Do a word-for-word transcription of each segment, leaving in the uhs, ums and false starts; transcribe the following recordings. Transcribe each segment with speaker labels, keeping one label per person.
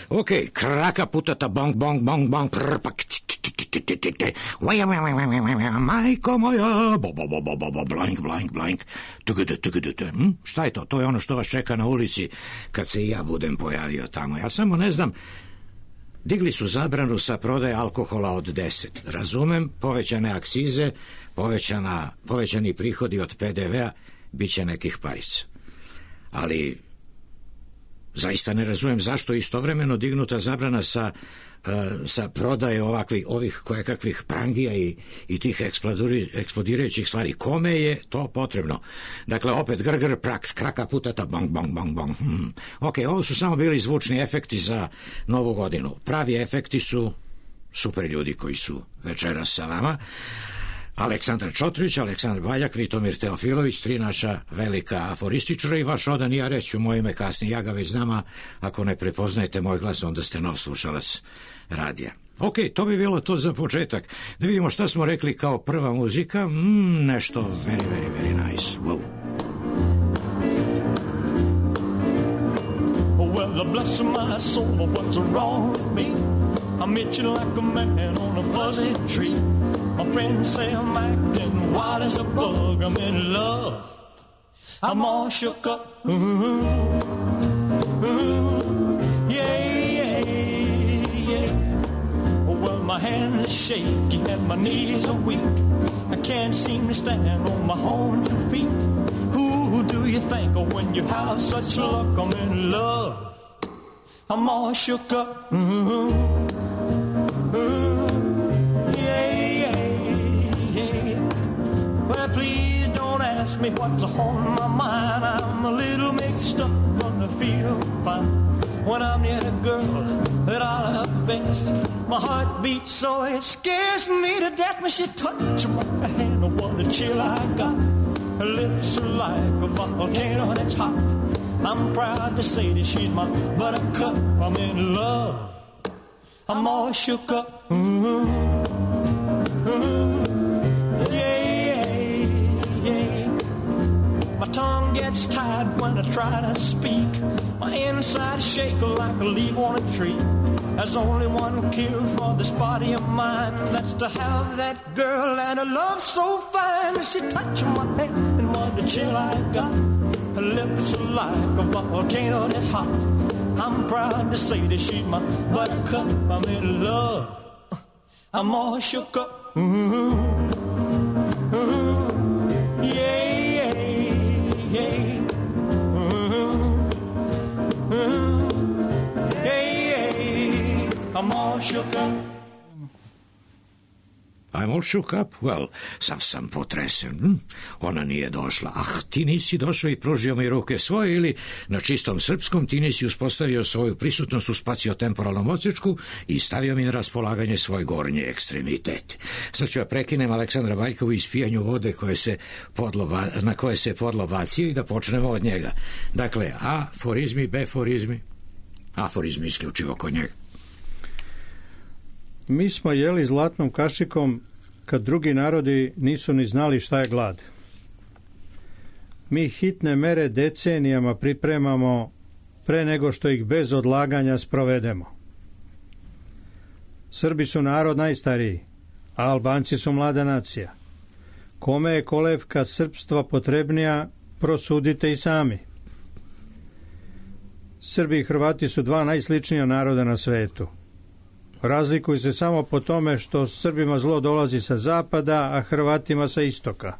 Speaker 1: Ok, kraka putata bong, bong, bong, bong, prpak, majko moja, bo, bo, bo, bo, bo, bo, blank, blank, blank, tugudu, tugudu, hm? Šta je to? To je ono što vas čeka na ulici kad se i ja budem pojavio tamo. Ja samo ne znam, digli su zabranu sa prodaje alkohola od deset. Razumem, povećane akcize, povećana, povećani prihodi od pe de vea, bit će nekih parica. Ali zaista ne razumem zašto je istovremeno dignuta zabrana sa, uh, sa prodaje ovakvih, ovih kojekakvih prangija i, i tih eksplodirajućih stvari. Kome je to potrebno? Dakle, opet grgr, prak, kraka putata, bong, bong, bong, bong. Hmm. Ok, ovo su samo bili zvučni efekti za Novu godinu. Pravi efekti su super ljudi koji su večeras sa vama. Aleksandar Čotrić, Aleksandar Baljak, Vitomir Teofilović, tri naša velika aforističara i vaš odan, ja reću moje ime kasnije, ja ga već znam, a ako ne prepoznajete moj glas, onda ste nov slušalac radija. Ok, to bi bilo to za početak. Da vidimo šta smo rekli kao prva muzika. Mm, nešto very, very, very nice. Wow.
Speaker 2: Well, bless my soul, what's wrong with me? I'm itching like a man on a fuzzy tree. My friends say I'm acting wild as a bug. I'm in love. I'm all shook up. Ooh, ooh, yeah, yeah, yeah. Well, my hand is shaky and my knees are weak. I can't seem to stand on my own two feet. Who do you think of when you have such luck? I'm in love. I'm all shook up. Ooh, ooh, yeah, yeah. Well, please don't ask me what's on my mind. I'm a little mixed up, but I feel fine when I'm near the girl that I love best. My heart beats so it scares me to death when she touches my hand. What a chill I got. Her lips are like a volcano that's hot. I'm proud to say that she's my buttercup. I'm in love. I'm all shook up. Ooh, ooh, yeah, yeah. My tongue gets tied when I try to speak. My inside shake like a leaf on a tree. There's only one cure for this body of mine. That's to have that girl and a love so fine. She touched my hand and what a chill I got. Her lips are like a volcano that's hot. I'm proud to say that she's my buttercup. I'm in love. I'm all shook up. Ooh, ooh, yeah, yeah, yeah. Ooh, ooh, yeah, yeah. I'm all shook up.
Speaker 1: I'm all shook up? Well, sav sam potresen. Hm? Ona nije došla. Ah, ti nisi došao i pružio mi ruke svoje ili na čistom srpskom ti nisi uspostavio svoju prisutnost u spaciotemporalnom odsječku i stavio mi na raspolaganje svoj gornji ekstremitet. Sad ću ja prekinem Aleksandra Baljkovu ispijanju vode koje se podlo, na koje se podlo bacio i da počnemo od njega. Dakle, aforizmi, beforizmi, aforizmi isključivo kod njega.
Speaker 3: Mi smo jeli zlatnom kašikom kad drugi narodi nisu ni znali šta je glad. Mi hitne mere decenijama pripremamo pre nego što ih bez odlaganja sprovedemo. Srbi su narod najstariji, a Albanci su mlada nacija. Kome je kolevka srpstva potrebnija, prosudite i sami. Srbi i Hrvati su dva najsličnija naroda na svetu. Razlikuju se samo po tome što Srbima zlo dolazi sa zapada, a Hrvatima sa istoka.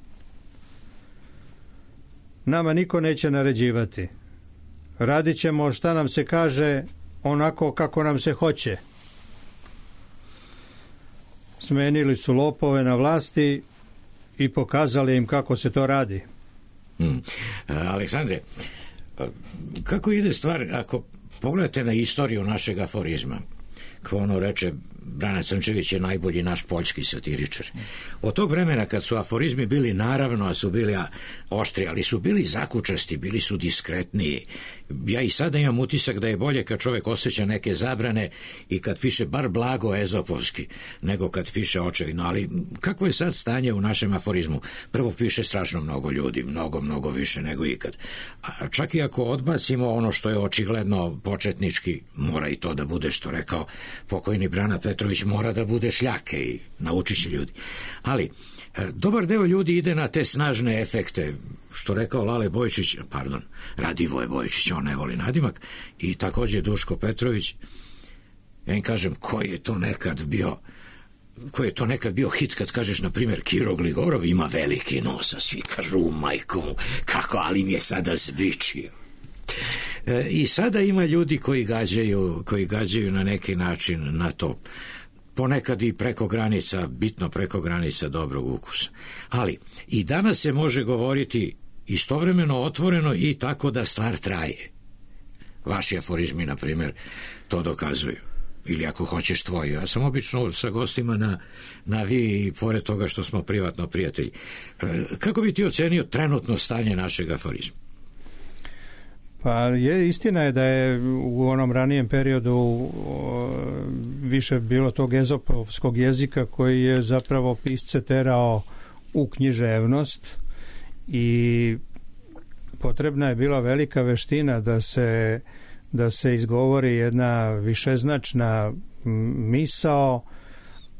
Speaker 3: Nama niko neće naređivati. Radit ćemo šta nam se kaže onako kako nam se hoće. Smenili su lopove na vlasti i pokazali im kako se to radi.
Speaker 1: Hmm. Aleksandre, kako ide stvar ako pogledate na istoriju našeg aforizma? Kao ono reče, Brana Crnčević je najbolji naš poljski satiričar. Od tog vremena kad su aforizmi bili, naravno, a su bili oštri, ali su bili zakučasti, bili su diskretniji. Ja i sada imam utisak da je bolje kad čovjek osjeća neke zabrane i kad piše bar blago ezopovski, nego kad piše očevidno. Ali kako je sad stanje u našem aforizmu? Prvo, piše strašno mnogo ljudi, mnogo, mnogo više nego ikad. A čak i ako odbacimo ono što je očigledno početnički, mora i to da bude, što rekao pokojni Brana Petrović, mora da bude šljake i naučit će ljudi. Ali dobar deo ljudi ide na te snažne efekte, što rekao Lale Bojčić, pardon, Radivoje Bojčić, on ne voli nadimak, i također Duško Petrović. Ja im kažem, koji je to nekad bio koji je to nekad bio hit kad kažeš, na primjer, Kiro Gligorov ima veliki nos, a svi kažu, u majku mu, kako, ali mi je sada zbičio. E, I sada ima ljudi koji gađaju, koji gađaju na neki način na to. Ponekad i preko granica, bitno preko granica dobrog ukusa. Ali i danas se može govoriti istovremeno otvoreno i tako da stvar traje. Vaši aforizmi, na primjer, to dokazuju. Ili ako hoćeš tvoji. Ja sam obično sa gostima na, na vi, i pored toga što smo privatno prijatelji. E, kako bi ti ocenio trenutno stanje našeg aforizma?
Speaker 3: Pa je, istina je da je u onom ranijem periodu o, više bilo tog ezopovskog jezika koji je zapravo pisce terao u književnost i potrebna je bila velika veština da se, da se izgovori jedna višeznačna misao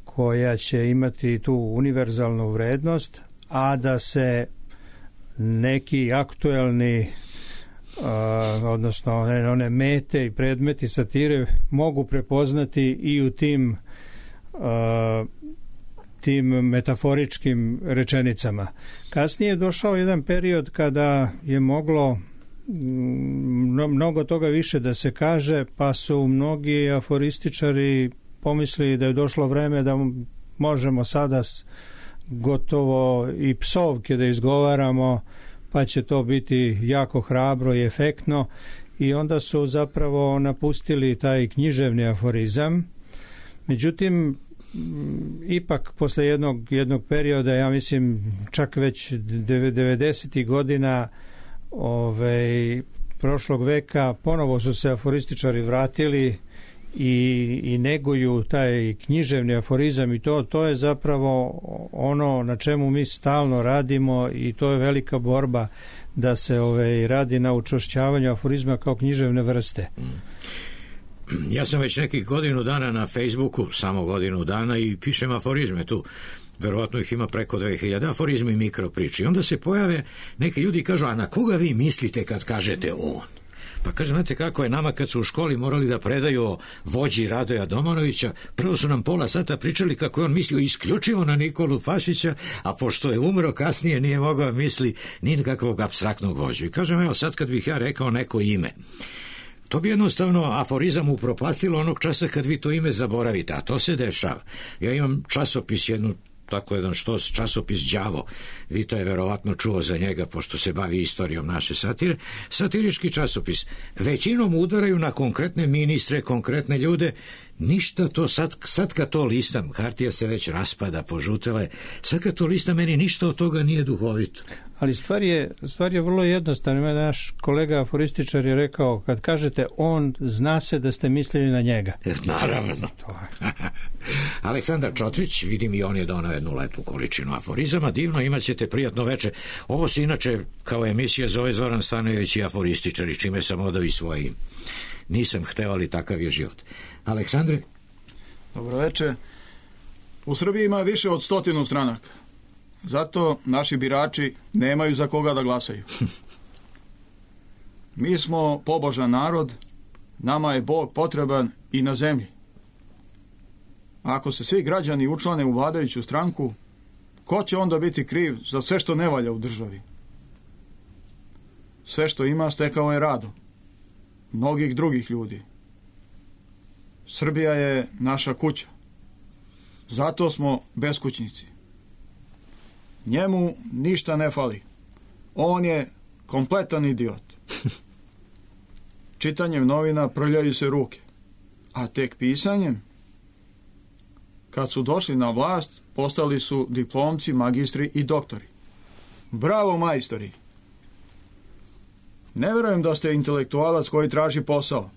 Speaker 3: koja će imati tu univerzalnu vrednost, a da se neki aktuelni Uh, odnosno one, one mete i predmeti satire mogu prepoznati i u tim uh, tim metaforičkim rečenicama. Kasnije je došao jedan period kada je moglo mno, mnogo toga više da se kaže, pa su mnogi aforističari pomislili da je došlo vreme da možemo sada gotovo i psovke da izgovaramo, pa će to biti jako hrabro i efektno, i onda su zapravo napustili taj književni aforizam. Međutim, ipak posle jednog, jednog perioda, ja mislim čak već devedesetih godina ovaj, prošlog veka, ponovo su se aforističari vratili i, i neguju taj književni aforizam, i to, to je zapravo ono na čemu mi stalno radimo, i to je velika borba da se ovaj, radi na učvršćavanju aforizma kao književne vrste.
Speaker 1: Ja sam već nekih godinu dana na Facebooku, samo godinu dana, i pišem aforizme tu. Verovatno ih ima preko dve hiljade, aforizmi i mikropriči. I onda se pojave neki ljudi i kažu, a na koga vi mislite kad kažete on? Pa kaže, znate kako je nama kad su u školi morali da predaju o vođi Radoja Domanovića, prvo su nam pola sata pričali kako je on mislio isključivo na Nikolu Pašića, a pošto je umro kasnije nije mogao misli ni kakvog apstraktnog vođu. I kažem, evo sad kad bih ja rekao neko ime, to bi jednostavno aforizam upropastilo onog časa kad vi to ime zaboravite, a to se dešava. Ja imam časopis, jednu tako jedan štos, časopis Đavo, Vito je verovatno čuo za njega pošto se bavi istorijom naše satire, satirički časopis. Većinom udaraju na konkretne ministre, konkretne ljude, ništa to, sad, sad kad to listam, hartija se već raspada, požutela je, sad kad to listam, meni ništa od toga nije duhovito.
Speaker 3: Ali stvar je, stvar je vrlo jednostavna. Naš kolega aforističar je rekao, kad kažete on, zna se da ste mislili na njega.
Speaker 1: Naravno. Aleksandar Čotrić, vidim i on je donao jednu lepu količinu aforizama, divno, imat ćete prijatno veče. Ovo se inače kao emisija zove Zoran Stanojević i aforističari, čime sam odao i svoje ime. Nisam hteo, ali takav je život. Aleksandre?
Speaker 4: Dobro veče. U Srbiji ima više od stotinu stranaka. Zato naši birači nemaju za koga da glasaju. Mi smo pobožan narod, nama je Bog potreban i na zemlji. Ako se svi građani učlane u vladajuću stranku, ko će onda biti kriv za sve što ne valja u državi? Sve što ima stekao je radom mnogih drugih ljudi. Srbija je naša kuća. Zato smo beskućnici. Njemu ništa ne fali. On je kompletan idiot. Čitanjem novina prljaju se ruke. a tek pisanjem, kad su došli na vlast, postali su diplomci, magistri i doktori. Bravo, majstori! Ne verujem da ste intelektualac koji traži posao.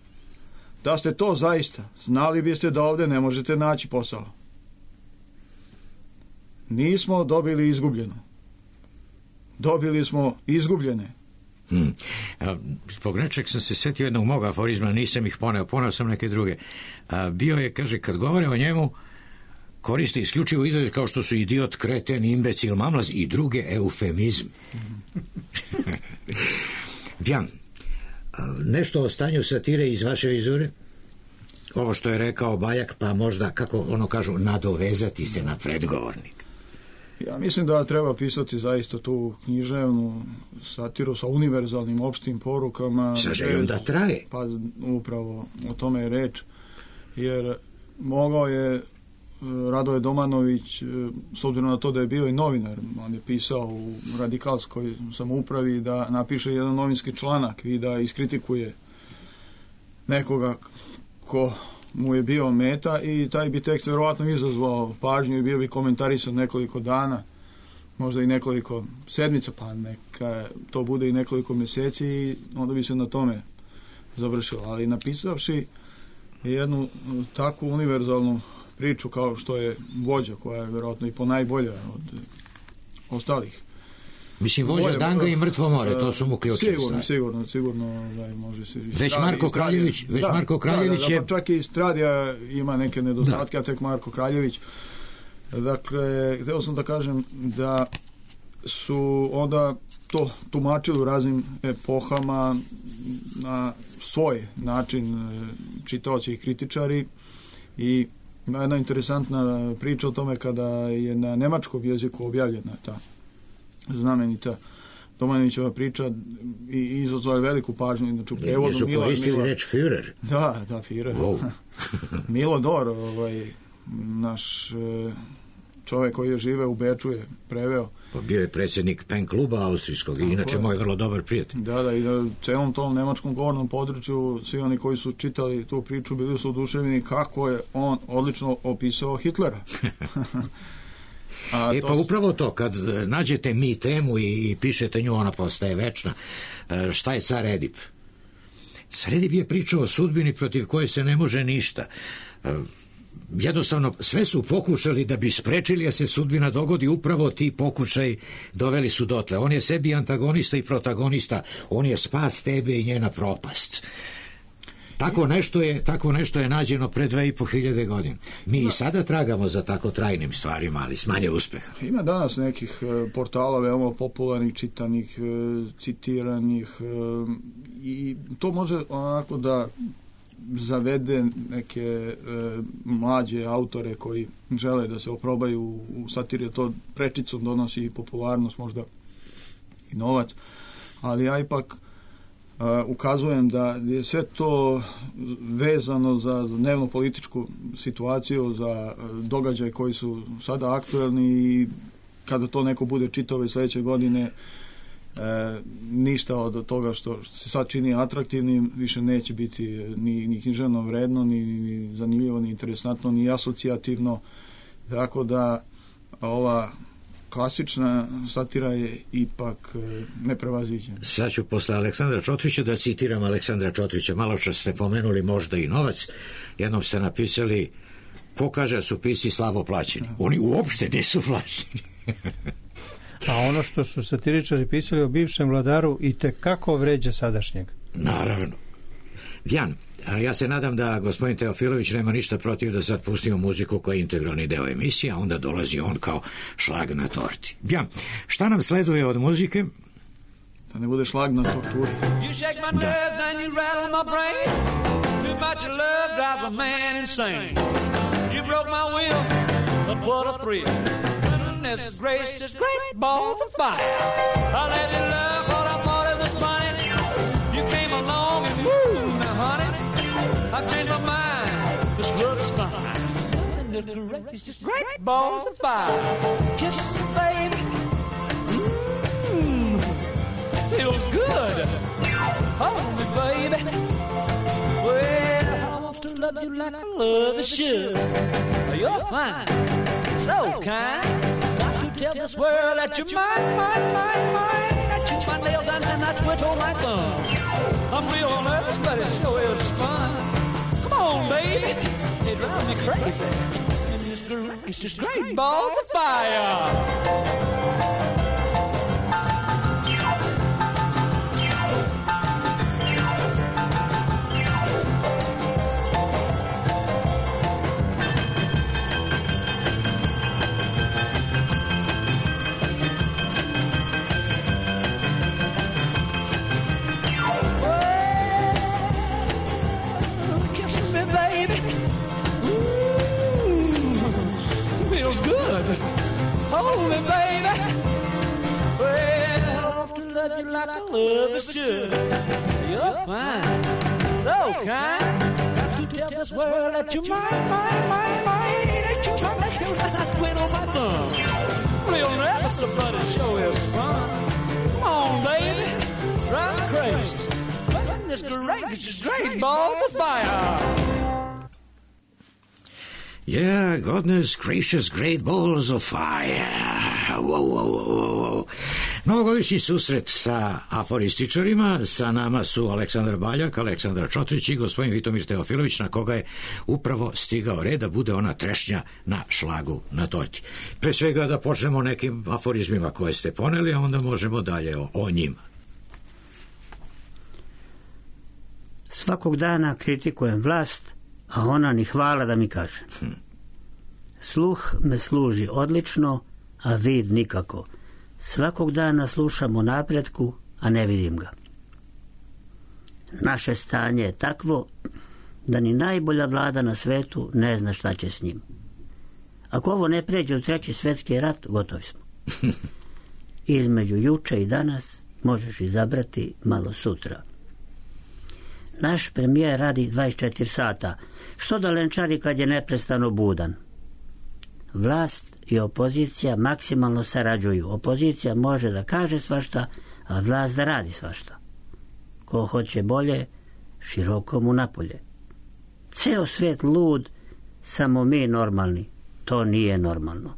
Speaker 4: Da ste to zaista, znali biste da ovdje ne možete naći posao. Nismo dobili izgubljeno. Dobili smo izgubljene.
Speaker 1: Hmm. A, zbog nečeg sam se setio jednog mog aforizma, nisam ih poneo, poneo sam neke druge. A, bio je, kaže, kad govore o njemu, koriste isključivo izraze kao što su idiot, kreten, imbecil, mamlaz i druge eufemizme. Vjan, nešto o stanju satire iz vaše vizure? Ovo što je rekao Bajak, pa možda, kako ono kažu, nadovezati se na predgovornik.
Speaker 4: Ja mislim da treba pisati zaista tu književnu satiru sa univerzalnim opštim porukama.
Speaker 1: Sa željom da traje.
Speaker 4: Pa upravo o tome je reč. Jer mogao je Radoje Domanović, s obzirom na to da je bio i novinar, on je pisao u radikalskoj samoupravi, da napiše jedan novinski članak i da iskritikuje nekoga ko mu je bio meta i taj bi tekst verovatno izazvao pažnju i bio bi komentarisan nekoliko dana, možda i nekoliko sedmica, pa neka to bude i nekoliko mjeseci i onda bi se na tome završilo. Ali napisavši jednu takvu univerzalnu priču kao što je Vođa, koja je vjerojatno i po najbolja od ostalih.
Speaker 1: Mislim, Vođa, Vođa Danga i Mrtvo more, to su mu ključne
Speaker 4: sigurno,
Speaker 1: stvari.
Speaker 4: Sigurno, sigurno, da može se...
Speaker 1: Već Marko Kraljević, već
Speaker 4: da,
Speaker 1: Marko Kraljević
Speaker 4: da, da,
Speaker 1: je...
Speaker 4: Da, pa čak i Stradija ima neke nedostatke, a tek Marko Kraljević. Dakle, htio sam da kažem da su onda to tumačili u raznim epohama na svoj način čitaoci i kritičari i ima jedna interesantna priča o tome kada je na nemačkom jeziku objavljena ta znamenita Domanovićeva priča i izazvala veliku pažnju. Znači, u prevodu
Speaker 1: Jesu
Speaker 4: Milo,
Speaker 1: koristili
Speaker 4: Milo,
Speaker 1: reč Führer?
Speaker 4: Da, da, Führer. Wow. Milo Dor, ovaj, naš čovjek koji je žive u Beču, je preveo.
Speaker 1: Pa bio je predsjednik pen kluba austrijskog i inače moj vrlo dobar prijatelj.
Speaker 4: Da, da, i na celom tom nemačkom govornom području svi oni koji su čitali tu priču bili su oduševljeni kako je on odlično opisao Hitlera.
Speaker 1: A e pa upravo to, kad nađete mi temu i, i pišete nju, ona postaje večna. E, šta je car Edip? Car Edip je pričao o sudbini protiv koje se ne može ništa. E, jednostavno, sve su pokušali da bi sprečili da se sudbina dogodi, upravo ti pokušaj doveli su dotle. On je sebi antagonista i protagonista, on je spas tebe i njena propast. Tako nešto je, tako nešto je nađeno pre dve i po hiljade godina. Mi i sada tragamo za tako trajnim stvarima, ali s manje uspeha.
Speaker 4: Ima danas nekih e, portala veoma popularnih, čitanih, e, citiranih e, i to može onako da zavede neke e, mlađe autore koji žele da se oprobaju u satiri, to prečicom donosi i popularnost, možda i novac, ali ja ipak Uh, ukazujem da je sve to vezano za dnevno političku situaciju, za događaje koji su sada aktuelni i kada to neko bude čitao i sljedeće godine uh, ništa od toga što, što se sad čini atraktivnim više neće biti ni, ni književno vredno, ni, ni zanimljivo, ni interesantno, ni asocijativno, tako da ova klasična satira je ipak neprevaziđena.
Speaker 1: Sad ću posle Aleksandra Čotrića da citiram Aleksandra Čotrića. Malo čas ste pomenuli možda i novac. Jednom ste napisali, ko kaže da su pisci slabo plaćeni? Oni uopšte nisu plaćeni.
Speaker 3: A ono što su satiričari pisali o bivšem vladaru i tekako vređa sadašnjeg.
Speaker 1: Naravno. Vjan, a ja se nadam da gospodin Teofilović nema ništa protiv da sad pustimo muziku koja je integralni deo emisije, a onda dolazi on kao šlag na torti. Ja, šta nam sleduje od muzike?
Speaker 4: Da ne bude šlag na torturi.
Speaker 2: You shake my nerves and you rattle my brain. Too much of love drives a man insane. You broke my will, but what a thrill. Goodness gracious, great balls of fire. I let you love what I thought it was funny. You came along and woo, now honey, I've changed my mind. This love is fine. Goodness gracious, great balls of fire. Kisses, baby. Mmm, feels good. Hold me, baby. Well, I want to
Speaker 5: love you like I love a should. You're fine, so kind. Got to tell this world that you're mine, mine, mine, mine. I chew my nails down and I twiddle my thumb. I'm real nervous, but it sure is fun. Come on, baby, it drives me crazy. And this great, it's just great balls of fire. Hold me, baby. Well, I love to love you like I love is should. You're fine, so kind. Got to tell this world that you're mine, mine, mine, mine. Ain't you trying to show that I quit on my thumb? Real nervous, but it sure is fun. Come on, baby, drive me crazy. Goodness gracious, great balls of fire.
Speaker 1: Yeah, goodness gracious, great balls of fire. Wow, wow, wow, wow. Novogodišnji susret sa aforističarima, sa nama su Aleksandar Baljak, Aleksandar Čotrić i gospodin Vitomir Teofilović, na koga je upravo stigao red da bude ona trešnja na šlagu na torti. Pre svega da počnemo nekim aforizmima koje ste poneli, a onda možemo dalje o, o njima.
Speaker 6: Svakog dana kritikujem vlast, a ona ni hvala da mi kaže. Hm. Sluh me služi odlično, a vid nikako. Svakog dana slušam o napretku, a ne vidim ga. Naše stanje je takvo da ni najbolja vlada na svetu ne zna šta će s njim. Ako ovo ne pređe u treći svetski rat, gotovi smo. Između juče i danas možeš izabrati malo sutra. Naš premijer radi dvadeset četiri sata. Što da lenčari kad je neprestano budan? Vlast i opozicija maksimalno sarađuju. Opozicija može da kaže svašta, a vlast da radi svašta. Ko hoće bolje, široko mu napolje. Ceo svet lud, samo mi normalni. To nije normalno.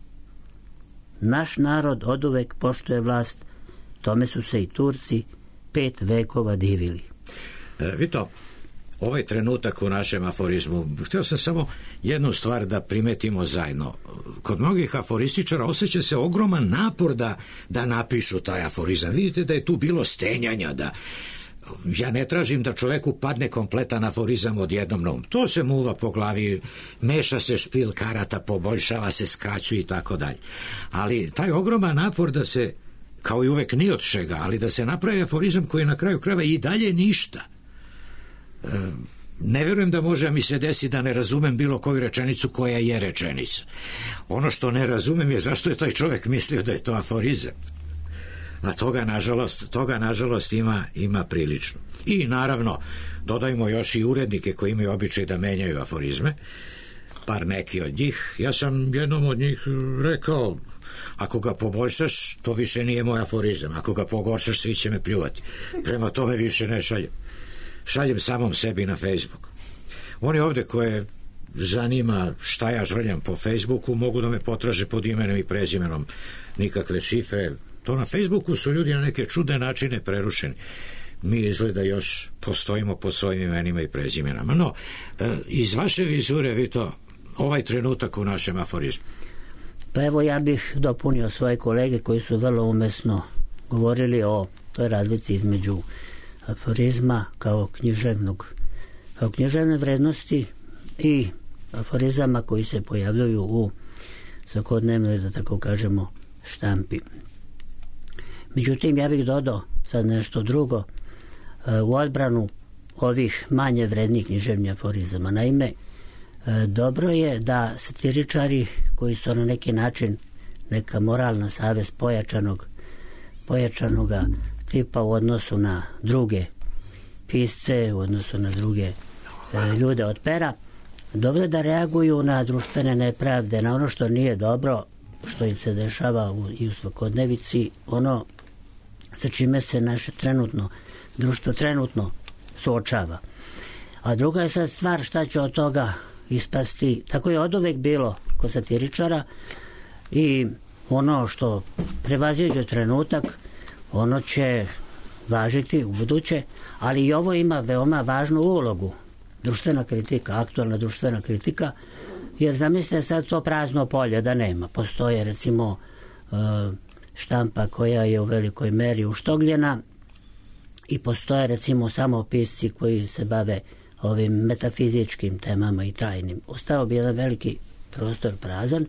Speaker 6: Naš narod oduvek poštuje vlast, tome su se i Turci pet vekova divili.
Speaker 1: E, Vito, ovaj trenutak u našem aforizmu, htio sam samo jednu stvar da primetimo zajedno. Kod mnogih aforističara osjeća se ogroman napor da, da napišu taj aforizam. Vidite da je tu bilo stenjanja, da ja ne tražim da čoveku padne kompletan aforizam odjednom na um. To se muva po glavi, meša se špil karata, poboljšava se, skraćuje i tako dalje. Ali taj ogroman napor da se, kao i uvek ni od čega, ali da se napravi aforizam koji na kraju krajeva i dalje ništa. E, ne vjerujem da može mi se desi da ne razumem bilo koju rečenicu koja je rečenica. Ono što ne razumem je zašto je taj čovjek mislio da je to aforizam. A toga nažalost, toga nažalost ima, ima prilično. I naravno dodajmo još i urednike koji imaju običaj da menjaju aforizme, par neki od njih. Ja sam jednom od njih rekao, ako ga poboljšaš, to više nije moj aforizam, ako ga pogoršaš, svi će me pljuvati. Prema tome više ne šaljem. Šaljem samom sebi na Facebook. Oni ovde koje zanima šta ja žvrljam po Facebooku, mogu da me potraže pod imenom i prezimenom, nikakve šifre. To na Facebooku su ljudi na neke čudne načine prerušeni. Mi izgleda još postojimo pod svojim imenima i prezimenama. No, iz vaše vizure, Vito, ovaj trenutak u našem aforizmu.
Speaker 6: Pa evo, ja bih dopunio svoje kolege koji su vrlo umesno govorili o toj razlici između aforizma kao književnog, kao književne vrednosti i aforizama koji se pojavljuju u svakodnevnoj, da tako kažemo, štampi. Međutim, ja bih dodao sad nešto drugo u odbranu ovih manje vrednih književnih aforizama. Naime, dobro je da satiričari koji su na neki način neka moralna savest pojačanog pojačanoga tipa u odnosu na druge pisce, u odnosu na druge e, ljude od pera, dobro da reaguju na društvene nepravde, na ono što nije dobro, što im se dešava u, i u svakodnevici, ono sa čime se naše trenutno društvo trenutno suočava. A druga je sad stvar šta će od toga ispasti. Tako je oduvek bilo kod satiričara i ono što prevaziđe trenutak, ono će važiti u buduće, ali i ovo ima veoma važnu ulogu. Društvena kritika, aktualna društvena kritika, jer zamislite sad to prazno polje da nema. Postoje recimo štampa koja je u velikoj meri uštogljena i postoje recimo samo pisci koji se bave ovim metafizičkim temama i tajnim. Ostao bi jedan veliki prostor prazan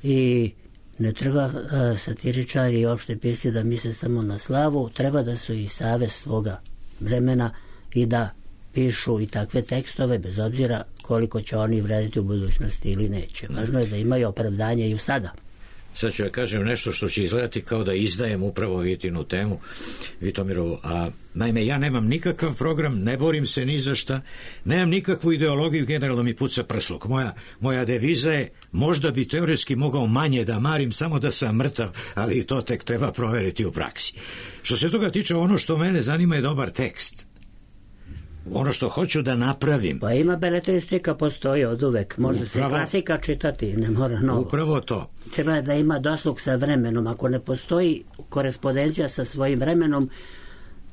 Speaker 6: i ne treba uh, satiričari i opšte pisci da misle samo na slavu, treba da su i savest svoga vremena i da pišu i takve tekstove bez obzira koliko će oni vrediti u budućnosti ili neće. Važno je da imaju opravdanje i u sada.
Speaker 1: Sad ću ja kažem nešto što će izgledati kao da izdajem upravo Vitinu temu, Vitomirovu, a naime ja nemam nikakav program, ne borim se ni za šta, nemam nikakvu ideologiju, generalno mi puca prsluk. Moja, moja deviza je, možda bi teoretski mogao manje da marim, samo da sam mrtav, ali i to tek treba proveriti u praksi. Što se toga tiče, ono što mene zanima je dobar tekst. Ono što hoću da napravim.
Speaker 6: Pa ima beletristika, postoji od uvek. Može upravo, se klasika čitati, ne mora novo.
Speaker 1: Upravo to.
Speaker 6: Treba da ima doslug sa vremenom. Ako ne postoji korespondencija sa svojim vremenom,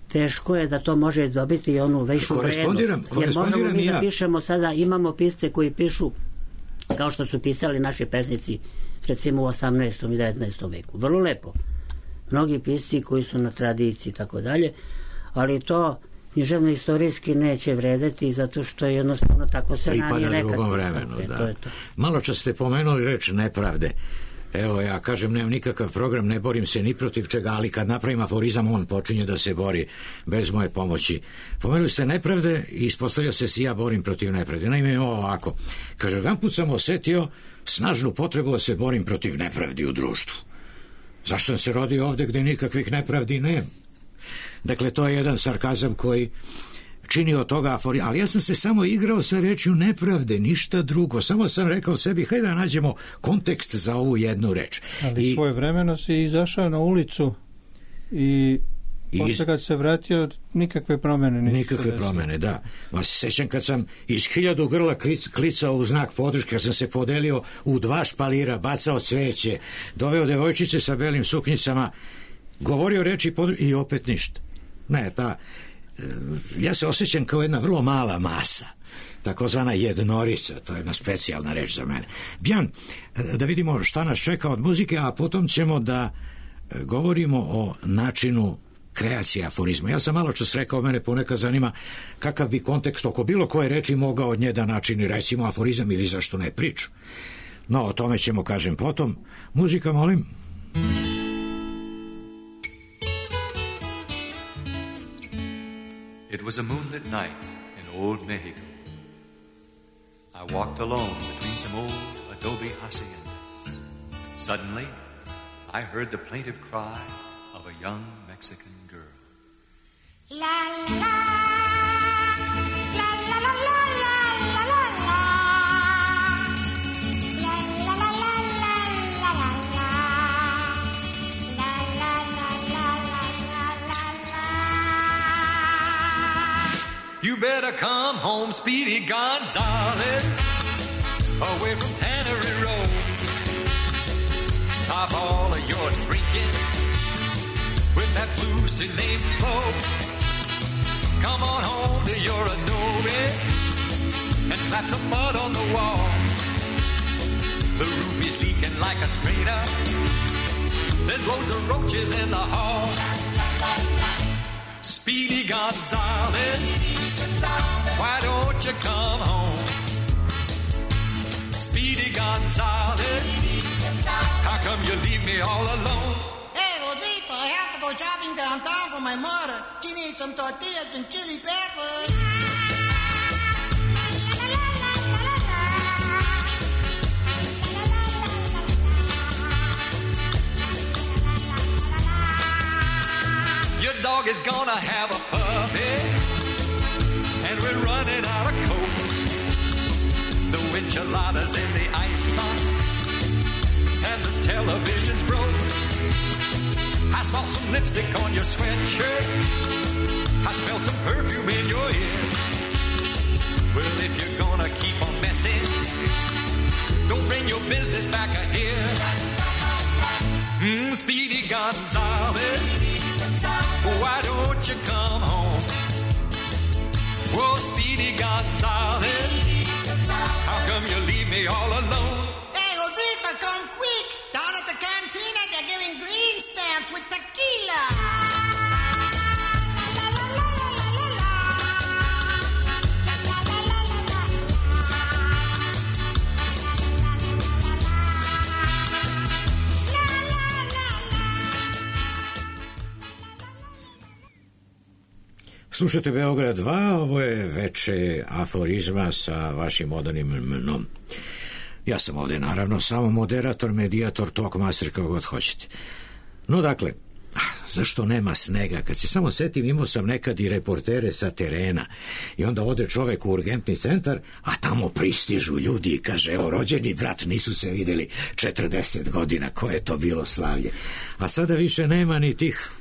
Speaker 6: teško je da to može dobiti i onu veću vrednost. Jer možemo mi da ja. pišemo sada, imamo pisce koji pišu kao što su pisali naši pesnici recimo u osamnaestom i devetnaestom veku. Vrlo lepo. Mnogi pisci koji su na tradiciji i tako dalje, ali to književno istorijski neće vredeti zato što je jednostavno tako se ranije nekad.
Speaker 1: Drugom vremenu,
Speaker 6: sve,
Speaker 1: da.
Speaker 6: To je to.
Speaker 1: Malo čas ste pomenuli reč nepravde. Evo ja kažem, nemam nikakav program, ne borim se ni protiv čega, ali kad napravim aforizam, on počinje da se bori bez moje pomoći. Pomenuli ste nepravde i ispostavlja se si ja borim protiv nepravde. Naime, ovo ovako. Kaže, jedan put sam osetio snažnu potrebu da se borim protiv nepravdi u društvu. Zašto sam se rodio ovde gde nikakvih nepravdi nema? Dakle, to je jedan sarkazam koji čini od toga aforizam, ali ja sam se samo igrao sa rečju nepravde, ništa drugo. Samo sam rekao sebi, hajde da nađemo kontekst za ovu jednu reč.
Speaker 3: Ali I, svoje vremeno si izašao na ulicu i posle kad se vratio, nikakve promene nisu.
Speaker 1: Nikakve promene, da. Ma se sećam kad sam iz hiljadu grla klic, klicao u znak podrške, kad sam se podelio u dva špalira, bacao cveće, doveo devojčice sa belim suknjicama, govorio reči podrške i opet ništa. Ne, ta, ja se osjećam kao jedna vrlo mala masa, takozvana jednorica, to je jedna specijalna reč za mene. Bjan, da vidimo šta nas čeka od muzike, a potom ćemo da govorimo o načinu kreacije aforizma. Ja sam malo čas rekao, mene ponekad zanima kakav bi kontekst oko bilo koje reči mogao od nje da načini, recimo aforizam ili zašto ne priču. No, o tome ćemo, kažem, potom. Muzika, molim.
Speaker 7: It was a moonlit night in old Mexico. I walked alone between some old adobe haciendas. Suddenly, I heard the plaintive cry of a young Mexican girl. La la la la la la la la la. La la la la la la la la. La la la la la la la. You better come home, Speedy Gonzales, away from Tannery Road. Stop all of your drinking with that Lucy Lane flow. Come on home to your adobe and slap some mud on the wall. The roof is leaking like a strainer. There's loads of roaches in the hall. Speedy Gonzales, why don't you come home? Speedy Gonzales, how come you leave me all alone?
Speaker 8: Hey, Rosita, I have to go shopping downtown for my mother. She needs some tortillas and chili peppers.
Speaker 7: Your dog is gonna have a puppy, and we're running out of coke. The enchiladas in the icebox, and the television's broke. I saw some lipstick on your sweatshirt. I smelled some perfume in your ear. Well, if you're gonna keep on messing, don't bring your business back here. Mm, Speedy Gonzales, why don't you come home? Whoa, Speedy Gonzales, how come you leave me all alone?
Speaker 8: Hey, Rosita, come quick! Down at the cantina, they're giving green stamps with tequila.
Speaker 1: Slušajte Beograd dva, ovo je veče aforizma sa vašim odanim mnom. Ja sam ovdje naravno samo moderator, medijator, talkmaster, kako god hoćete. No dakle, zašto nema snega? Kad se samo setim, imao sam nekad i reportere sa terena i onda ode čovek u urgentni centar, a tamo pristižu ljudi i kaže, evo, rođeni brat, nisu se videli četrdeset godina, koje je to bilo slavlje. A sada više nema ni tih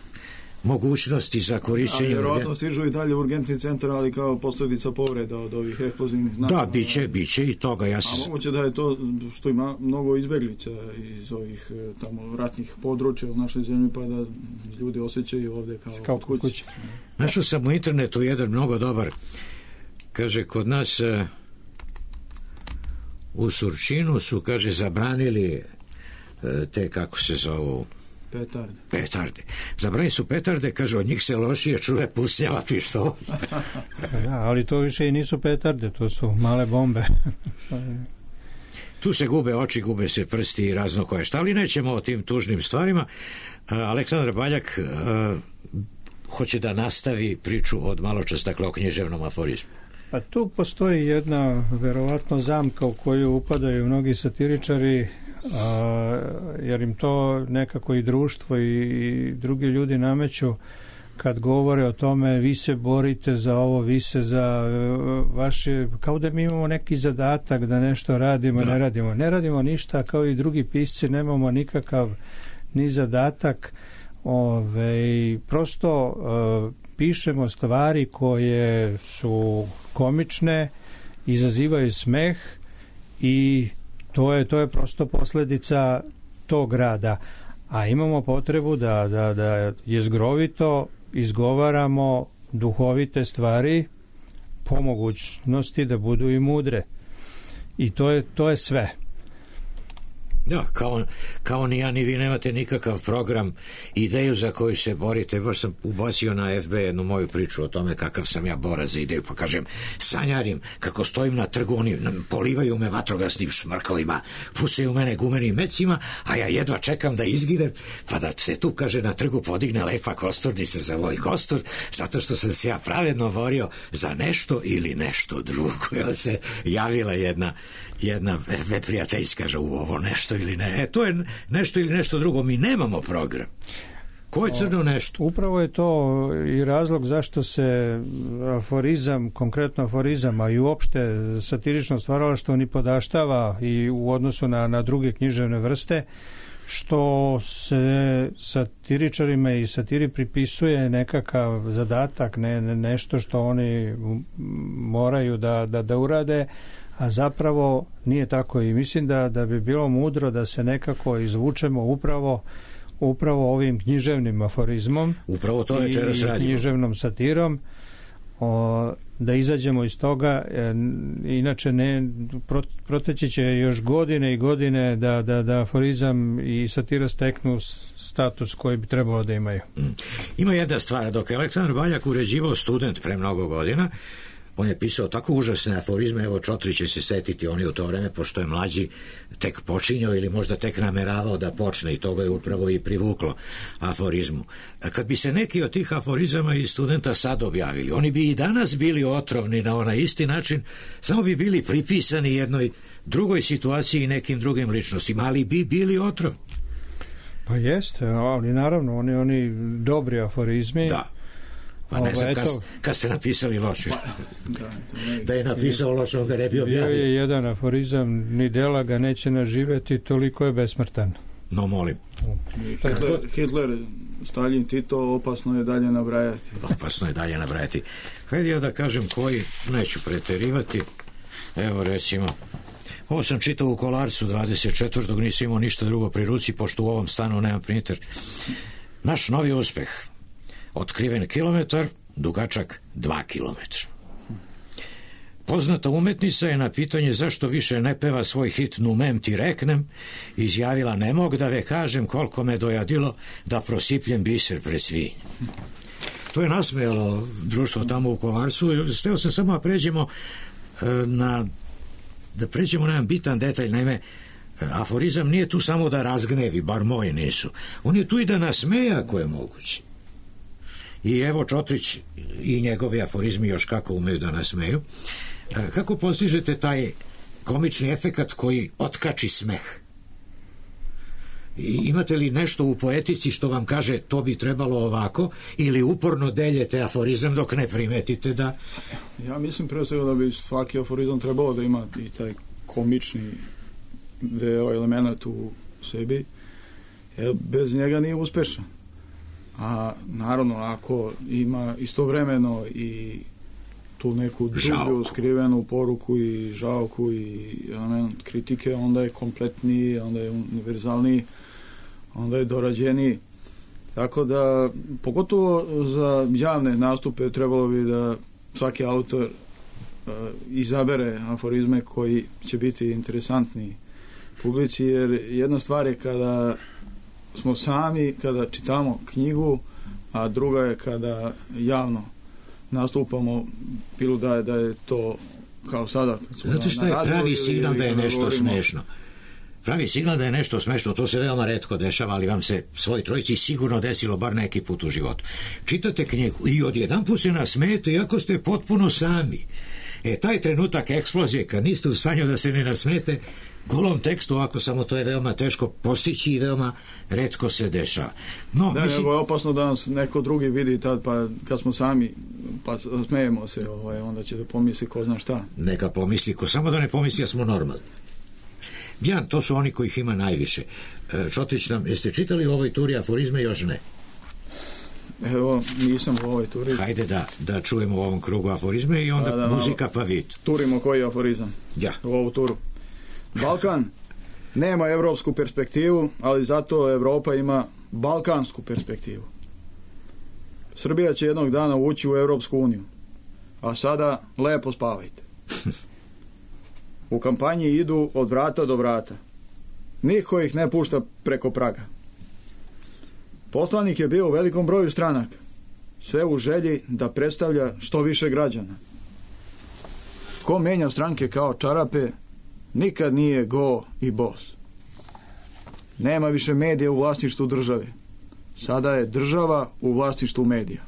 Speaker 1: mogućnosti za korišćenje.
Speaker 4: A vjerojatno stižu i dalje u urgentni centar, ali kao posljedica povreda od ovih eksplozivnih napada.
Speaker 1: Da, biće, biće i toga. Ja sam...
Speaker 4: A moguće da je to što ima mnogo izbjeglica iz ovih tamo ratnih područja u našoj zemlji, pa da ljudi osjećaju ovdje kao, kao kod kuće.
Speaker 1: Našao sam u internetu jedan mnogo dobar. Kaže, kod nas u Surčinu su, kaže, zabranili te, kako se zovu,
Speaker 4: petarde.
Speaker 1: Petarde. Zabranili su petarde, kaže, od njih se lošije čuje pusnjava pištolj.
Speaker 3: Ja, ali to više i nisu petarde, to su male bombe.
Speaker 1: Tu se gube oči, gube se prsti i razno koje šta, ali nećemo o tim tužnim stvarima. Aleksandar Baljak uh, hoće da nastavi priču od maločas, dakle, o književnom aforizmu.
Speaker 3: Pa tu postoji jedna verovatno zamka u koju upadaju mnogi satiričari, a, jer im to nekako i društvo i, i drugi ljudi nameću kad govore o tome, vi se borite za ovo, vi se za vaše, kao da mi imamo neki zadatak da nešto radimo, da. ne radimo. Ne radimo ništa, kao i drugi pisci, nemamo nikakav ni zadatak. Ove, prosto uh, pišemo stvari koje su komične, izazivaju smeh i to je, to je prosto posljedica tog rada. A imamo potrebu da, da, da jezgrovito izgovaramo duhovite stvari, po mogućnosti da budu i mudre. I to je, to je sve.
Speaker 1: Da, kao, kao ni ja ni vi nemate nikakav program, ideju za koju se borite. Baš sam ubacio na F B jednu moju priču o tome kakav sam ja borac za ideju, pa kažem, sanjarim kako stojim na trgu, oni polivaju me vatrogasnim šmrkovima, pucaju mene gumenim mecima, a ja jedva čekam da izginem, pa da se tu, kaže, na trgu podigne lepa kosturnica za moj kostur, zato što sam se ja pravedno borio za nešto ili nešto drugo. Jel se javila jedna jedna neprijateljska, kaže, u ovo nešto ili ne. E, to je nešto ili nešto drugo. Mi nemamo program. Ko je crno nešto?
Speaker 3: Upravo je to i razlog zašto se aforizam, konkretno aforizam, a i uopšte satirično stvaralaštvo ni podaštava i u odnosu na, na druge književne vrste, što se satiričarima i satiri pripisuje nekakav zadatak, ne, ne, nešto što oni moraju da, da, da urade, a zapravo nije tako. I mislim da, da bi bilo mudro da se nekako izvučemo upravo upravo ovim književnim aforizmom,
Speaker 1: upravo to večeras radimo,
Speaker 3: i književnom satirom, o, da izađemo iz toga. E, inače ne, proteći će još godine i godine da, da, da aforizam i satira steknu status koji bi trebalo da imaju.
Speaker 1: Ima jedna stvar, dok je Aleksandar Baljak uređivao Student pre mnogo godina, on je pisao tako užasne aforizme, evo Čotri će se setiti, on je u to vreme, pošto je mlađi, tek počinjao ili možda tek nameravao da počne, i toga je upravo i privuklo aforizmu. Kad bi se neki od tih aforizama iz Studenta sad objavili, oni bi i danas bili otrovni na onaj isti način, samo bi bili pripisani jednoj drugoj situaciji i nekim drugim ličnostima, ali bi bili otrovni.
Speaker 3: Pa jeste, ali naravno, oni, oni dobri aforizmi.
Speaker 1: Da. Pa ne znam, kad, kad ste napisali loše. Da je napisao loše, on ga ne bi objavio.
Speaker 3: Bio je jedan aforizam, ni dela ga neće naživjeti, toliko je besmrtan.
Speaker 1: No, molim.
Speaker 4: Hitler, Hitler Staljin, Tito, opasno je dalje nabrajati.
Speaker 1: Opasno je dalje nabrajati. Hajde ja da kažem koji, neću preterivati. Evo recimo, ovo sam čitao u Kolarcu dvadeset četvrtog nisam imao ništa drugo pri ruci, pošto u ovom stanu nemam printer. Naš novi uspeh. Otkriven kilometar, dugačak dva kilometra. Poznata umetnica je na pitanje zašto više ne peva svoj hit Numem ti reknem izjavila: ne mog da ve kažem koliko me dojadilo da prosipljem biser pred svinj. To je nasmejalo društvo tamo u Kolarcu. Steo sam samo da pređemo na da pređemo na jedan bitan detalj. Naime, aforizam nije tu samo da razgnevi, bar moji nisu. On je tu i da nasmeje ako je moguće. I evo Čotrić i njegovi aforizmi još kako umeju da nasmeju. Kako postižete taj komični efekat koji otkači smeh? I imate li nešto u poetici što vam kaže to bi trebalo ovako, ili uporno deljete aforizam dok ne primetite da...
Speaker 4: Ja mislim pre svega da bi svaki aforizam trebalo da ima i taj komični deo, element u sebi, jer bez njega nije uspešan. A naravno ako ima istovremeno i tu neku dublju skrivenu poruku i žalku i element kritike, onda je kompletniji, onda je univerzalniji, onda je dorađeniji. Tako da, pogotovo za javne nastupe trebalo bi da svaki autor uh, izabere aforizme koji će biti interesantniji publici, jer jedna stvar je kada smo sami, kada čitamo knjigu, a druga je kada javno nastupamo, bilo da je, da je to kao sada.
Speaker 1: Znate šta je pravi signal da je nešto smešno? Pravi signal da je nešto smešno, to se veoma retko dešava, ali vam se svoj trojici sigurno desilo bar neki put u životu. Čitate knjigu i odjedan put se nasmejete, iako ste potpuno sami. E, taj trenutak eksplozije, kad niste u stanju da se ne nasmete, golom tekstu, ovako samo to je veoma teško postići i veoma retko se dešava. No,
Speaker 4: da,
Speaker 1: mislim...
Speaker 4: nego je opasno da nas neko drugi vidi tad, pa kad smo sami, pa smejemo se, ovaj, onda će da pomisli ko zna šta.
Speaker 1: Neka pomisli, ko samo da ne pomisli da smo normalni. Jan, to su oni kojih ima najviše. Čotrić nam, jeste čitali u ovoj turi aforizme? Još ne.
Speaker 4: Evo, nisam u ovoj turi.
Speaker 1: Hajde da, da čujemo u ovom krugu aforizme i onda da, da, muzika pa vid.
Speaker 4: Turimo koji aforizam
Speaker 1: ja.
Speaker 4: U ovu turu. Balkan nema evropsku perspektivu, ali zato Evropa ima balkansku perspektivu. Srbija će jednog dana ući u Evropsku uniju, a sada lepo spavajte. U kampanji idu od vrata do vrata. Niko ih ne pušta preko praga. Poslanik je bio u velikom broju stranaka, sve u želji da predstavlja što više građana. Ko menja stranke kao čarape, nikad nije go i bos. Nema više medija u vlasništvu države. Sada je država u vlasništvu medija.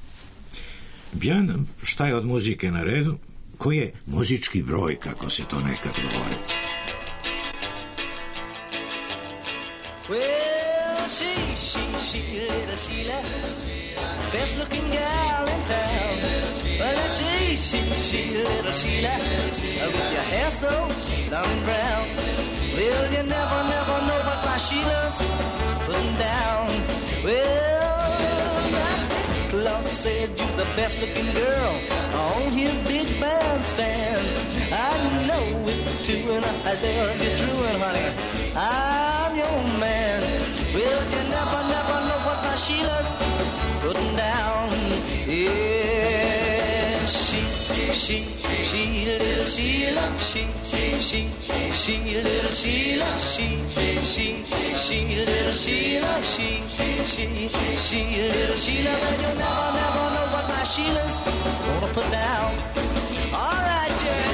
Speaker 1: Bjan, šta je od muzike na redu? Koji je muzički broj, kako se to nekad govori?
Speaker 9: Well, she, she, she, little Sheila, best looking gal in town. Well, she, she, she, little Sheila, with your hair so long and brown. Well, you never, never know what my Sheila's putting down. Well, Clark said you're the best looking girl on his big bandstand. I know it too, and I love you true, and honey, I'm your man. Well, you never, never know what my Sheila's putting down. Yeah, she, she, she, little Sheila, she, she, she, little Sheila, she, she, she, little Sheila, she, she, she, little Sheila. Well, you never, never know what my Sheila's gonna put down. All right, yeah.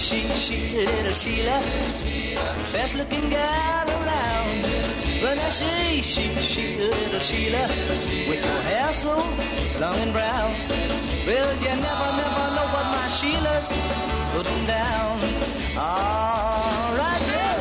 Speaker 9: She, she, little Sheila, best looking gal around. Well, I she, she, she, little Sheila, with your hair so long and brown. Well, you never, never know what my Sheila's putting down. All right, yeah.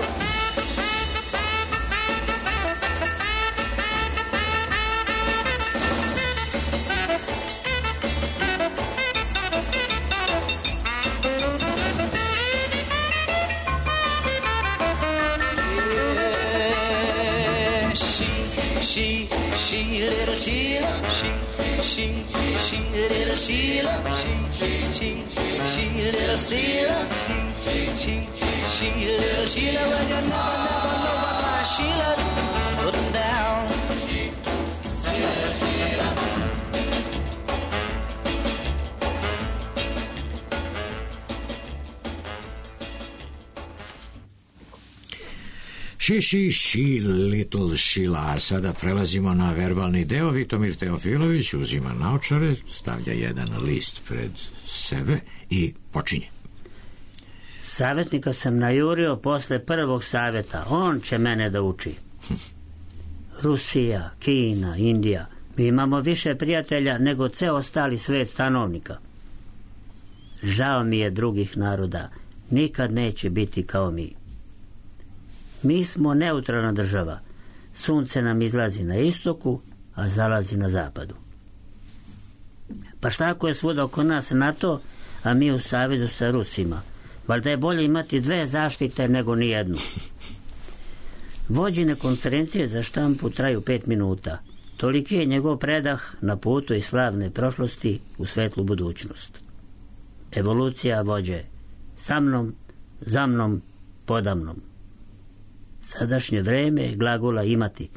Speaker 9: Sheila, she, she, she, little Sheila, she, she, she, little Sheila, she, she, she, little Sheila. Well, you never, never know what my Sheila's putting down. Sheila, Sheila.
Speaker 1: She, she, she, little Sheila. A sada prelazimo na verbalni deo. Vitomir Teofilović uzima naočare, stavlja jedan list pred sebe i počinje.
Speaker 6: Savjetnika sam najurio posle prvog savjeta. On će mene da uči. Rusija, Kina, Indija. Mi imamo više prijatelja nego ceo ostali svet stanovnika. Žao mi je drugih naroda. Nikad neće biti kao mi. Mi smo neutralna država. Sunce nam izlazi na istoku, a zalazi na zapadu. Pa šta ako je svuda oko nas NATO, a mi u savezu sa Rusima? Valjda je bolje imati dve zaštite nego nijednu. Vođene konferencije za štampu traju pet minuta. Toliki je njegov predah na putu iz slavne prošlosti u svetlu budućnost. Evolucija vođe. Sa mnom, za mnom, podamnom. Sadašnje vreme je glagola imati.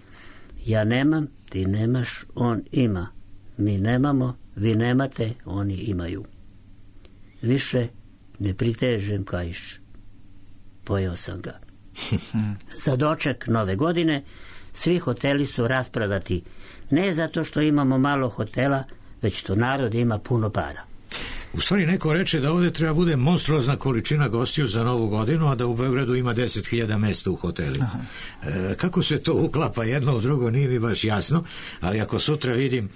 Speaker 6: Ja nemam, ti nemaš, on ima. Mi nemamo, vi nemate, oni imaju. Više ne pritežem kaiš. Pojeo sam ga. Za doček nove godine svi hoteli su rasprodati. Ne zato što imamo malo hotela, već što narod ima puno para.
Speaker 1: U stvari neko reče da ovdje treba bude monstruozna količina gostiju za novu godinu, a da u Beogradu ima deset hiljada mesta u hotelima. E, kako se to uklapa jedno u drugo nije mi baš jasno, ali ako sutra vidim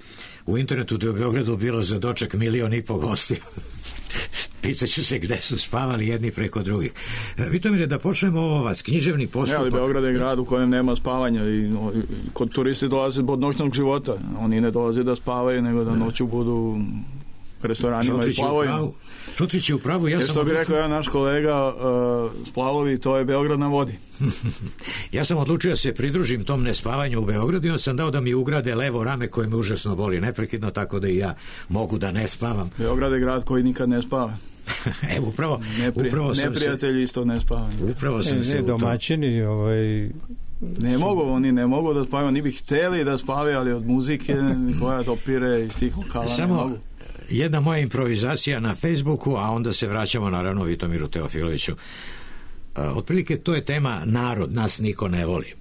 Speaker 1: u internetu da je u Beogradu bilo za doček milion i po gostiju, pitaću se gde su spavali jedni preko drugih. E, Vitomire, da počnemo ovo vas, književni postupak.
Speaker 4: Ne, ali Beograd je grad u kojem nema spavanja i no, kod turisti dolaze od noćnog života. Oni ne dolaze da spavaju, nego da noću budu restoranima i plavovima.
Speaker 1: Šutrić je u pravu, ja
Speaker 4: Jer
Speaker 1: sam...
Speaker 4: što bi rekao ja naš kolega, uh, splavovi, to je Beograd na vodi.
Speaker 1: Ja sam odlučio da se pridružim tom nespavanju u Beogradu i on sam dao da mi ugrade levo rame koje me užasno boli neprekidno, tako da i ja mogu da ne spavam.
Speaker 4: Beograd je grad koji nikad ne spava.
Speaker 1: Evo, upravo,
Speaker 4: Nepri,
Speaker 1: upravo sam
Speaker 4: neprijatelji se, isto ne spavaju.
Speaker 1: Upravo sam
Speaker 3: ne,
Speaker 1: se
Speaker 3: ne, domaćini, ovaj...
Speaker 4: Ne mogu, oni ne mogu da spavaju, oni bi htjeli da spavaju, ali od muzike koja dopire iz tih lokala
Speaker 1: Samo...
Speaker 4: ne mogu.
Speaker 1: Jedna moja improvizacija na Facebooku, a onda se vraćamo naravno Vitomiru Teofiloviću. Uh, otprilike to je tema narod, nas niko ne voli.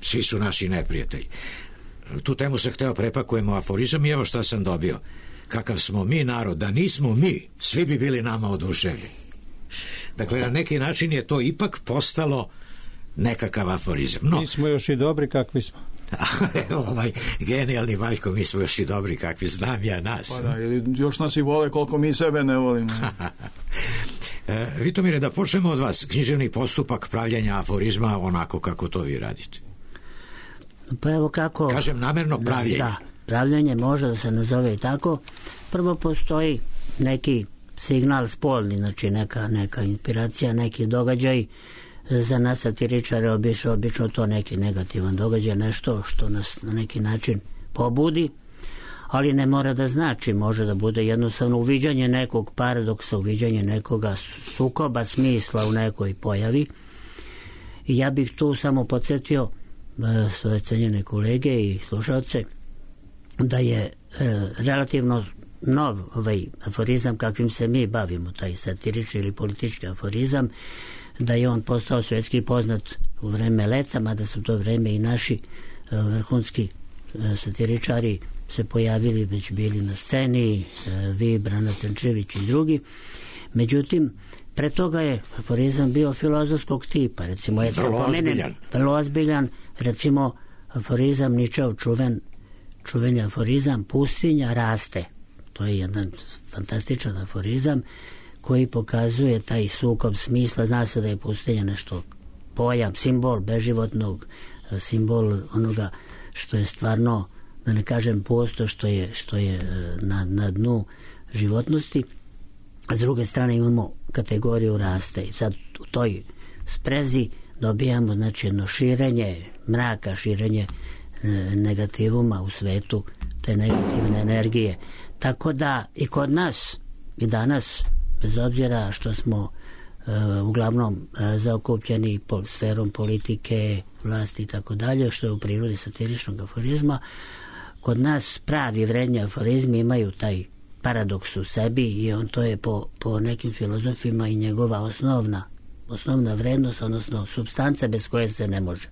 Speaker 1: Svi su naši neprijatelji. Tu temu se hteo prepakujemo aforizam i evo šta sam dobio. Kakav smo mi narod, da nismo mi, svi bi bili nama oduševljeni. Dakle, na neki način je to ipak postalo nekakav aforizam. No,
Speaker 3: mi smo još i dobri kakvi smo.
Speaker 1: ovaj genijalni Valjko, mi smo još i dobri kakvi, znam ja nas.
Speaker 4: Pa da, još nas i vole koliko mi sebe ne volimo.
Speaker 1: e, Vitomire, da počnemo od vas. Književni postupak pravljenja aforizma onako kako to vi radite.
Speaker 6: Pa evo kako...
Speaker 1: Kažem namerno pravljenje.
Speaker 6: Da, da, pravljenje može da se nazove i tako. Prvo postoji neki signal spolni, znači neka, neka inspiracija, neki događaj. Za nas satiričare obično, obično to neki negativan događaj, nešto što nas na neki način pobudi, ali ne mora da znači, može da bude jednostavno uviđanje nekog paradoksa, uviđanje nekoga sukoba smisla u nekoj pojavi. I ja bih tu samo podsjetio e, svoje cenjene kolege i slušalce da je e, relativno nov ovaj aforizam kakvim se mi bavimo, taj satirični ili politički aforizam, da je on postao svjetski poznat u vreme Leca, mada su to vreme i naši uh, vrhunski uh, satiričari se pojavili, već bili na sceni, uh, vi, Brana Tančević i drugi. Međutim, pre toga je aforizam bio filozofskog tipa, recimo je
Speaker 1: vrlo ozbiljan.
Speaker 6: vrlo ozbiljan, recimo aforizam Ničeov čuven, čuveni aforizam pustinja raste. To je jedan fantastičan aforizam koji pokazuje taj sukob smisla. Zna se da je pustinja nešto pojam, simbol beživotnog, simbol onoga što je stvarno, da ne kažem pusto, što je, što je na, na dnu životnosti. A s druge strane imamo kategoriju raste i sad u toj sprezi dobijamo znači jedno širenje mraka, širenje negativuma u svetu, te negativne energije. Tako da i kod nas i danas, bez obzira što smo uh, uglavnom uh, zaokupljeni pol, sferom politike, vlasti i tako dalje, što je u prirodi satiričnog aforizma, kod nas pravi vredni aforizmi imaju taj paradoks u sebi i on to je po, po nekim filozofima i njegova osnovna osnovna vrednost, odnosno supstanca bez koje se ne može.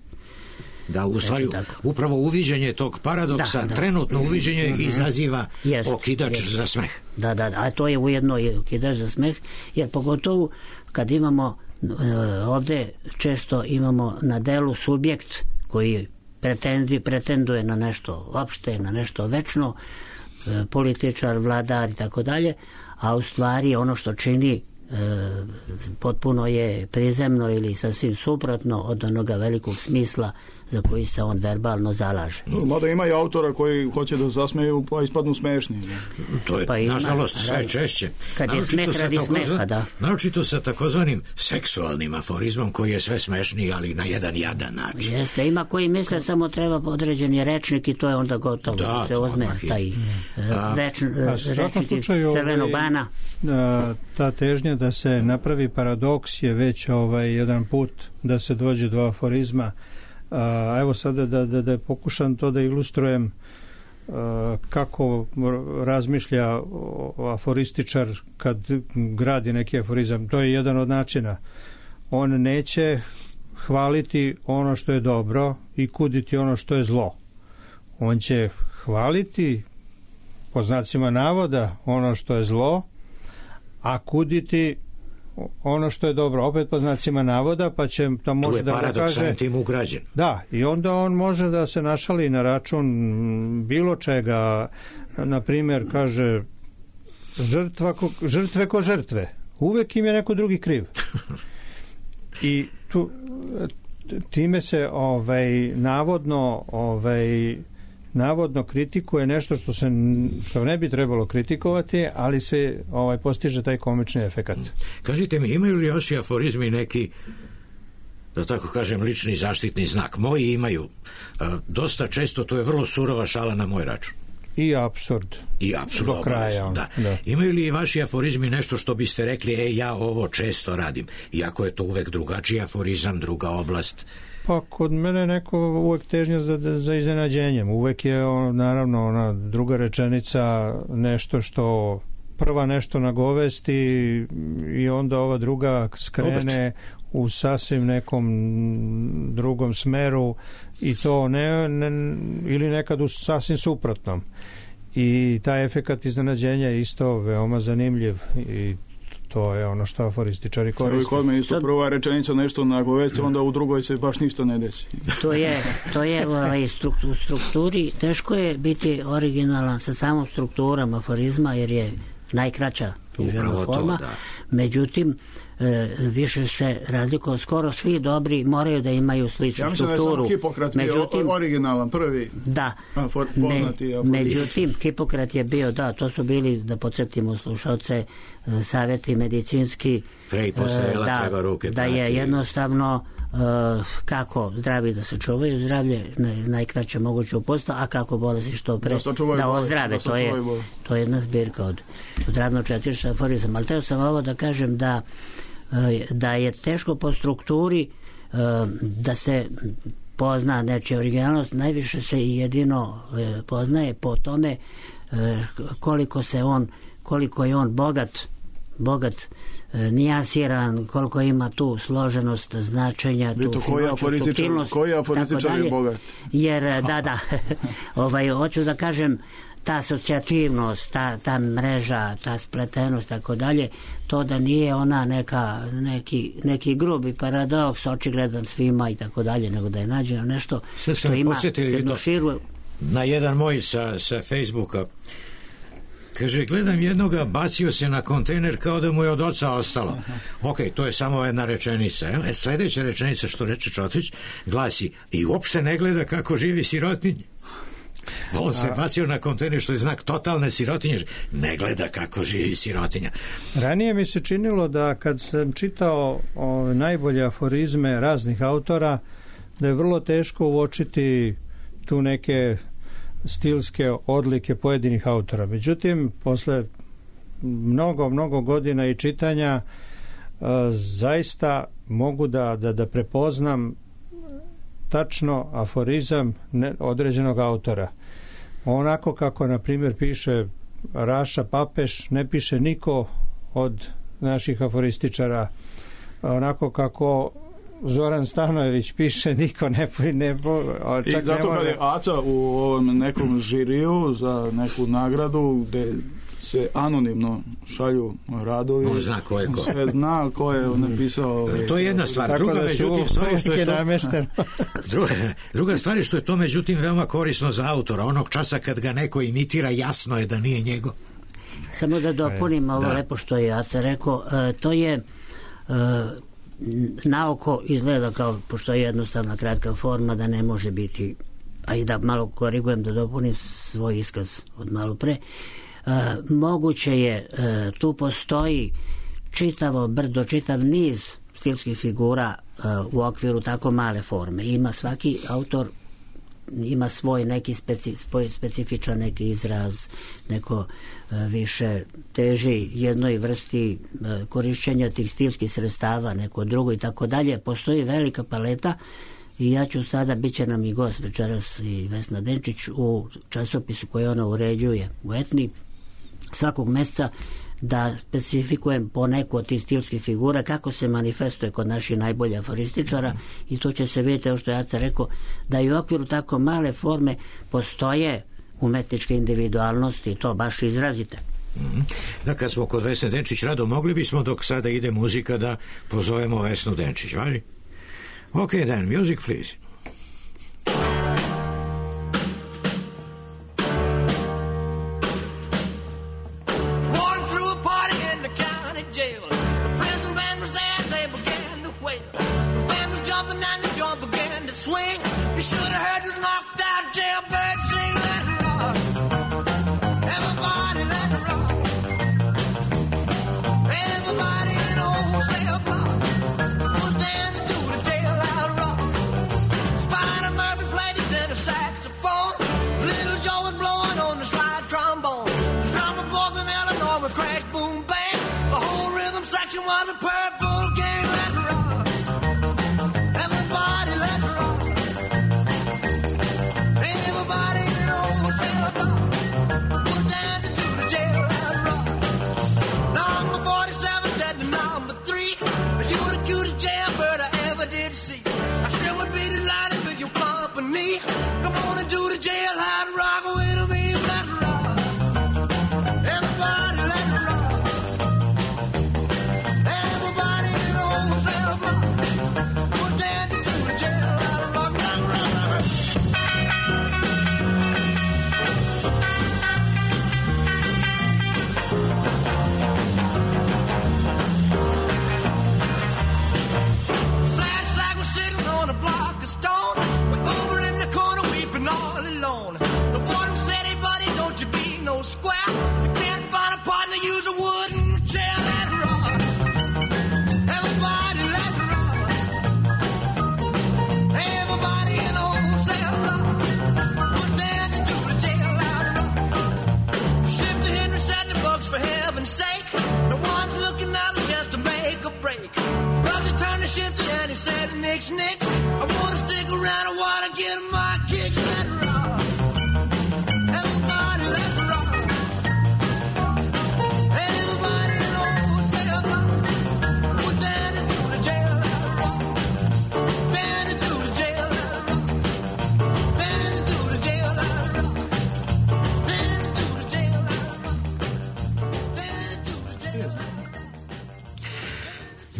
Speaker 1: Da, u stvari, upravo uviđenje tog paradoksa, da, da. trenutno uviđenje mm-hmm. izaziva jest, okidač jest. za smeh.
Speaker 6: Da, da, a to je ujedno i okidač za smeh, jer pogotovo kad imamo ovde često imamo na delu subjekt koji pretendi, pretenduje na nešto opšte, na nešto večno, političar, vladar i tako dalje, a u stvari ono što čini E, potpuno je prizemno ili sasvim suprotno od onoga velikog smisla za koji se on verbalno zalaže.
Speaker 4: No, mada ima i autora koji hoće da zasmeju pa ispadnu smešni.
Speaker 1: To je, pa ima, nažalost, sve češće.
Speaker 6: Kad je smeh radi smeha, da.
Speaker 1: Naročito sa takozvanim seksualnim aforizmom koji je sve smešniji, ali na jedan jadan način.
Speaker 6: Jeste, ima koji misle samo treba određeni rečnik i to je onda gotovo. Da, se uzme taj a, več, a, rečnik iz Crvenog bana.
Speaker 3: A, ta težnja da se napravi paradoks je već ovaj jedan put da se dođe do aforizma. A, evo sada da, da, da pokušam to da ilustrujem a, kako razmišlja aforističar kad gradi neki aforizam. To je jedan od načina. On neće hvaliti ono što je dobro i kuditi ono što je zlo. On će hvaliti po znacima navoda ono što je zlo, a kuditi ono što je dobro, opet po znacima navoda, pa će tam može da kaže... Tu je paradoks
Speaker 1: tim ugrađen.
Speaker 3: Da, i onda on može da se našali na račun bilo čega, na primjer, kaže žrtva ko, žrtve ko žrtve. Uvek im je neko drugi kriv. I tu, time se ovaj, navodno ovaj, navodno kritikuje nešto što se što ne bi trebalo kritikovati, ali se ovaj postiže taj komični efekat.
Speaker 1: Kažite mi, imaju li vaši aforizmi neki, da tako kažem, lični zaštitni znak? Moji imaju. Dosta često to je vrlo surova šala na moj račun.
Speaker 3: I apsurd.
Speaker 1: I apsurd
Speaker 3: do kraja.
Speaker 1: Da.
Speaker 3: Da.
Speaker 1: Imaju li vaši aforizmi nešto što biste rekli, e, ja ovo često radim, iako je to uvek drugačiji aforizam, druga oblast?
Speaker 3: Pa kod mene neko uvek težnja za, za iznenađenjem. Uvek je on, naravno ona druga rečenica nešto što prva nešto nagovesti i onda ova druga skrene u sasvim nekom drugom smeru i to ne, ne ili nekad u sasvim suprotnom. I taj efekat iznenađenja je isto veoma zanimljiv i to je ono što aforističari koriste.
Speaker 4: Kod me isto prva rečenica nešto nagovesti, onda u drugoj se baš ništa ne desi.
Speaker 6: To je, to je ovaj, u strukturi, teško je biti originalan sa samom strukturom aforizma, jer je najkraća književna forma. To, međutim, e, više se razlikuje, skoro svi dobri moraju da imaju sličnu
Speaker 4: ja mislim
Speaker 6: strukturu.
Speaker 4: Da je samo Hipokrat međutim, bio originalan, prvi.
Speaker 6: Da.
Speaker 4: Afor, poznati
Speaker 6: Me, međutim, Hipokrat je bio, da, to su bili, da podsjetimo slušalce, savjeti medicinski,
Speaker 1: Prej postojela,
Speaker 6: da,
Speaker 1: treba ruke
Speaker 6: da je jednostavno uh, kako zdravi da se čuvaju, zdravlje najkraće moguće uputstva, a kako bolesti što pre da, da ozdrave. Da to, je, to je jedna zbirka od, od radno četirišta aforizam. Ali teo sam ovo da kažem da, uh, da je teško po strukturi uh, da se pozna nečija originalnost, najviše se i jedino uh, poznaje po tome uh, koliko se on koliko je on bogat bogat nijansiran, koliko ima tu složenost značenja, tu finoću, suptilnost,
Speaker 4: koji aforističar je bogat?
Speaker 6: Jer, da, da, ovaj, hoću da kažem, ta asocijativnost, ta, ta mreža, ta spletenost, tako dalje, to da nije ona neka, neki, neki grubi paradoks, očigledan svima i tako dalje, nego da je nađeno nešto
Speaker 1: Sve
Speaker 6: što ima jednu širu...
Speaker 1: Na jedan moj sa, sa Facebooka, kaže, gledam jednoga, bacio se na kontejner kao da mu je od oca ostalo. Ok, to je samo jedna rečenica. E, sljedeća rečenica što reče Čotrić glasi, i uopšte ne gleda kako živi sirotinje. On se bacio na kontejner što je znak totalne sirotinje, ne gleda kako živi sirotinja.
Speaker 3: Ranije mi se činilo da kad sam čitao o, najbolje aforizme raznih autora, da je vrlo teško uočiti tu neke stilske odlike pojedinih autora. Međutim, posle mnogo, mnogo godina i čitanja zaista mogu da, da, da prepoznam tačno aforizam određenog autora. Onako kako, na primjer, piše Raša Papeš, ne piše niko od naših aforističara. Onako kako Zoran Stanojević piše, niko ne... ne čak
Speaker 4: I zato
Speaker 3: ne može...
Speaker 4: kad je Aca u ovom nekom žiriju za neku nagradu gde se anonimno šalju radovi.
Speaker 1: On zna ko je ko.
Speaker 4: Sve zna ko je napisao.
Speaker 1: To je jedna stvar. Druga, da međutim, stvari što je to... druga, druga stvar je što je to, međutim, veoma korisno za autora. Onog časa kad ga neko imitira, jasno je da nije njegov.
Speaker 6: Samo da dopunim ovo da. Lepo što je Aca rekao. E, to je e, naoko izgleda kao, pošto je jednostavna kratka forma, da ne može biti, a i da malo korigujem, da dopunim svoj iskaz od malo pre. Uh, moguće je, uh, tu postoji čitavo brdo, čitav niz stilskih figura uh, u okviru tako male forme. Ima svaki autor ima svoj neki speci, svoj specifičan neki izraz, neko uh, više teži jednoj vrsti uh, korišćenja tih stilskih sredstava, neko drugo i tako dalje. Postoji velika paleta i ja ću sada, bit će nam i gost večeras i Vesna Denčić u časopisu koji ona uređuje u Etni svakog meseca, da specifikujem po neku od tih stilskih figura kako se manifestuje kod naših najboljih aforističara i to će se vidjeti, što je Aca rekao, da i u okviru tako male forme postoje umetničke individualnosti, to baš izrazite.
Speaker 1: Mm-hmm. Da, kad smo kod Vesne Denčić, Rado, mogli bismo dok sada ide muzika da pozovemo Vesnu Denčić, važi? Ok, then, music please.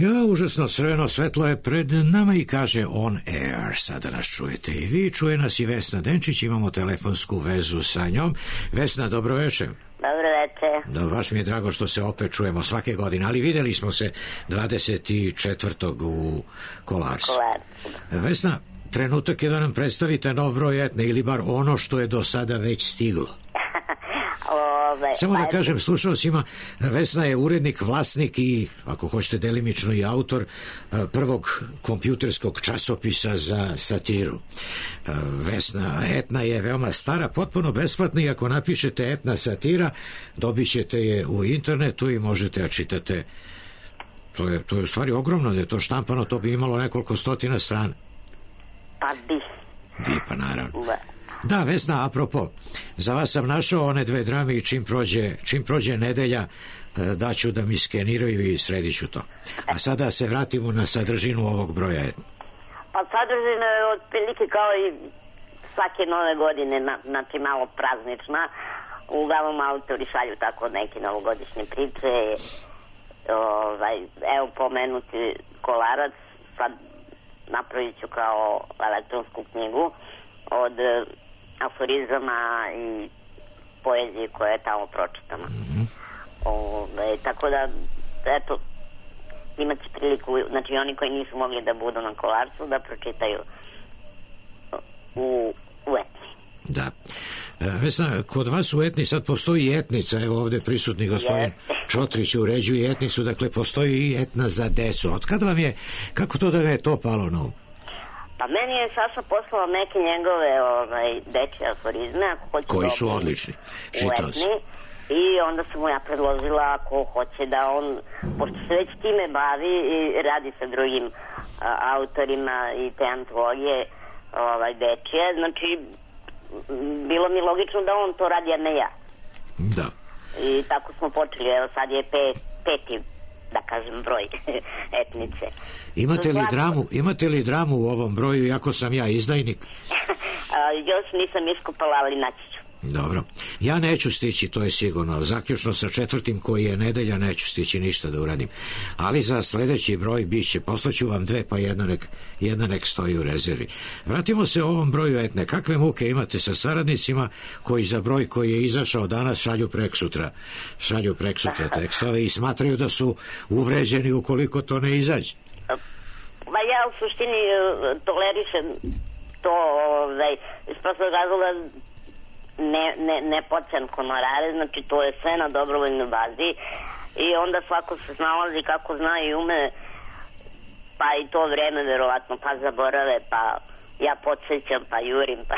Speaker 1: Ja, užasno crveno svetlo je pred nama i kaže on air. Sada nas čujete i vi, čuje nas i Vesna Denčić, imamo telefonsku vezu sa njom. Vesna, dobro večer.
Speaker 10: Dobro večer.
Speaker 1: Da, baš mi je drago što se opet čujemo svake godine, ali videli smo se dvadeset četvrtog u Kolarcu.
Speaker 10: Kolarcu.
Speaker 1: Vesna, trenutak je da nam predstavite nov broj Etne ili bar ono što je do sada već stiglo.
Speaker 10: Ove,
Speaker 1: Samo da
Speaker 10: pa-
Speaker 1: kažem slušalcima, Vesna je urednik, vlasnik i, ako hoćete delimično, i autor e, prvog kompjuterskog časopisa za satiru. E, Vesna Etna je veoma stara, potpuno besplatna i ako napišete Etna satira, dobit ćete je u internetu i možete ja čitate. To je, to je u stvari ogromno, da je to štampano, to bi imalo nekoliko stotina strana.
Speaker 10: Pa bi.
Speaker 1: Bi, pa naravno.
Speaker 10: Da.
Speaker 1: Da, Vesna, apropo, za vas sam našao one dve drame i čim prođe, čim prođe nedelja, daću da mi skeniraju i sredit ću to. A sada se vratimo na sadržinu ovog broja.
Speaker 10: Pa sadržina je otprilike kao i svake nove godine, na, znači malo praznična. Uglavnom autori šalju tako neke novogodišnje priče. Ovaj, evo pomenuti Kolarac, sad napravit ću kao elektronsku knjigu od aforizama i poezije koja je tamo pročitana. Mm-hmm. Ove, tako da, eto, imat će priliku, znači oni koji nisu mogli da budu na Kolarcu, da pročitaju u, u Etni.
Speaker 1: Da. E, Vesna, kod vas u Etni sad postoji etnica, evo ovde prisutni gospodin Čotrić uređuje etnicu, dakle postoji i etna za decu. Otkad vam je, kako to da vam je to palo na um?
Speaker 10: Pa meni je Saša poslao neke njegove ovaj, dečje aforizme, ako hoće
Speaker 1: koji su
Speaker 10: dobiti
Speaker 1: odlični.
Speaker 10: u
Speaker 1: Čitao sam.
Speaker 10: Etni. I onda sam mu ja predložila ako hoće da on, pošto se već time bavi i radi sa drugim a, autorima i te antologije ovaj, dečje, znači bilo mi logično da on to radi, a ne ja.
Speaker 1: Da.
Speaker 10: I tako smo počeli, evo sad je pet, peti, da kažem, broj etnice.
Speaker 1: Imate li,
Speaker 10: Svaki...
Speaker 1: dramu, imate li dramu u ovom broju, iako sam ja izdajnik?
Speaker 10: a, još nisam iskupala, ali naći ću.
Speaker 1: Dobro. Ja neću stići, to je sigurno. Zaključno sa četvrtim koji je nedelja neću stići ništa da uradim. Ali za sledeći broj bit će. Poslaću vam dve, pa jedna nek, jedna nek stoji u rezervi. Vratimo se ovom broju Etne. Kakve muke imate sa saradnicima koji za broj koji je izašao danas šalju preksutra, šalju preksutra tekstove i smatraju da su uvređeni ukoliko to ne izađe?
Speaker 10: Ma ja u suštini tolerišem to ovaj, iz prostog razloga ne, ne, ne počem honorare, znači to je sve na dobrovoljnoj bazi i onda svako se snalazi kako zna i ume, pa i to vreme verovatno, pa zaborave, pa ja podsjećam, pa jurim, pa...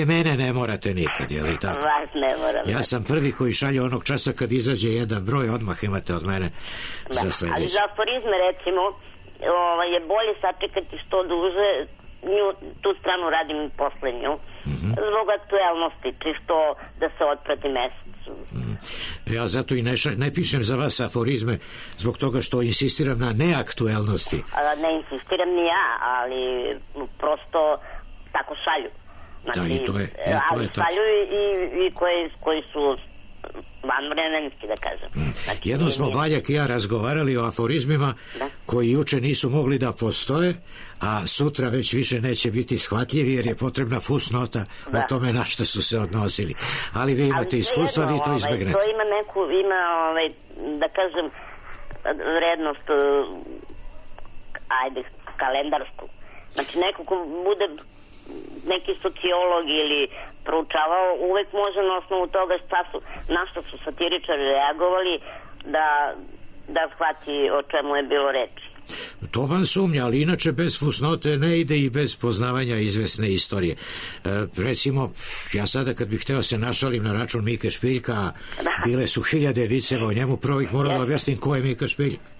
Speaker 1: E, mene ne morate nikad, je li tako?
Speaker 10: Vas ne moram.
Speaker 1: Ja sam prvi koji šalje onog časa kad izađe jedan broj, odmah imate od mene
Speaker 10: da.
Speaker 1: za sledeći.
Speaker 10: Ali za aforizme, recimo, ovaj, je bolje sačekati što duže, nju, tu stranu radim poslednju, mm-hmm. zbog aktuelnosti, čisto da se otprati mesec.
Speaker 1: Mm. Ja zato i ne, ša, ne pišem za vas aforizme zbog toga što insistiram na neaktuelnosti.
Speaker 10: A, ne insistiram ni ja, ali prosto tako šalju. Znači,
Speaker 1: da, i to je, e, to
Speaker 10: ali
Speaker 1: je
Speaker 10: šalju i, i koji, koji su vanvremenski, da kažem.
Speaker 1: Mm.
Speaker 10: Znači,
Speaker 1: jednom smo Baljak i ja razgovarali o aforizmima da? koji juče nisu mogli da postoje, a sutra već više neće biti shvatljivi jer je potrebna fusnota da. o tome na što su se odnosili. Ali vi imate ali iskustva, jedno, vi to izbegnete.
Speaker 10: Ovaj, to ima neku, ima, ovaj, da kažem, vrednost, ajde, kalendarsku. Znači, neko ko bude neki sociolog ili proučavao, uvek može na osnovu toga šta su, na što su satiričari reagovali da, da shvati o čemu je bilo reči.
Speaker 1: To vam sumnja, ali inače bez fusnote ne ide i bez poznavanja izvesne istorije. E, recimo, ja sada kad bih hteo se našalim na račun Mike Špiljka, da. bile su hiljade viceva o njemu, prvo ih moram yes. da objasnim ko je Mika Špiljka.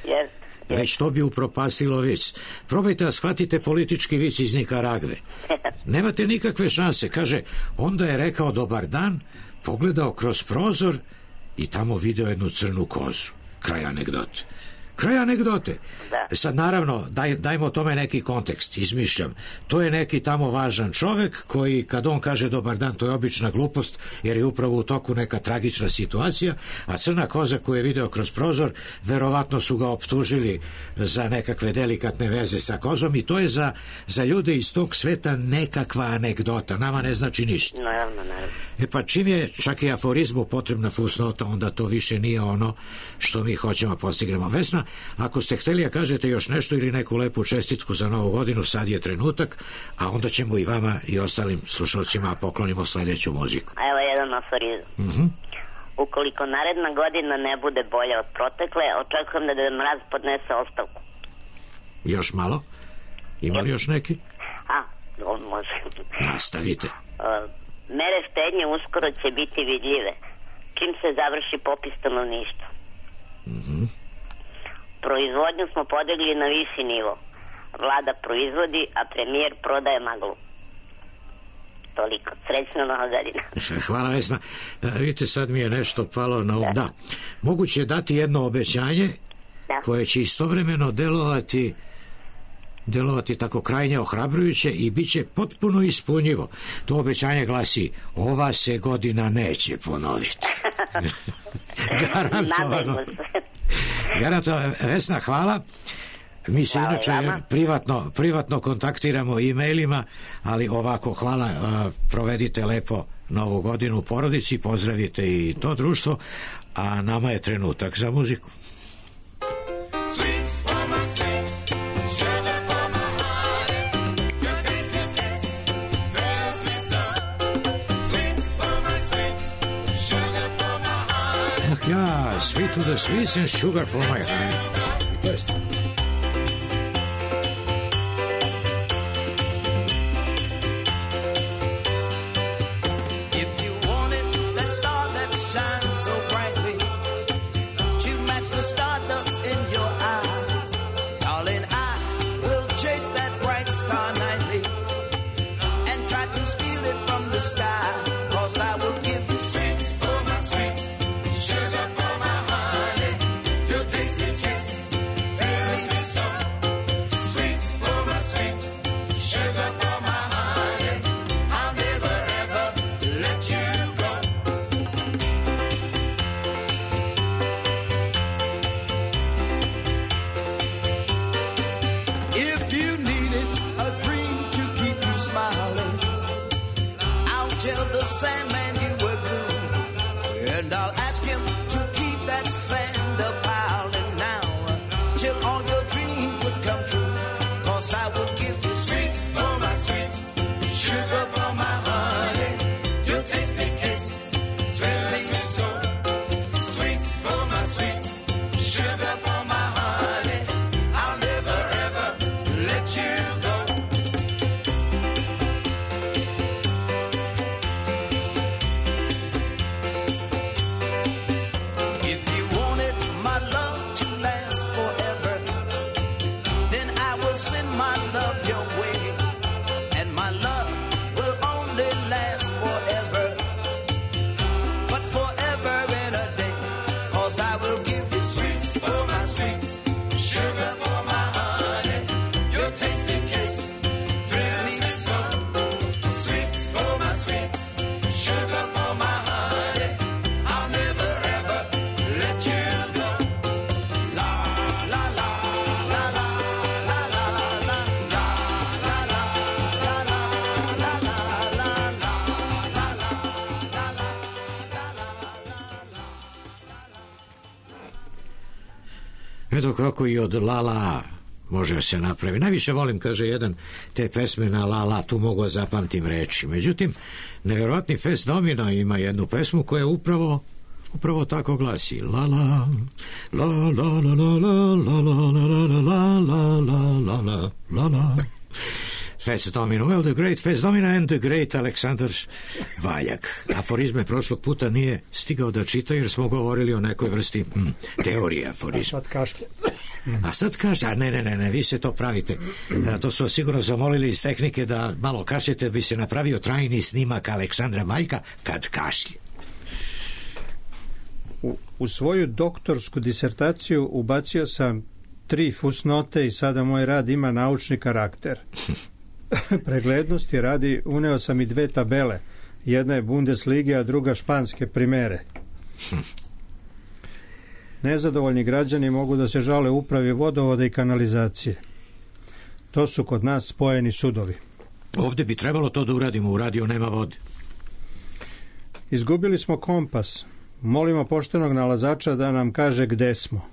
Speaker 10: Yes.
Speaker 1: Već to bi upropastilo vic. Probajte da shvatite politički vic iz Nikaragve. Nemate nikakve šanse. Kaže, onda je rekao dobar dan, pogledao kroz prozor i tamo video jednu crnu kozu. Kraj anegdote. Kraj anegdote. Da. Sad naravno, daj, dajmo tome neki kontekst, izmišljam. To je neki tamo važan čovek koji kad on kaže dobar dan, to je obična glupost jer je upravo u toku neka tragična situacija, a crna koza koju je video kroz prozor, verovatno su ga optužili za nekakve delikatne veze sa kozom i to je za, za ljude iz tog sveta nekakva anegdota. Nama ne znači ništa.
Speaker 10: Naravno, naravno.
Speaker 1: E pa čim je čak i aforizmu potrebna fusnota, onda to više nije ono što mi hoćemo postignemo. Vesna, ako ste hteli da kažete još nešto ili neku lepu čestitku za novu godinu, sad je trenutak, a onda ćemo i vama i ostalim slušalcima poklonimo sledeću muziku.
Speaker 10: Evo jedan aforizam.
Speaker 1: Mhm.
Speaker 10: Ukoliko naredna godina ne bude bolja od protekle, očekujem da Deda Mraz podnese ostavku.
Speaker 1: Još malo? Ima li još neki?
Speaker 10: A, on može.
Speaker 1: Nastavite.
Speaker 10: Mere štednje uskoro će biti vidljive, čim se završi popis stanovništva.
Speaker 1: Mhm.
Speaker 10: Proizvodnju smo podigli na viši nivo. Vlada proizvodi, a premijer prodaje maglu. Toliko. Srećna nova godina.
Speaker 1: Hvala, Vesna. Vidite, sad mi je nešto palo na um. Da. Da. Moguće je dati jedno obećanje da. koje će istovremeno delovati delovati tako krajnje ohrabrujuće i bit će potpuno ispunjivo. To obećanje glasi: ova se godina neće ponoviti. Garantovano. Garantovano. Vesna, hvala. Mi se hvala inače privatno, privatno kontaktiramo e-mailima, ali ovako, hvala, provedite lepo novu godinu u porodici, pozdravite i to društvo, a nama je trenutak za muziku. Ja, sweet to the sweets and sugar for my heart. Eto kako i od La La može se napravi. Najviše volim, kaže jedan, te pesme na La La, tu mogu zapamtim reči. Međutim, nevjerojatni Fats Domino ima jednu pesmu koja upravo upravo tako glasi: La La La La La La La La La La La La La La La La. Fats Domino, well, the great Fats Domino and the great Aleksandar Valjak. Aforizme prošlog puta nije stigao da čita jer smo govorili o nekoj vrsti mm, teorije aforizma.
Speaker 3: A sad kašlje.
Speaker 1: A sad kaže, a ne, ne, ne, ne, vi se to pravite. A, to su sigurno zamolili iz tehnike da malo kašljete, bi se napravio trajni snimak Aleksandra Valjka kad kašlje.
Speaker 3: U, u svoju doktorsku disertaciju ubacio sam tri fusnote i sada moj rad ima naučni karakter. Preglednosti radi uneo sam i dve tabele. Jedna je Bundeslige, a druga španske primere. Nezadovoljni građani mogu da se žale upravi vodovoda i kanalizacije. To su kod nas spojeni sudovi.
Speaker 1: Ovdje bi trebalo to da uradimo, u radio nema vode.
Speaker 3: Izgubili smo kompas. Molimo poštenog nalazača da nam kaže gde smo.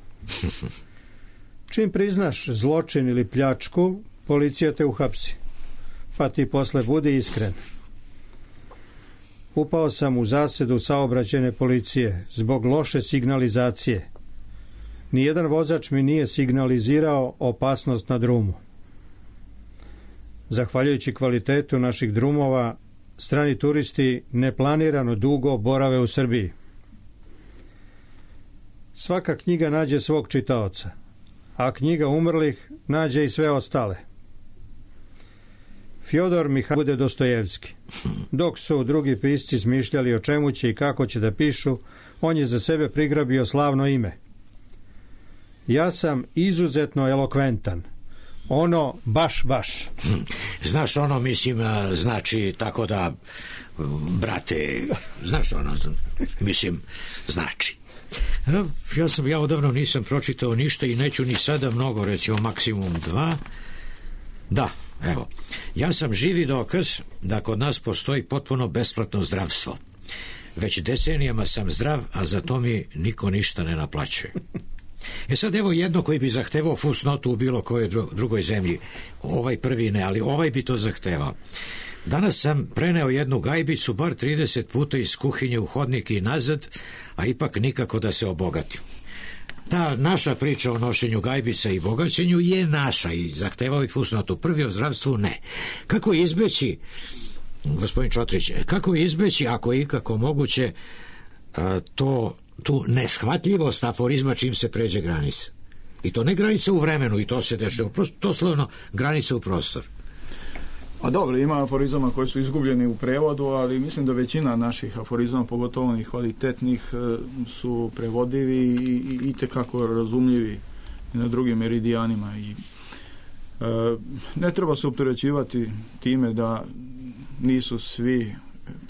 Speaker 3: Čim priznaš zločin ili pljačku, policija te uhapsi. Pa ti posle budi iskren. Upao sam u zasedu saobraćajne policije zbog loše signalizacije. Nijedan vozač mi nije signalizirao opasnost na drumu. Zahvaljujući kvalitetu naših drumova, strani turisti neplanirano dugo borave u Srbiji. Svaka knjiga nađe svog čitaoca, a knjiga umrlih nađe i sve ostale. Fjodor Mihajlović bude Dostojevski. Dok su drugi pisci smišljali o čemu će i kako će da pišu, on je za sebe prigrabio slavno ime. Ja sam izuzetno elokventan. Ono baš, baš.
Speaker 1: Znaš, ono, mislim, znači tako da, brate, znaš, ono, mislim, znači. Ja sam, ja odavno nisam pročitao ništa i neću ni sada mnogo, recimo maksimum dva. Da, evo, ja sam živi dokaz da kod nas postoji potpuno besplatno zdravstvo. Već decenijama sam zdrav, a za to mi niko ništa ne naplaćuje. E sad evo jedno koji bi zahtevao fusnotu u bilo kojoj drugoj zemlji. Ovaj prvi ne, ali ovaj bi to zahtevao. Danas sam preneo jednu gajbicu bar trideset puta iz kuhinje u hodnik i nazad, a ipak nikako da se obogatim. Ta naša priča o nošenju gajbica i bogaćenju je naša i zahtevao i fusnotu. Prvi o zdravstvu ne. Kako izbeći, gospodin Čotrić, kako izbeći, ako je ikako moguće, to, tu neshvatljivost aforizma čim se pređe granica? I to ne granica u vremenu, i to se dešava, to slovno granica u prostor.
Speaker 4: A dobro, ima aforizama koji su izgubljeni u prevodu, ali mislim da većina naših aforizama, pogotovo onih kvalitetnih, su prevodivi i itekako razumljivi na drugim meridijanima. I, e, ne treba se opterećivati time da nisu svi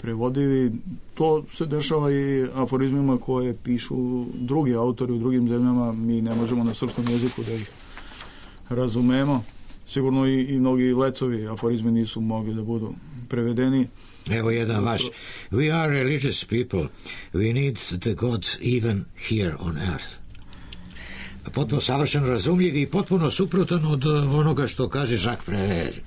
Speaker 4: prevodivi. To se dešava i aforizmima koje pišu drugi autori u drugim zemljama. Mi ne možemo na srpskom jeziku da ih razumemo. Sigurno i, i mnogi lecovi aforizmi nisu mogli da budu prevedeni.
Speaker 1: Evo jedan vaš. We are religious people. We need the God even here on earth. Potpuno savršeno razumljiv i potpuno suprotan od onoga što kaže Jacques Prévert.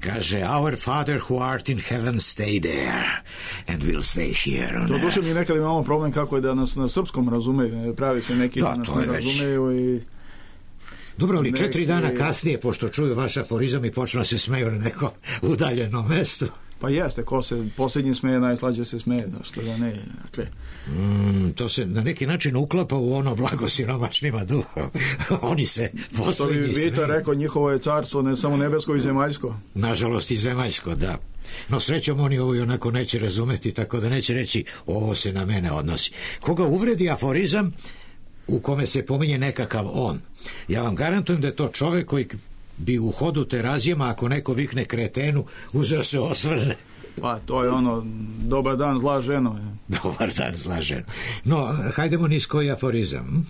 Speaker 1: Kaže, our Father who art in heaven, stay there and we'll stay here.
Speaker 4: To duše mi nekada imamo problem kako je da nas na srpskom razumeju. Pravi se neki da, da nas ne razumeju i...
Speaker 1: Dobro, ali četiri dana kasnije, pošto čuju vaš aforizam i počnu se smeju na neko udaljeno mesto.
Speaker 4: Pa jeste, ko se posljednji smeje, najslađe se smeje, da što da ne. Dakle.
Speaker 1: Mm, to se na neki način uklapa u ono blago siromašnima duha. Oni se posljednji smeju.
Speaker 4: Vita rekao, njihovo je carstvo ne samo nebesko i zemaljsko.
Speaker 1: Nažalost i zemaljsko, da. No srećom oni ovo i onako neće razumeti, tako da neće reći ovo se na mene odnosi. Koga uvredi aforizam u kome se pominje nekakav on, ja vam garantujem da je to čovek koji bi u hodu terazijama, ako neko vikne kretenu, uzeo se osvrne.
Speaker 4: Pa to je ono, dobar dan zla ženo. Je.
Speaker 1: Dobar dan zla ženo. No, hajdemo niz koji aforizam.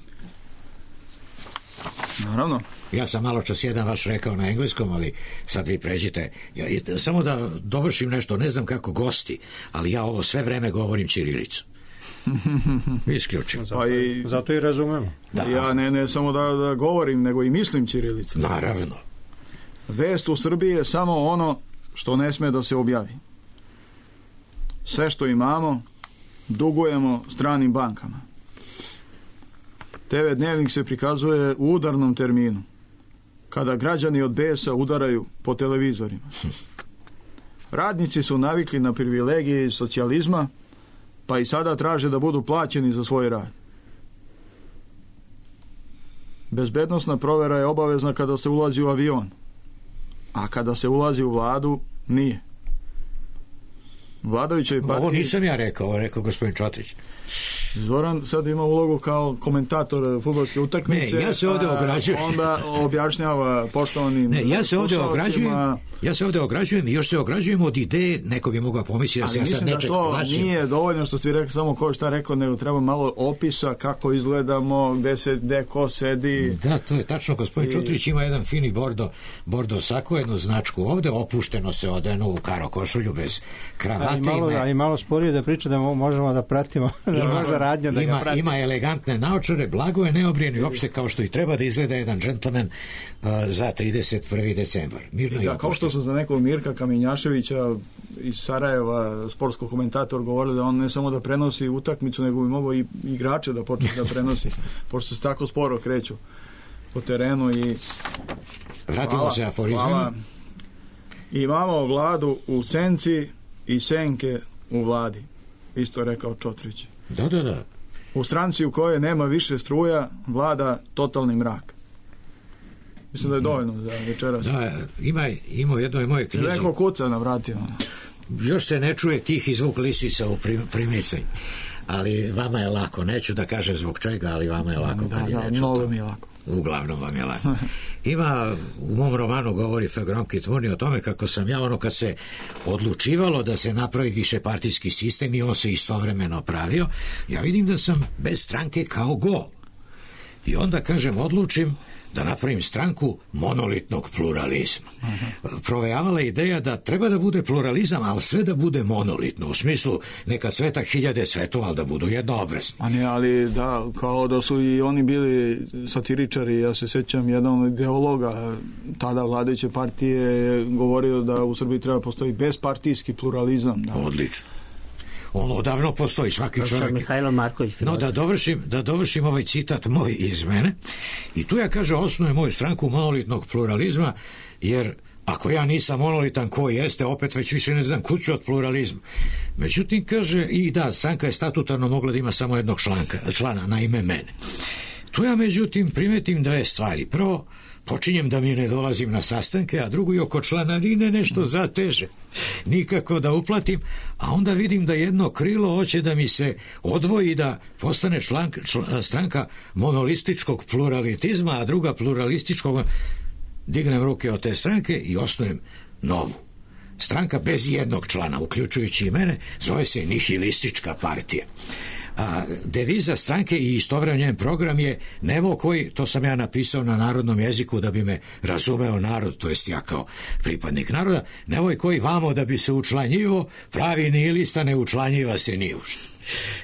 Speaker 4: Naravno.
Speaker 1: Ja sam malo čas jedan vaš rekao na engleskom, ali sad vi pređite. Ja, samo da dovršim nešto, ne znam kako gosti, ali ja ovo sve vreme govorim ćirilicu. Isključim.
Speaker 3: Pa i, zato i razumemo.
Speaker 4: Da. Ja ne, ne samo da, da govorim, nego i mislim ćirilicu.
Speaker 1: Naravno.
Speaker 4: Vest u Srbiji je samo ono što ne sme da se objavi. Sve što imamo dugujemo stranim bankama. te ve dnevnik se prikazuje u udarnom terminu, kada građani od besa udaraju po televizorima. Radnici su navikli na privilegije iz socijalizma, pa i sada traže da budu plaćeni za svoj rad. Bezbednosna provera je obavezna kada se ulazi u avion, a kada se ulazi u vladu, nije. Vladajućoj partiji...
Speaker 1: Ovo nisam ja rekao, rekao gospodin Čotrić.
Speaker 4: Zoran sad ima ulogu kao komentator fudbalske utakmice.
Speaker 1: Ne, ja se ovdje ograđujem.
Speaker 4: Onda objašnjava poštovanim...
Speaker 1: Ne, ja se ovdje ograđujem, ja se ovdje ograđujem i još se ograđujem od ideje, neko bi mogao pomisliti da se ja sad nečeg plašim.
Speaker 4: Ali mislim da to nije dovoljno što ti rekao samo ko šta rekao, nego treba malo opisa kako izgledamo, gde se, gde ko sedi.
Speaker 1: Da, to je tačno, gospodin I... Čutrić ima jedan fini bordo, bordo sako, jednu značku ovde, opušteno se odenu u karo košulju bez kravate.
Speaker 3: A i malo, a i malo sporije da priča da možemo da pratimo, da
Speaker 1: ima,
Speaker 3: može radnja da
Speaker 1: ima,
Speaker 3: ga prati.
Speaker 1: Ima elegantne naočare, blago je neobrijen i uopšte kao što i treba da izgleda jedan džentlmen uh, za trideset prvi decembar. Mirno
Speaker 4: da, kao što su za nekog Mirka Kamenjaševića iz Sarajeva, sportskog komentator, govorili da on ne samo da prenosi utakmicu, nego bi mogao i igrače da počne da prenosi, pošto se tako sporo kreću po terenu. I
Speaker 1: vratimo
Speaker 4: hvala,
Speaker 1: se aforizmima.
Speaker 4: Imamo vladu u senci i senke u vladi, isto rekao Čotrić.
Speaker 1: Da, da, da.
Speaker 4: U stranci u kojoj nema više struja vlada totalni mrak. Mislim da je dovoljno za večeras.
Speaker 1: Da, ima, ima u jednoj moje knjizi.
Speaker 4: Neko kuca na vratima.
Speaker 1: Još se ne čuje tih zvuk lisica u primici, ali vama je lako. Neću da kažem zbog čega, ali vama je lako.
Speaker 4: Da, da, mnogo mi je lako.
Speaker 1: Uglavnom vam je lako. Ima, u mom romanu govori Fegronki Tmurni o tome kako sam ja, ono kad se odlučivalo da se napravi višepartijski sistem i on se istovremeno pravio, ja vidim da sam bez stranke kao gol. I onda, kažem, odlučim da napravim stranku monolitnog pluralizma. Uh-huh. Provejavala je ideja da treba da bude pluralizam, ali sve da bude monolitno, u smislu neka cveta hiljade cvetova, ali da budu jednoobrazni.
Speaker 4: A ne, ali da, kao da su i oni bili satiričari, ja se sjećam jedan od ideologa tada vladajuće partije je govorio da u Srbiji treba postoji bezpartijski pluralizam. Da.
Speaker 1: Odlično. On odavno postoji, svaki čovjek.
Speaker 6: Mihajlo Marković.
Speaker 1: No, da dovršim, da dovršim ovaj citat moj iz mene. I tu ja, kaže, osnujem moju stranku monolitnog pluralizma, jer ako ja nisam monolitan, ko jeste, opet već više ne znam kuću od pluralizma. Međutim, kaže, i da, stranka je statutarno mogla da ima samo jednog članka, člana, na ime mene. Tu ja, međutim, primetim dve stvari. Prvo, počinjem da mi ne dolazim na sastanke, a drugo i oko članarine nešto zateže. Nikako da uplatim, a onda vidim da jedno krilo hoće da mi se odvoji da postane član, čl, stranka monolističkog pluralitizma, a druga pluralističkog. Dignem ruke od te stranke i osnujem novu. Stranka bez jednog člana, uključujući i mene, zove se Nihilistička partija. A deviza stranke i istovremeno njen program je Nemo koji, to sam ja napisao na narodnom jeziku da bi me razumeo narod, to jest ja kao pripadnik naroda, Nemoj koji vamo da bi se učlanjivo, pravi nihilista ne učlanjiva se ni ušte.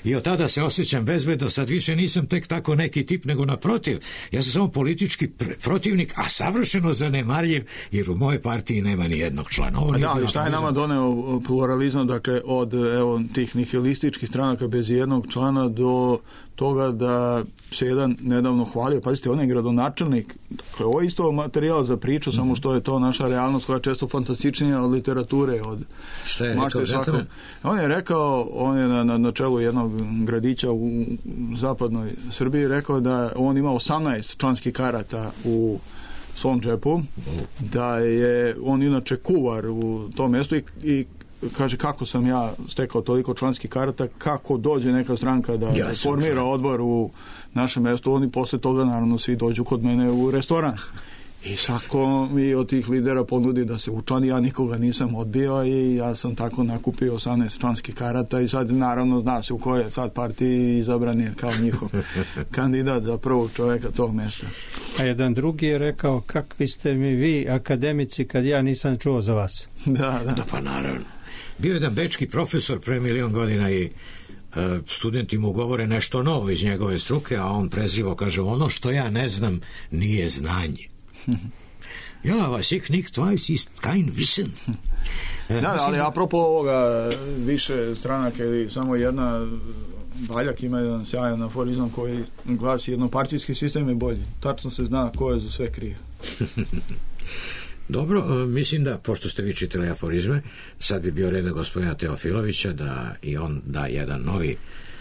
Speaker 1: I od tada se osjećam bezbedno, sad više nisam tek tako neki tip, nego naprotiv, ja sam samo politički pr- protivnik, a savršeno zanemarljiv, jer u mojoj partiji nema ni jednog člana. Ovo
Speaker 4: da, ali šta je nama doneo pluralizam, dakle, od evo, tih nihilističkih stranaka bez jednog člana do toga da se jedan nedavno hvalio, pazite, on je gradonačelnik, dakle, ovo je isto materijal za priču, mm-hmm. samo što je to naša realnost koja je često fantastičnija od literature, od
Speaker 1: šta je rekao,
Speaker 4: svako. On je rekao, on je na, na, na čelu jednog gradića u, u zapadnoj Srbiji rekao da on ima osamnaest članskih karata u svom džepu, da je on inače kuvar u tom mjestu i, i kaže kako sam ja stekao toliko članskih karata, kako dođe neka stranka da ja formira član. Odbor u našem mjestu, oni posle toga naravno svi dođu kod mene u restoran. I svako mi od tih lidera ponudi da se učlani, ja nikoga nisam odbio i ja sam tako nakupio osamnaest članskih karata i sad naravno zna se u kojoj sad partiji izabran je kao njihov kandidat za prvog čovjeka tog mjesta.
Speaker 3: A jedan drugi je rekao, kakvi ste mi vi akademici kad ja nisam čuo za vas.
Speaker 4: Da, da.
Speaker 1: Da, pa naravno. Bio je jedan bečki profesor pre milion godina i uh, studenti mu govore nešto novo iz njegove struke, a on prezrivo kaže, ono što ja ne znam nije znanje. Ja, was ich nicht weiß, ist kein Wissen.
Speaker 4: Da, da, ali apropo ovoga više stranaka ili samo jedna, Baljak ima jedan sjajan aforizam koji glasi, jednopartijski sistem je bolji. Tačno se zna ko je za sve kriv.
Speaker 1: Dobro, mislim da, pošto ste vi čitali aforizme, sad bi bio red gospodina Teofilovića da i on da jedan novi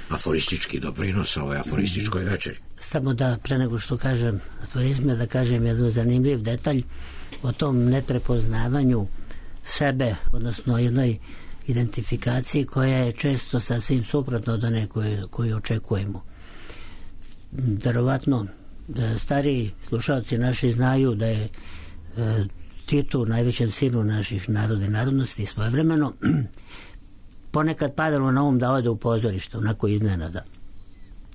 Speaker 1: aforistički doprinos ovoj aforističkoj večeri.
Speaker 6: Samo da, pre nego što kažem aforizme, da kažem jedan zanimljiv detalj o tom neprepoznavanju sebe, odnosno jednoj identifikaciji koja je često sasvim suprotno od one koju, koju očekujemo. Verovatno, stariji slušalci naši znaju da je e, Titu, najvećem sinu naših naroda i narodnosti, svojevremeno ponekad padalo na um da ode u pozorište, onako iznenada.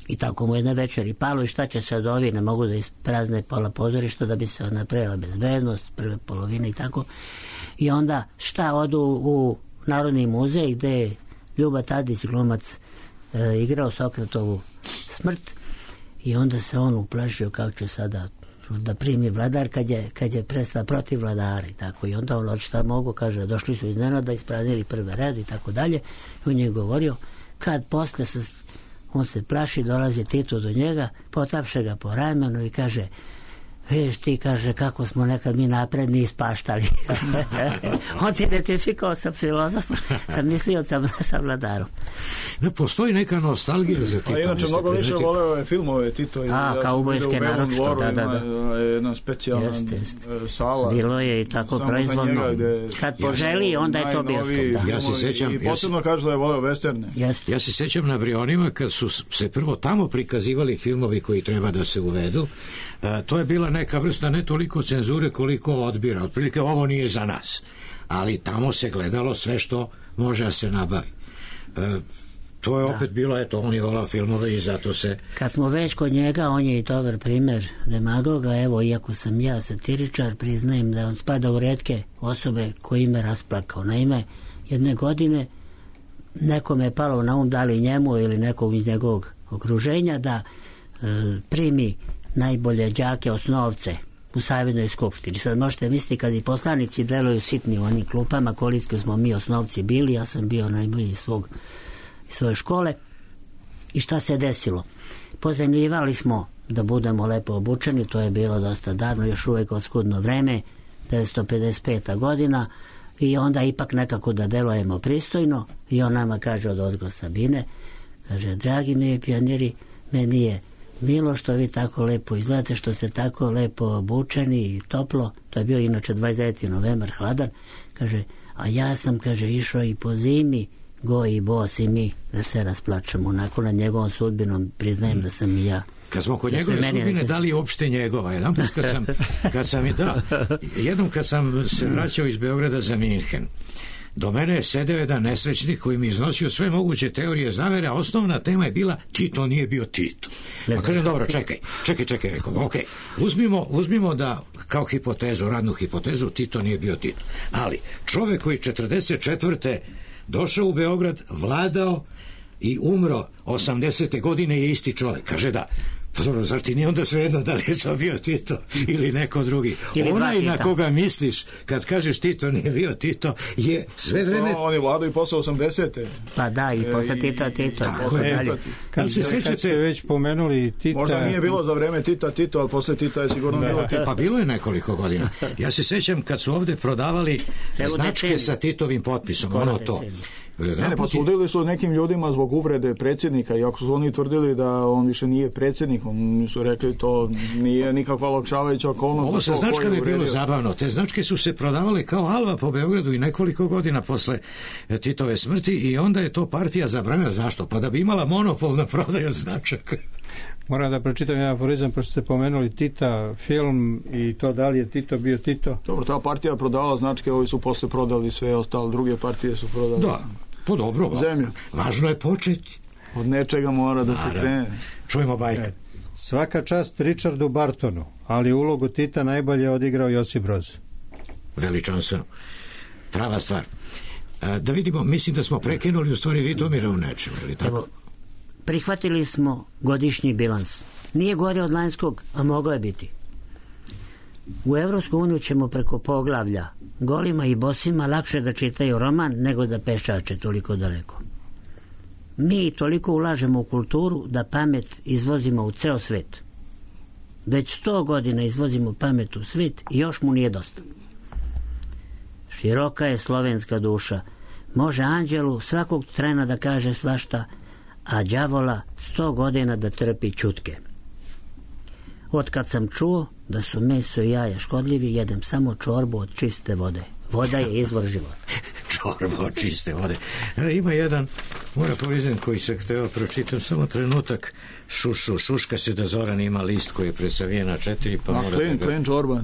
Speaker 6: I tako mu jedne večeri palo i šta će se od ovi, ne mogu da isprazne pola pozorišta da bi se napravila bezbednost, prve polovine i tako. I onda šta, odu u Narodni muzej gde je Ljuba Tadić, glumac, e, igrao Sokratovu smrt i onda se on uplašio kako će sada da primi vladar kad je, kad je prestao protiv vladara i tako. I onda on šta mogu, kaže, došli su iznenada, ispraznili prve red i tako dalje. I on je govorio, kad posle se, on se plaši, dolazi Tito do njega, potapše ga po ramenu i kaže, viš ti, kaže, kako smo nekad mi napredni ispaštali. On se identifikao sa filozofom, sa misliocem, sa vladarom.
Speaker 1: Ne postoji neka nostalgija za Tito.
Speaker 4: A inače, mnogo više voleo je filmove Tito.
Speaker 6: A,
Speaker 4: ja
Speaker 6: kao ubojske naročito, da, da, da.
Speaker 4: Jedna specijalna
Speaker 6: jest, jest.
Speaker 4: sala.
Speaker 6: Bilo je i tako proizvodno. Kad poželi, onda je to bioskop. Da.
Speaker 1: Ja se sećam,
Speaker 4: I posebno kažu da je voleo westerne.
Speaker 6: Jest.
Speaker 1: Ja se sećam na Brionima kad su se prvo tamo prikazivali filmovi koji treba da se uvedu. E, to je bila neka vrsta ne toliko cenzure koliko odbira. Otprilike ovo nije za nas. Ali tamo se gledalo sve što može da se nabavi. E, to je da. Opet bilo, eto, on je volao filmove i zato se...
Speaker 6: Kad smo već kod njega, on je i dobar primer demagoga. Evo, iako sam ja satiričar, priznajem da on spada u retke osobe koji me rasplakao. Naime, jedne godine nekome je palo na um, da li njemu ili nekog iz njegovog okruženja, da e, primi najbolje đake osnovce u Savjednoj skupštini. Sad možete misliti kad i poslanici deluju sitni u onim klupama, koliko smo mi osnovci bili, ja sam bio najbolji iz svog iz svoje škole. I šta se desilo? Pozemljivali smo da budemo lepo obučeni, to je bilo dosta davno, još uvijek oskudno vreme, devetsto pedeset peta godina, i onda ipak nekako da delujemo pristojno, i on nama kaže od ozgo Sabine, kaže, dragi mi pioniri, meni je milo što vi tako lepo izgledate, što ste tako lepo obučeni i toplo. To je bio inače dvadeset deveti novembar, hladan. Kaže, a ja sam, kaže, išao i po zimi, go i bos i mi, da se rasplačemo. Onako nad njegovom sudbinom priznajem da sam i ja.
Speaker 1: Kad smo kod njegove sudbine, da li uopšte njegova? Jedan put kad sam, kad sam i da, jednom kad sam se vraćao iz Beograda za Minhen, do mene je sedeo jedan nesrećnik koji mi iznosio sve moguće teorije zavere, a osnovna tema je bila Tito nije bio Tito. Pa kažem, dobro, čekaj, čekaj, čekaj, rekao, ok, uzmimo, uzmimo da kao hipotezu, radnu hipotezu, Tito nije bio Tito. Ali čovek koji četrdeset četvrte došao u Beograd, vladao i umro osamdesete godine je isti čovek. Kaže da, pa dobro, zar ti nije onda svejedno da li je to bio Tito ili neko drugi? Ili onaj na koga misliš kad kažeš Tito nije bio Tito je sve vreme...
Speaker 4: No, on je vladao i posle osamdesete.
Speaker 6: Pa da, i posle Tita Tito.
Speaker 1: Tako je. Dalje.
Speaker 3: Kad se sećate već pomenuli Tita...
Speaker 4: Možda nije bilo za vreme Tita Tito, ali posle Tita je sigurno bilo Tito.
Speaker 1: Pa bilo je nekoliko godina. Ja se sećam kad su ovde prodavali značke sa Titovim potpisom, ono to.
Speaker 4: Ne, ne, posudili su nekim ljudima zbog uvrede predsjednika, iako su oni tvrdili da on više nije predsjednik, oni su rekli to nije nikakva olakšavajuća okolnost.
Speaker 1: Ovo sa značkama je bilo zabavno. Te značke su se prodavale kao alva po Beogradu i nekoliko godina posle Titove smrti i onda je to partija zabranila. Zašto? Pa da bi imala monopol na prodaju značaka.
Speaker 3: Moram da pročitam jedan aforizam, pošto ste pomenuli Tita, film i to da li je Tito bio Tito.
Speaker 4: Dobro, ta partija prodavala značke, ovi su posle prodali sve ostale, druge partije su prodali.
Speaker 1: Da, po dobro.
Speaker 4: Zemlju.
Speaker 1: Važno je početi.
Speaker 4: Od nečega mora da se krene.
Speaker 1: Čujemo bajka.
Speaker 4: E.
Speaker 3: Svaka čast Richardu Bartonu, ali ulogu Tita najbolje odigrao Josip Broz.
Speaker 1: Veličanstveno. Prava stvar. E, da vidimo, mislim da smo prekinuli u stvari Vitomira u nečem, ili tako?
Speaker 6: Evo, prihvatili smo godišnji bilans. Nije gore od lanjskog, a mogao je biti. U Evropsku uniju ćemo preko poglavlja golima i bosima lakše da čitaju roman nego da pešače toliko daleko. Mi toliko ulažemo u kulturu da pamet izvozimo u ceo svet. Već sto godina izvozimo pamet u svet i još mu nije dosta. Široka je slovenska duša. Može anđelu svakog trena da kaže svašta, a đavola sto godina da trpi čutke. Otkad sam čuo da su meso i jaja škodljivi, jedem samo čorbu od čiste vode. Voda je izvor života.
Speaker 1: Čorba od čiste vode. E, ima jedan, mora povizen koji se hteo pročitam, samo trenutak. Šušu, šuška se da Zoran ima list koji je presavijen na četiri, pa
Speaker 4: a,
Speaker 1: mora
Speaker 4: klin,
Speaker 1: da...
Speaker 4: klin čorba.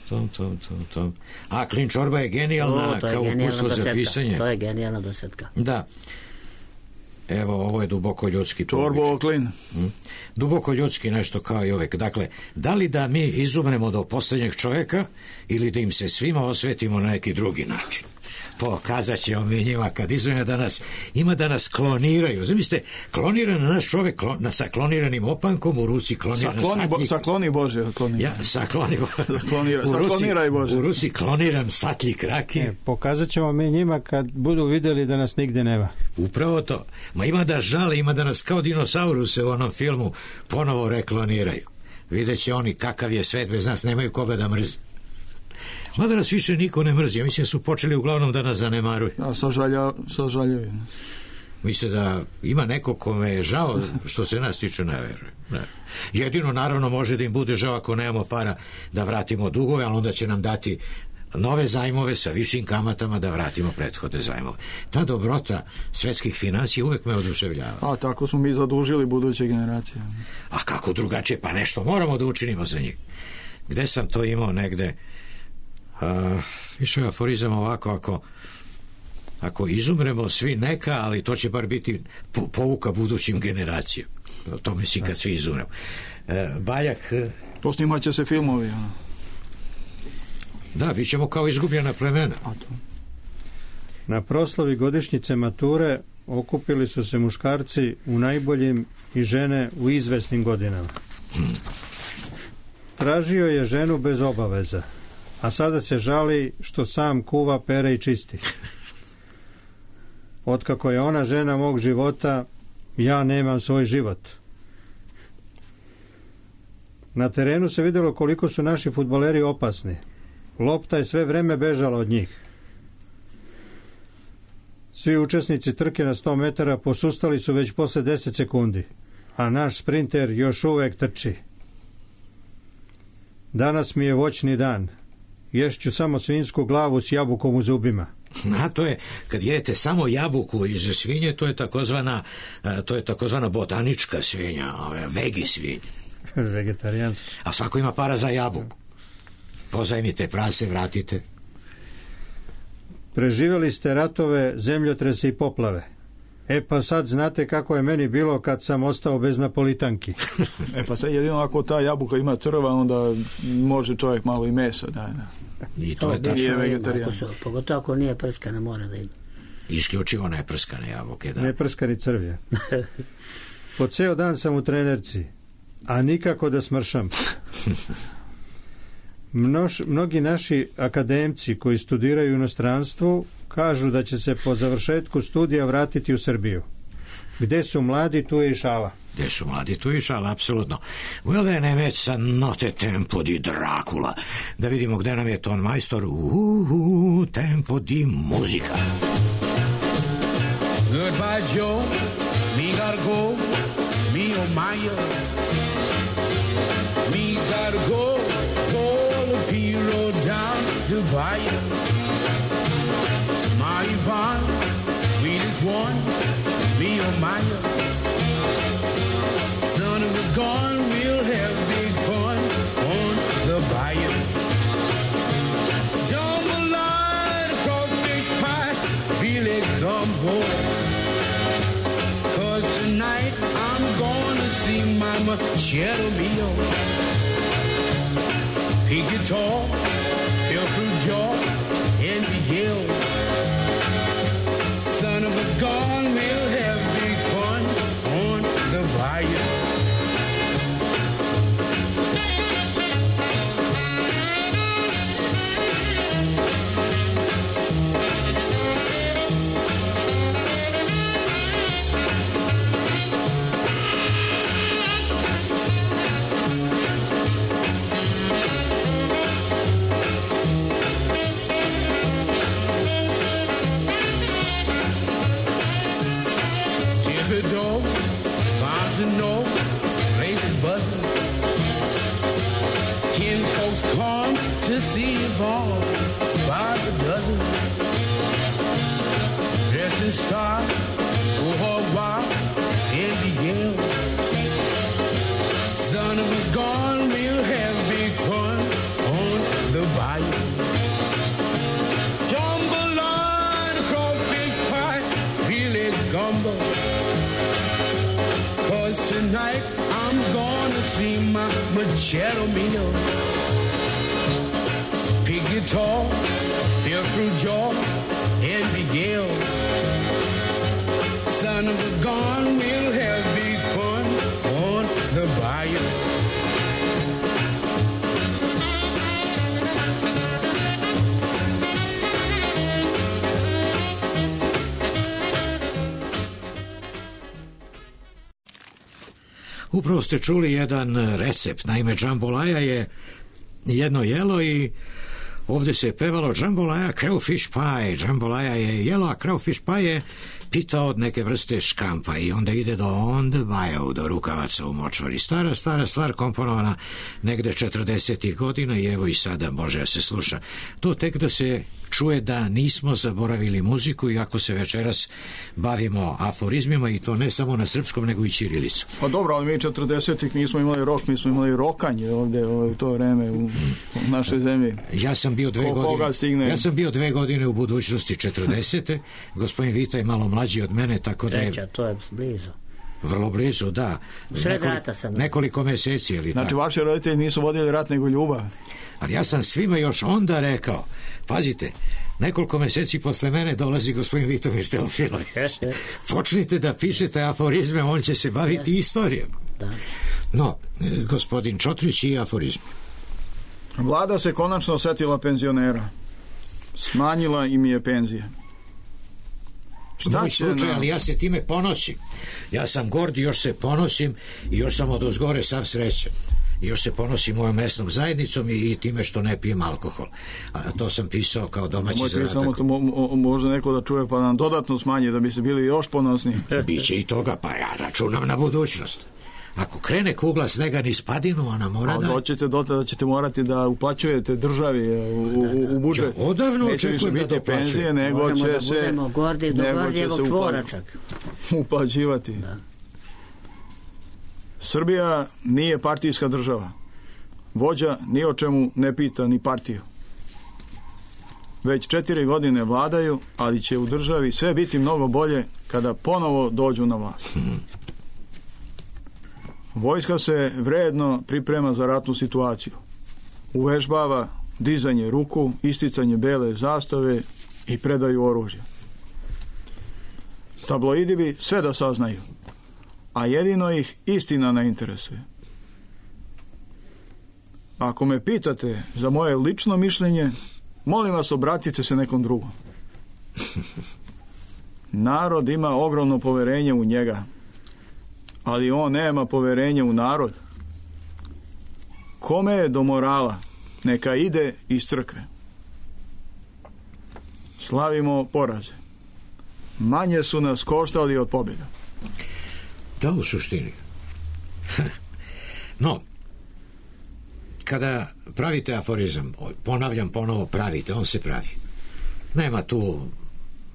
Speaker 1: Tom, tom, tom, tom. A, klin čorba je genijalna
Speaker 6: o, je
Speaker 1: kao uputstvo za pisanje.
Speaker 6: To je genijalna dosetka.
Speaker 1: Da. Evo, ovo je duboko ljudski.
Speaker 4: Čorbo klin.
Speaker 1: Hmm. Duboko ljudski nešto kao i uvek. Dakle, da li da mi izumremo do posljednjeg čovjeka ili da im se svima osvetimo na neki drugi način? Pokazat ćemo mi njima kad izvojimo da nas, ima da nas kloniraju. Zamislite, kloniran naš čovjek klon, na, sa kloniranim opankom, u ruci kloniran
Speaker 4: sakloni,
Speaker 1: satnik.
Speaker 4: Bo, sakloni Bože. Sakloni.
Speaker 1: Ja, sakloni Bože.
Speaker 4: Saklonira, sakloniraj Bože.
Speaker 1: U ruci kloniran satljik rakije.
Speaker 3: E, pokazat ćemo mi njima kad budu vidjeli da nas nigde nema.
Speaker 1: Upravo to. Ma ima da žale, ima da nas kao dinosauruse u onom filmu ponovo rekloniraju. Vidjet će oni kakav je svet bez nas, nemaju koga da mrzi. Mada nas više niko ne mrzi. Ja mislim su počeli uglavnom da nas zanemaruju.
Speaker 4: Da, sažaljuju.
Speaker 1: Misle da ima neko kome je žao što se nas tiče, ne veruje. Ne. Jedino naravno može da im bude žao ako nemamo para da vratimo dugove, ali onda će nam dati nove zajmove sa višim kamatama da vratimo prethodne zajmove. Ta dobrota svetskih financija uvek me oduševljava.
Speaker 4: A tako smo mi zadužili buduće generacije.
Speaker 1: A kako drugačije? Pa nešto moramo da učinimo za njih. Gde sam to imao negde? Uh, išao je aforizam ovako, ako ako izumremo svi neka, ali to će bar biti po, pouka budućim generacijama. To mislim kad svi izumremo. Uh, Baljak...
Speaker 4: Posnimat će se filmovi. Ono.
Speaker 1: Da, bit ćemo kao izgubljena plemena.
Speaker 3: Na proslavi godišnjice mature okupili su se muškarci u najboljim i žene u izvesnim godinama. Hmm. Tražio je ženu bez obaveza, a sada se žali što sam kuva, pere i čisti. Otkako je ona žena mog života, ja nemam svoj život. Na terenu se vidjelo koliko su naši fudbaleri opasni. Lopta je sve vreme bežala od njih. Svi učesnici trke na sto metara posustali su već posle deset sekundi, a naš sprinter još uvek trči. Danas mi je voćni dan. Ješću samo svinjsku glavu s jabukom u zubima.
Speaker 1: A to je, kad jedete samo jabuku iz svinje, to je takozvana, to je takozvana botanička svinja, vegi svinja.
Speaker 3: Vegetarijanska.
Speaker 1: A svako ima para za jabuku. Pozajmite prase, vratite.
Speaker 3: Preživjeli ste ratove, zemljotrese i poplave. E pa sad znate kako je meni bilo kad sam ostao bez napolitanki.
Speaker 4: E pa sad jedino ako ta jabuka ima crva, onda može čovjek malo i mesa. Da, da.
Speaker 1: I to, to je tačno
Speaker 6: vegetarijan. Pogotovo ako nije prskana, mora da ima.
Speaker 1: Isključivo neprskane jabuke, da.
Speaker 3: Neprskani crvje. Po ceo dan sam u trenerci, a nikako da smršam. Mnoš, mnogi naši akademci koji studiraju u inostranstvu kažu da će se po završetku studija vratiti u Srbiju. Gde su mladi, tu je i šala.
Speaker 1: Gde su mladi, tu je i šala, apsolutno. Well, ne već sa note tempo di Dracula. Da vidimo gde nam je ton majstor. Uhu, tempo di muzika.
Speaker 11: Goodbye, Joe. Me gotta go. Me oh my. Me gotta go. Road down to Bayou. My Yvonne, sweetest one, me oh my. Son of a gun, we'll have big fun on the bayou. Jambalaya, crawfish pie, feel it gumbo. Cause tonight I'm gonna see Mama Cheddar Mio. Pig guitar, feel through jaw, and be yelled. Son of a gun, we'll have big fun on the bayou. See Yvonne by the dozen, dressed in style, go hog wild, and begin. Son of a gun, we'll have big fun on the bayou. Jambalaya, crawfish pie, feel it gumbo. Cause tonight I'm gonna see my Machado Mio. Pig guitar, feel through jaw, and Miguel. Son of a gun, we'll have big fun on the bayou.
Speaker 1: Upravo ste čuli jedan recept. Naime, džambolaja je jedno jelo i ovdje se je pevalo džambolaja crayfish pie. Džambolaja je jelo, a crayfish pie je pita od neke vrste škampa i onda ide do on the bayou, do rukavaca u močvari. Stara, stara stvar komponovana negde četrdesetih godina i evo i sada može da se sluša. To tek da se čuje da nismo zaboravili muziku, iako se večeras bavimo aforizmima i to ne samo na srpskom nego i ćirilicu.
Speaker 4: Pa dobro, ali mi četrdesetih nismo imali rok, mi smo imali rokanje ovdje u to vreme u, u našoj zemlji.
Speaker 1: Ja sam bio dve
Speaker 4: Ko,
Speaker 1: godine.
Speaker 4: stigne...
Speaker 1: Ja sam bio dve godine u budućnosti četrdesete. Gospodin Vita je malo mlađi od mene, tako da je...
Speaker 6: Treća, to je blizu.
Speaker 1: Vrlo blizu, da.
Speaker 6: Sred
Speaker 1: Nekoliko,
Speaker 6: rata sam.
Speaker 1: nekoliko meseci, ali
Speaker 4: Znači,
Speaker 1: tako.
Speaker 4: vaši roditelji nisu vodili rat nego ljubav.
Speaker 1: Ali ja sam svima još onda rekao, pazite, nekoliko meseci posle mene dolazi gospodin Vitomir Teofiloj. Počnite da pišete aforizme, on će se baviti istorijom.
Speaker 6: Da.
Speaker 1: No, gospodin Čotrić i aforizmi.
Speaker 4: Vlada se konačno setila penzionera. Smanjila im je penzije.
Speaker 1: Moj slučaj,
Speaker 4: na...
Speaker 1: ali ja se time ponosim. Ja sam gord i još se ponosim i još sam od ozgore sav srećan. I još se ponosim mojom mesnom zajednicom i, i time što ne pijem alkohol. A to sam pisao kao domaći zadatak.
Speaker 4: Samo to mo, mo, može neko da čuje pa nam dodatno smanji da bi se bili još ponosniji.
Speaker 1: Biće i toga, pa ja računam na budućnost. Ako krene kugla snega niz padinu, ona mora da...
Speaker 4: A doćete do tada da ćete morati da uplaćujete državi u, u, u budžet.
Speaker 1: Ja, odavno
Speaker 4: neće
Speaker 1: očekujem
Speaker 4: više
Speaker 1: da
Speaker 4: biti penzije, nego
Speaker 6: možemo
Speaker 4: će
Speaker 6: da
Speaker 4: se...
Speaker 6: budemo gordi do gordijevog čvora čak.
Speaker 4: Uplaćivati.
Speaker 6: Da.
Speaker 4: Srbija nije partijska država. Vođa ni o čemu ne pita ni partiju. Već četiri godine vladaju, ali će u državi sve biti mnogo bolje kada ponovo dođu na vlast. Vojska se vredno priprema za ratnu situaciju. Uvežbava dizanje ruku, isticanje bele zastave i predaju oružja. Tabloidi bi sve da saznaju, a jedino ih istina ne interesuje. Ako me pitate za moje lično mišljenje, molim vas obratite se nekom drugom. Narod ima ogromno poverenje u njega, ali on nema poverenje u narod. Kome je do morala, neka ide iz crkve. Slavimo poraze. Manje su nas koštali od pobjeda.
Speaker 1: Da, u suštini. No, kada pravite aforizam, ponavljam ponovo, pravite, on se pravi. Nema tu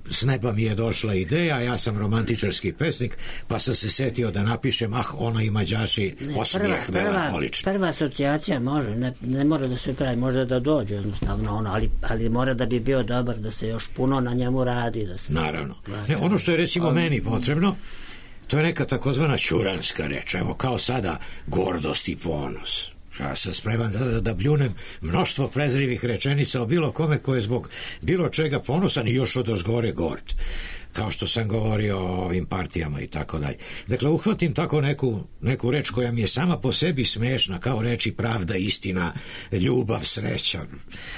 Speaker 1: s neba mi je došla ideja, ja sam romantičarski pesnik, pa sam se setio da napišem, ah, ona ima đaši osmijeh melankolični.
Speaker 6: Prva asocijacija može, ne, ne mora da se pravi, može da dođe jednostavno ono, ali, ali mora da bi bio dobar, da se još puno na njemu radi. Da se...
Speaker 1: Naravno. Ne, ono što je recimo ali... meni potrebno, to je neka takozvana ćuranska reč, evo kao sada gordost i ponos. Ja sam spreman da, da bljunem mnoštvo prezrivih rečenica o bilo kome ko je zbog bilo čega ponosan i još od ozgore gord, kao što sam govorio o ovim partijama i tako dalje. Dakle, uhvatim tako neku, neku reč koja mi je sama po sebi smešna, kao reči pravda, istina, ljubav, sreća.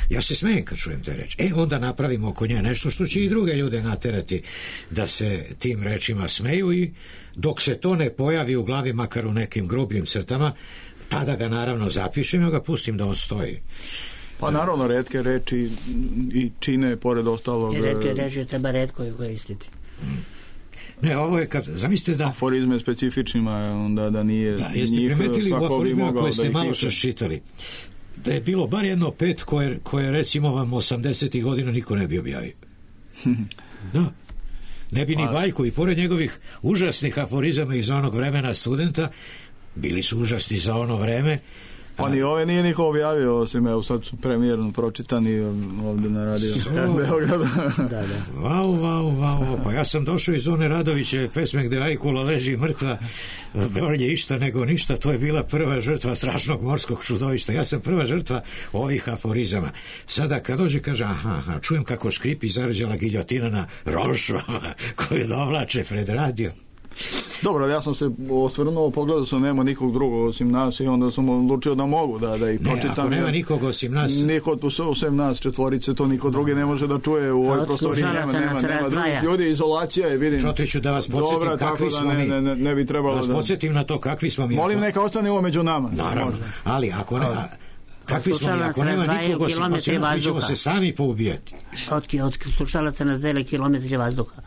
Speaker 1: Ja se smejem kad čujem te reči. E, onda napravimo oko nje nešto što će i druge ljude naterati da se tim rečima smeju i dok se to ne pojavi u glavi, makar u nekim grubljim crtama, tada ga naravno zapišem i ga pustim da on stoji.
Speaker 4: Pa naravno, retke reči i čine pored ostalog.
Speaker 6: I retke reči treba retko i koristiti.
Speaker 1: Ne, ovo je kad, zamislite da...
Speaker 4: Aforizme specifičnima, onda da nije...
Speaker 1: Da, jeste primetili u aforizmima koje ste malo čas čitali, da je bilo bar jedno pet koje, koje recimo vam osamdesetih godina niko ne bi objavio. Da. Ne bi ni Bajko i pored njegovih užasnih aforizama iz onog vremena studenta, bili su užasni za ono vreme,
Speaker 4: Pa ni ove nije niko objavio, osim evo sad su premijerno pročitani ovdje na radio Beograda.
Speaker 6: Da, da.
Speaker 1: Vau, vau, vau, pa ja sam došao iz one Radovićeve pesme gde Ajkula leži mrtva, bolje išta nego ništa, to je bila prva žrtva strašnog morskog čudovišta. Ja sam prva žrtva ovih aforizama. Sada kad dođe kaže, aha, aha, čujem kako škripi zarđala giljotina na rolšvama koju dovlače pred radio.
Speaker 4: Dobro, ja sam se osvrnuo, pogledao sam, nema nikog drugog osim nas i onda sam odlučio da mogu da, da ih pročitam.
Speaker 1: Ne, ako nema nikog osim nas...
Speaker 4: Niko osim nas četvorice, to niko drugi ne može da čuje u ovoj prostoriji, nema, nema, nema drugih ljudi, izolacija je, vidim.
Speaker 1: Čotiću da vas podsjetim dobra, kakvi smo mi.
Speaker 4: Ne, ne, ne bi trebalo
Speaker 1: da vas podsjetim na to kakvi smo mi.
Speaker 4: Molim, neka ostane ovo među nama.
Speaker 1: Naravno, ali ako ne... Kakvi smo mi, ako nema nikog osim nas, mi ćemo se sami poubijati.
Speaker 6: Od, od slušalaca nas dele kilometri vazduha.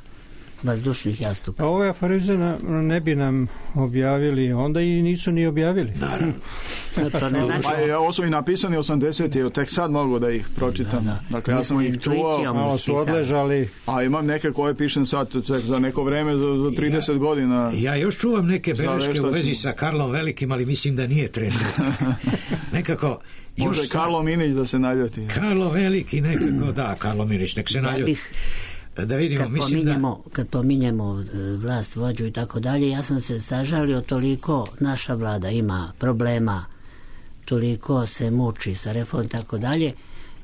Speaker 6: Vazdušnih jastuka.
Speaker 3: A ove aforize ne bi nam objavili, onda i nisu ni objavili.
Speaker 1: Naravno.
Speaker 6: To ne znači...
Speaker 4: Pa, ovo su i napisani osamdeseti, tek sad mogu da ih pročitam. Da, da. Dakle, ja sam ih čuo.
Speaker 3: Malo su odležali.
Speaker 4: A imam neke koje pišem sad za neko vreme, za, za trideset
Speaker 1: ja,
Speaker 4: godina.
Speaker 1: Ja još čuvam neke beleške u vezi sa Karlom Velikim, ali mislim da nije trenutno. Nekako...
Speaker 4: Može Karlo Minić da se naljoti.
Speaker 1: Karlo Veliki nekako, da, Karlo Minić, nek se naljoti. Da vidimo,
Speaker 6: kad,
Speaker 1: mislim
Speaker 6: pominjemo,
Speaker 1: da...
Speaker 6: kad pominjemo vlast, vođu i tako dalje, ja sam se sažalio toliko, naša vlada ima problema, toliko se muči sa reformom i tako dalje,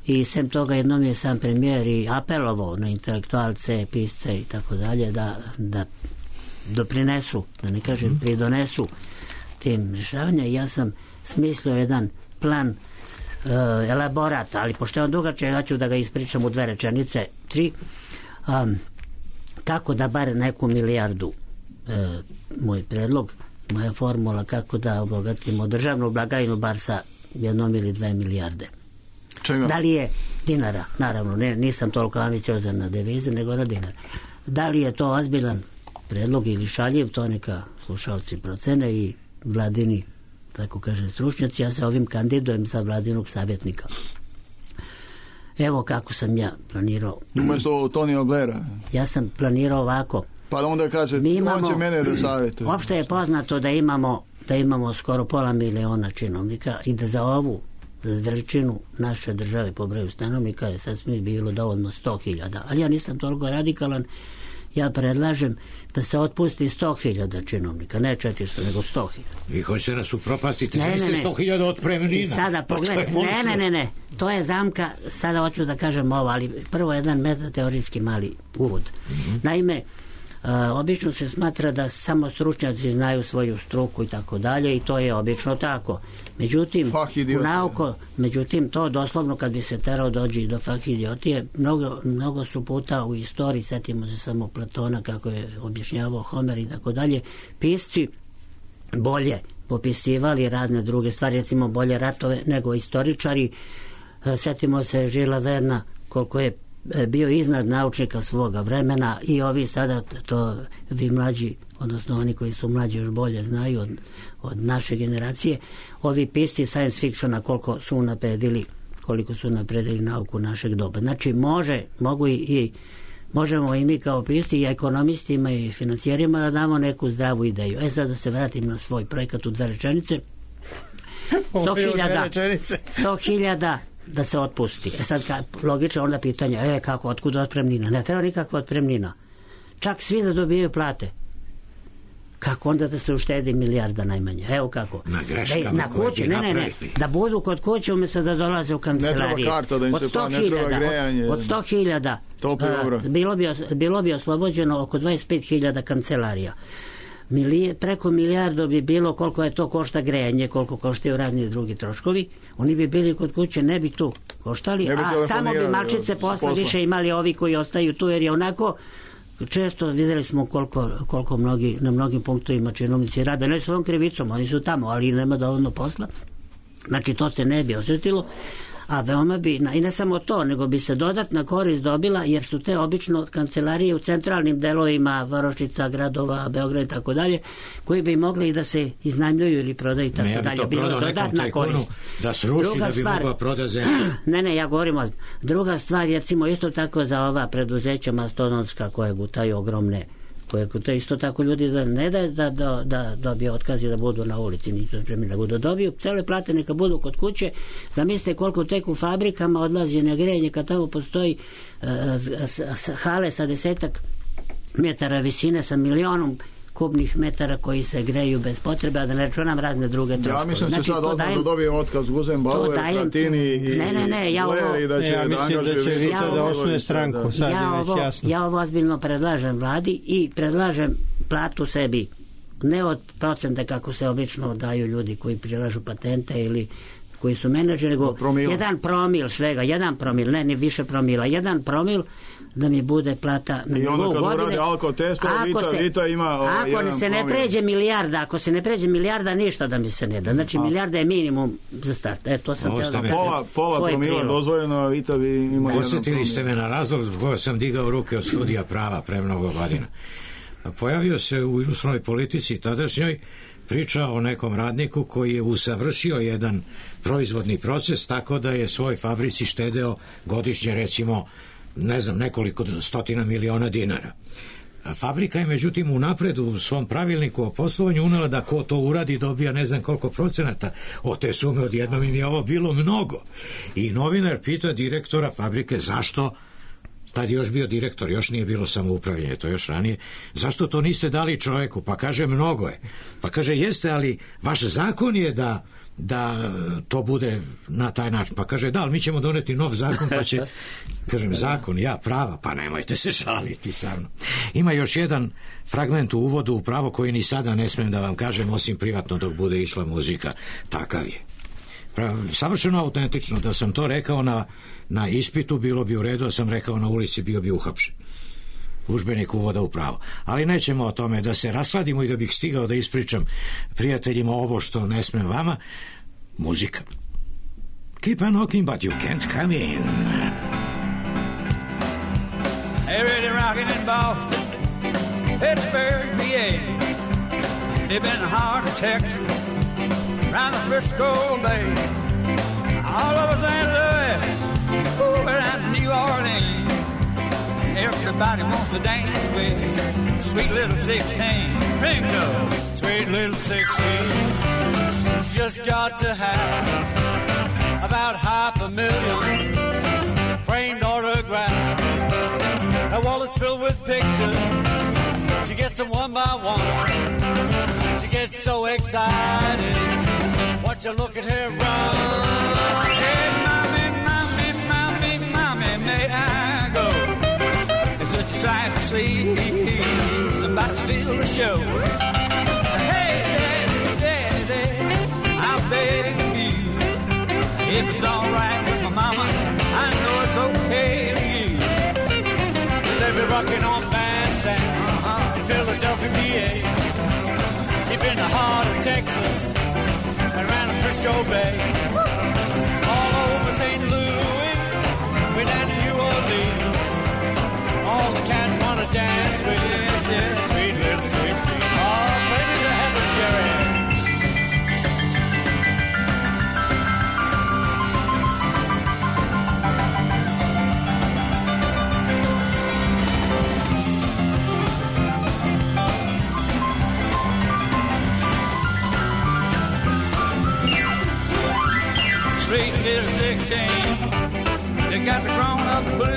Speaker 6: i sem toga jednom je sam premijer i apelovao na intelektualce, pisce i tako dalje da, da doprinesu, da ne kažem mm. pridonesu tim rješavanja. Ja sam smislio jedan plan, uh, elaborat, ali pošto je on dugačak, ja ću da ga ispričam u dve rečenice, tri. Um, kako da bar neku milijardu, e, moj predlog, moja formula kako da obogatimo državnu blagajnu bar sa jednom ili dve milijarde.
Speaker 4: Čega?
Speaker 6: Da li je dinara, naravno, ne, nisam toliko ambiciozan na devize, nego na dinar. Da li je to ozbiljan predlog ili šaljiv, to neka slušalci procene i vladini, tako kaže, stručnjaci. Ja se ovim kandidujem za vladinog savjetnika. Evo kako sam ja planirao.
Speaker 4: Umjesto Tonija Blaira.
Speaker 6: Ja sam planirao ovako.
Speaker 4: Pa onda kaže, imamo, on će mene da savjetuje.
Speaker 6: Opšte je poznato da imamo, da imamo skoro pola miliona činovnika i da za ovu veličinu naše države po broju stanovnika je sasvim bilo dovoljno sto hiljada. Ali ja nisam toliko radikalan. Ja predlažem da se otpusti sto hiljada činovnika, ne četiristo, nego sto hiljada.
Speaker 1: Vi hoćete nas upropastiti, ne, ne, ne. sto hiljada otpremnina.
Speaker 6: Sada pogledaj, ne, ne, ne, ne, to je zamka, sada hoću da kažem ovo, ali prvo jedan metateorijski mali uvod. Mm-hmm. Naime, Uh, obično se smatra da samo stručnjaci znaju svoju struku i tako dalje i to je obično tako. Međutim, u nauko, međutim to doslovno kad bi se terao dođi do fah idiotije, mnogo, mnogo su puta u istoriji, setimo se samo Platona kako je objašnjavao Homer i tako dalje, pisci bolje popisivali razne druge stvari, recimo bolje ratove nego istoričari. Uh, setimo se Žila Verna koliko je bio iznad naučnika svoga vremena i ovi sada, to vi mlađi, odnosno oni koji su mlađi još bolje znaju od, od naše generacije, ovi pisci science fictiona koliko su napredili, koliko su napredili nauku našeg doba. Znači može, mogu i, i možemo i mi kao pisci i ekonomistima i financijerima da damo neku zdravu ideju. E sad da se vratim na svoj projekat u dve rečenice. sto hiljada da se otpusti. E sad, ka, logično onda pitanje, e, kako, otkud otpremnina? Ne treba nikakva otpremnina. Čak svi da dobijaju plate. Kako onda da se uštedi milijarda najmanje? Evo kako.
Speaker 1: Na greškama
Speaker 6: na kući, ne, ne, ne. Da budu kod kuće umjesto da dolaze u kancelariju.
Speaker 4: Ne treba karta da im se pa, ne treba grejanje.
Speaker 6: Od sto hiljada bilo bi, bilo bi oslobođeno oko dvadeset pet hiljada kancelarija. Milije, preko milijardo bi bilo koliko je to košta grejanje, koliko koštaju razni drugi troškovi. Oni bi bili kod kuće, ne bi tu koštali, a samo bi malčice posla više imali ovi koji ostaju tu, jer je onako često vidjeli smo koliko, koliko mnogi, na mnogim punktovima činovnici rade, ne svojom krivicom, oni su tamo, ali nema dovoljno posla. Znači to se ne bi osjetilo, a veoma bi, i ne samo to, nego bi se dodatna korist dobila, jer su te obično kancelarije u centralnim delovima Varošica, gradova, Beograd i tako dalje, koji bi mogli da se iznajmljuju ili prodaju i tako
Speaker 1: ne,
Speaker 6: dalje.
Speaker 1: Ja bi to prodao nekom tajkunu da sruši, druga da bi stvar, mogla proda zemlju.
Speaker 6: Ne, ne, ja govorim o... Druga stvar, recimo isto tako za ova preduzeća mastodonska koje gutaju ogromne To je isto tako ljudi da ne da da, da, da dobije otkazi da budu na ulici, nego da dobiju cele plate, neka budu kod kuće. Zamislite koliko tek u fabrikama odlazi na grejanje kad tamo postoji uh, hale sa desetak metara visine sa milionom kubnih metara koji se greju bez potrebe, a da ne računam razne druge troškove.
Speaker 4: Ja mislim
Speaker 6: znači,
Speaker 4: će sad odmah da dobije otkaz Guzen Bauer, Fratini i
Speaker 6: ne, ne, ne, ja ovo,
Speaker 4: i da će,
Speaker 3: ja mislim da će Vito ja da osnuje stranku, da. Sad
Speaker 6: ja
Speaker 3: je već
Speaker 6: ovo,
Speaker 3: jasno.
Speaker 6: Ja ovo ozbiljno predlažem vladi i predlažem platu sebi, ne od procenta kako se obično daju ljudi koji prilažu patente ili koji su menadžeri, nego promila. jedan promil svega, jedan promil, ne, ni više promila, jedan promil da mi bude plata na nivou godine. I onda kad uradi
Speaker 4: alkotest, Vita,
Speaker 6: se,
Speaker 4: Vita ima
Speaker 6: ako
Speaker 4: jedan
Speaker 6: se ne
Speaker 4: promil.
Speaker 6: pređe milijarda, ako se ne pređe milijarda, ništa da mi se ne da. Znači, a. milijarda je minimum za start. E, to sam teo da kažem.
Speaker 4: Pola, pola promila dozvoljeno, a Vita vi ima jedan promil.
Speaker 1: Osjetili ste me na razlog zbog koga sam digao ruke od studija prava pre mnogo godina. Pojavio se u Ilustrovanoj politici tadašnjoj priča o nekom radniku koji je usavršio jedan proizvodni proces tako da je svoj fabrici štedeo godišnje recimo ne znam nekoliko stotina miliona dinara. Fabrika je međutim unapred u svom pravilniku o poslovanju unela da ko to uradi dobija ne znam koliko procenata od te sume, odjednom im je ovo bilo mnogo. I novinar pita direktora fabrike zašto, tad je još bio direktor, još nije bilo samoupravljanje, to još ranije, zašto to niste dali čovjeku? Pa kaže mnogo je. Pa kaže jeste, ali vaš zakon je da da to bude na taj način. Pa kaže da, ali mi ćemo doneti nov zakon pa će, kažem zakon, ja prava, pa nemojte se šaliti sa mnom. Ima još jedan fragment u uvodu u pravo koji ni sada ne smijem da vam kažem osim privatno dok bude išla muzika. Takav je. Savršeno autentično, da sam to rekao na, na ispitu bilo bi u redu, da sam rekao na ulici bio bi uhapšen. Udžbenik uvoda u pravo. Ali nećemo o tome da se rasladimo i da bih stigao da ispričam prijateljima ovo što ne smem vama. Muzika. Keep on knocking but you can't come in.
Speaker 12: They're really rocking in Boston, Pittsburgh, P A. They've been hard to Texas, around the Frisco Bay, all over Saint Louis, over down to New Orleans. Everybody wants to dance with sweet little sixteen. Ringo,
Speaker 13: sweet little sixteen. She's just got to have about half a million framed autographs. Her wallet's filled with pictures. She gets them one by one. She gets so excited. Watch her look at her run.
Speaker 12: Hey, mommy, mommy, mommy, mommy, may I go? It's such a sight to see. About to steal the show. Hey, daddy, daddy, daddy, I'm begging you. If it's all right with my mama, I know it's okay with you.
Speaker 13: They'll be rocking on Bandstand uh-huh. in Philadelphia, P A. Deep in the heart of Texas and around the Frisco Bay. All over Saint Louis, way down to New Orleans. All the cats want to dance with you, yeah, sweet little sixteen. Oh, play me to heaven, Jerry.
Speaker 12: Sweet little sixteen, they got the grown-up blues.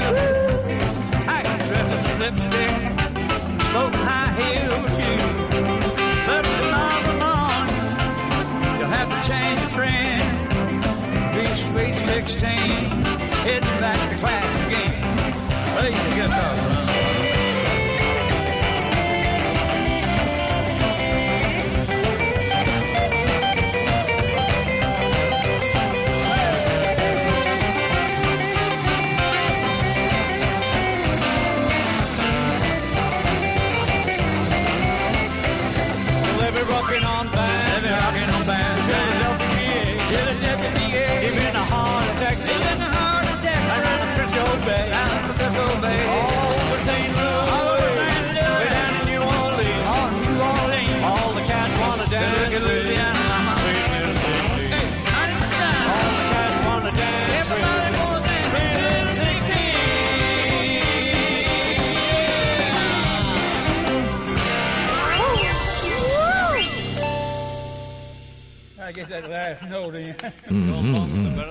Speaker 12: Tight dresses and lipstick, smoking high-heel shoes. But tomorrow morning, you'll have to change your friend. Be sweet sixteen, heading back to class again. Play the guitar.
Speaker 13: Rocking on Bandstand,
Speaker 12: they're rocking on Bandstand, Philadelphia, P A,
Speaker 13: deep in the heart of Texas,
Speaker 12: deep in the heart of Texas,
Speaker 13: around the Frisco Bay,
Speaker 12: around the Frisco Bay,
Speaker 13: all over Saint
Speaker 12: that last note in.
Speaker 1: Mm-hmm.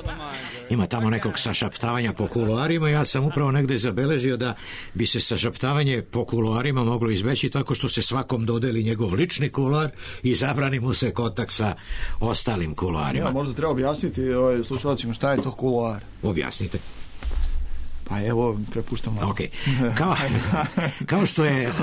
Speaker 1: Ima tamo nekog sašaptavanja po kuloarima. Ja sam upravo negde zabeležio da bi se sašaptavanje po kuloarima moglo izbeći tako što se svakom dodeli njegov lični kuloar i zabrani mu se kontakt sa ostalim kuloarima.
Speaker 4: Ja, možda treba objasniti ovaj, slušalcima šta je to kuloar.
Speaker 1: Objasnite.
Speaker 4: Pa evo, prepuštam vam.
Speaker 1: Okay. Kao, kao što je uh,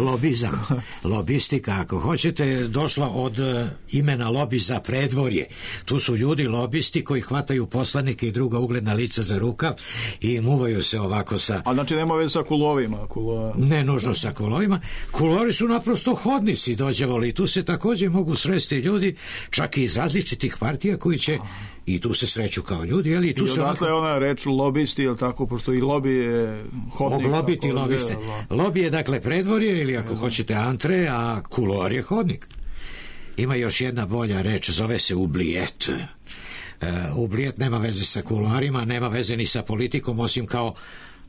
Speaker 1: lobizam, lobistika, ako hoćete, došla od uh, imena lobi za predvorje. Tu su ljudi lobisti koji hvataju poslanike i druga ugledna lica za rukav i muvaju se ovako sa...
Speaker 4: A znači nema veze sa kulovima? Kulo...
Speaker 1: Ne nužno sa kulovima. Kulori su naprosto hodnici dođevali i tu se također mogu sresti ljudi, čak i iz različitih partija koji će... I tu se sreću kao ljudi, jel? I tu
Speaker 4: I
Speaker 1: se
Speaker 4: odatle je ona reč lobisti, jel tako, pošto i lobi je hodnik.
Speaker 1: Oglobiti lobiste. Lobi je dakle predvorje ili ako hoćete antre, a kulor je hodnik. Ima još jedna bolja reč, zove se ublijet. Uh, ublijet nema veze sa kuloarima, nema veze ni sa politikom, osim kao